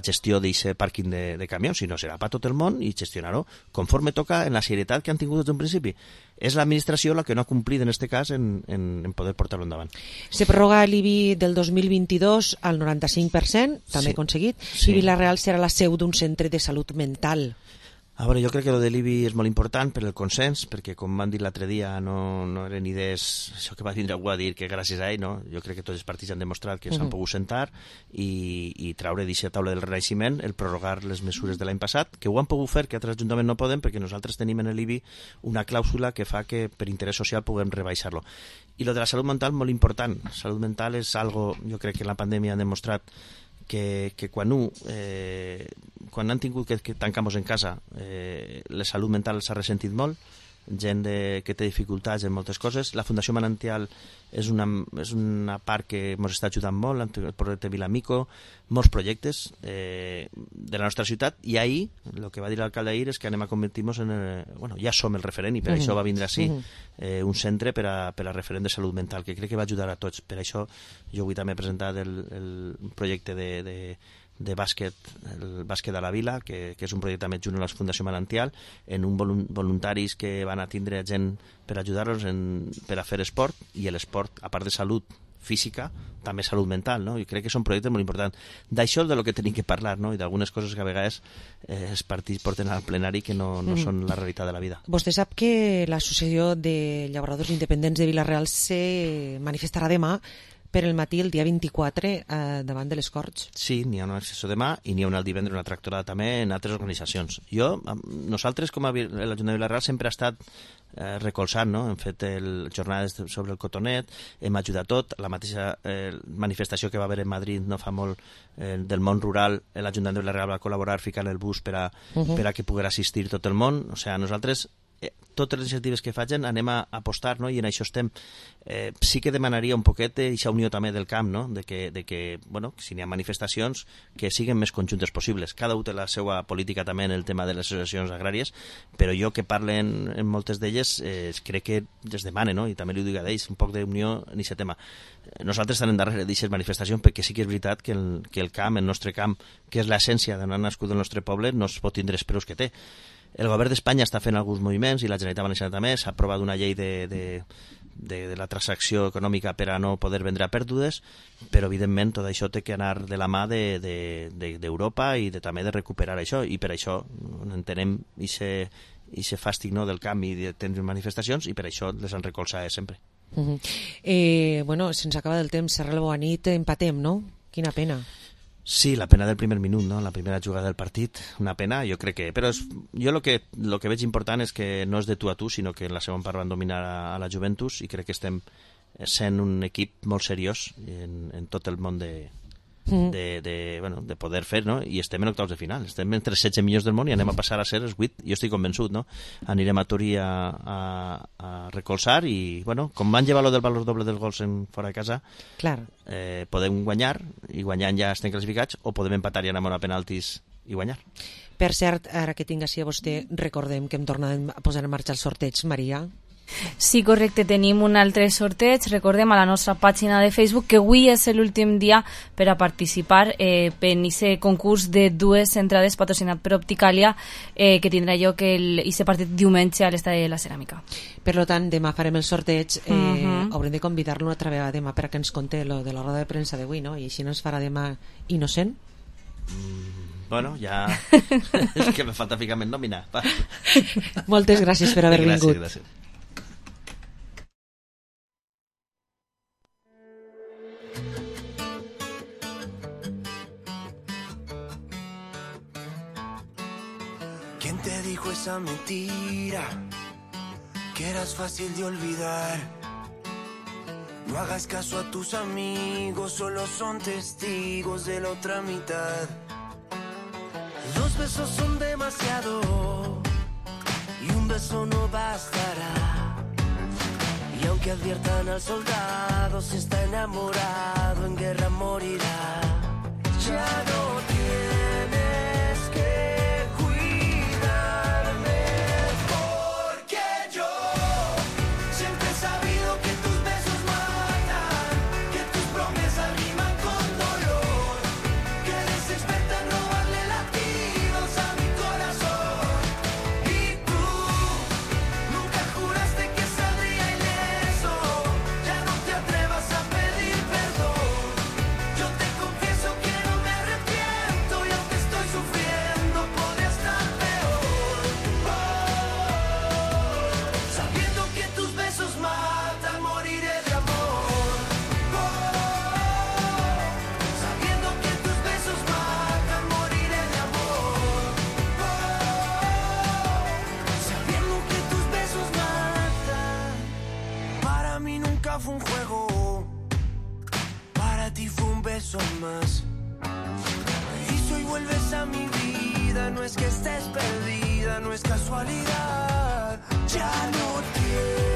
gestió d'aquest pàrquing de camions, sinó serà per tot el món i gestionar-ho conforme toca en la serietat que han tingut des d'un principi. És l'administració la que no ha complit en aquest cas en poder portar-lo endavant. Se prorroga l'IBI del 2022 al 95%, també aconseguit, i Vila-real serà la seu d'un centre de salut mental. A veure, jo crec que el de l'IBI és molt important per el consens, perquè com van dir l'altre dia no eren idees, això que va vindre algú a dir que gràcies a ell, no? Jo crec que tots els partits han demostrat que s'han pogut sentar i traure d'aquesta taula del renaixement el prorrogar les mesures de l'any passat, que ho han pogut fer, que altres ajuntaments no poden, perquè nosaltres tenim en l'IBI una clàusula que fa que per interès social puguem rebaixar-lo. I lo de la salut mental, molt important. Salut mental és algo, jo crec que en la pandèmia han demostrat que quan han tingut que tancar-nos en casa, la salut mental s'ha ressentit molt, gent que té dificultats en moltes coses. La Fundació Manantial és una part que ens està ajudant molt, el projecte Vilamico, molts projectes de la nostra ciutat, i ahir el que va dir l'alcalde ahir és que anem a convertir-nos en... ja som el referent, i per això va vindre així un centre per a referent de salut mental, que crec que va ajudar a tots. Per això jo vull també presentar el projecte de bàsquet, el bàsquet a la Vila, que és un projecte també junt a la Fundació Manantial, en un voluntaris que van a tindre gent per ajudar-los per a fer esport, i l'esport, a part de salut física, també salut mental, no? I crec que són projectes molt importants. D'això és del que tenim que parlar, no? I d'algunes coses que a vegades els partits porten al plenari que no són la realitat de la vida. Vostè sap que l'Associació de Llauradors Independents de Vila-real se manifestarà demà per el matí, el dia 24, davant de les Corts. Sí, n'hi ha una sessió demà i n'hi ha una el divendres, una tractorada també en altres organitzacions. Nosaltres, com a l'Ajuntament de Vila-real, sempre ha estat recolzant, no? Hem fet jornades sobre el cotonet, hem ajudat tot, la mateixa manifestació que va haver en Madrid no fa molt del món rural, l'Ajuntament de Vila-real va col·laborar ficant el bus per a que pogués assistir tot el món. O sigui, nosaltres totes les iniciatives que facin anem a apostar, no? I en això estem. Sí que demanaria un poquet d'aquesta unió també del camp, no? De que bueno, si n'hi ha manifestacions, que siguin més conjuntes possibles. Cada un té la seva política també en el tema de les associacions agràries, però jo que parlen en moltes d'elles crec que es demana, no? I també li ho dic a ells, un poc d'unió en aquest tema. Nosaltres estem darrere d'aquestes manifestacions perquè sí que és veritat que el camp, el nostre camp, que és l'essència d'anar nascut del nostre poble, no es pot tindre els preus que té. El govern d'Espanya està fent alguns moviments i la Generalitat Valenciana també. S'ha aprovat una llei de la transacció econòmica per a no poder vendre a pèrdues, però evidentment tot això té que anar de la mà d'Europa i també de recuperar això, i per això entenem aquest fàstic, no, del canvi de tenir manifestacions, i per això les han recolzat sempre. Bueno, se'ns acaba del temps. Serra la bona nit, empatem, no? Quina pena. Sí, la pena del primer minut, no? La primera jugada del partit, una pena, jo crec que... Però jo el que veig important és que no és de tu a tu, sinó que en la segona part van dominar a la Juventus, i crec que estem sent un equip molt seriós en tot el món de poder fer, no? I estem en octaus de final, estem entre els 16 millors del món i anem a passar a ser els 8, jo estic convençut, no? Anirem a Torí a recolzar i, bueno, com van llevar lo del valor doble dels gols fora de casa, clar, podem guanyar, i guanyant ja estem classificats, o podem empatar i anar a penaltis i guanyar. Per cert, ara que tinc així a vostè, recordem que hem tornat a posar en marxa el sorteig, Maria. Sí, correcte, tenim un altre sorteig. Recordem a la nostra pàgina de Facebook que avui és l'últim dia per a participar en aquest concurs de 2 entrades patrocinat per Opticalia, que tindrà lloc aquest partit diumenge a l'Estadi de la Ceràmica. Per tant, demà farem el sorteig. Haurem de convidar-lo una altra vegada demà per a que ens conté lo de la roda de premsa d'avui, no? I així no es farà demà innocent. Bueno, ja... és que me falta ficar en nòmina. Moltes gràcies per haver vingut. Gràcies. ¿Quién te dijo esa mentira? Que eras fácil de olvidar. No hagas caso a tus amigos, solo son testigos de la otra mitad. 2 besos son demasiado y un beso no bastará. Y aunque adviertan al soldado, si está enamorado en guerra morirá. Ya no tienes que cuidarme, porque yo siempre he sabido que tus besos matan, que tus promesas riman con dolor, que eres experta en robarle latidos a mi corazón. Y tú nunca juraste que saldría ileso, ya no te atrevas a pedir perdón. Yo te confieso que no me arrepiento y aunque estoy sufriendo podría estar peor. Sabiendo que tus besos matan, moriré de amor. Sabiendo que tus besos matan, moriré de amor. Sabiendo que tus besos matan. Para mí nunca fue un juego, para ti fue un beso más. Y si hoy vuelves a mi vida, no es que estés perdida, no es casualidad. Ya no tienes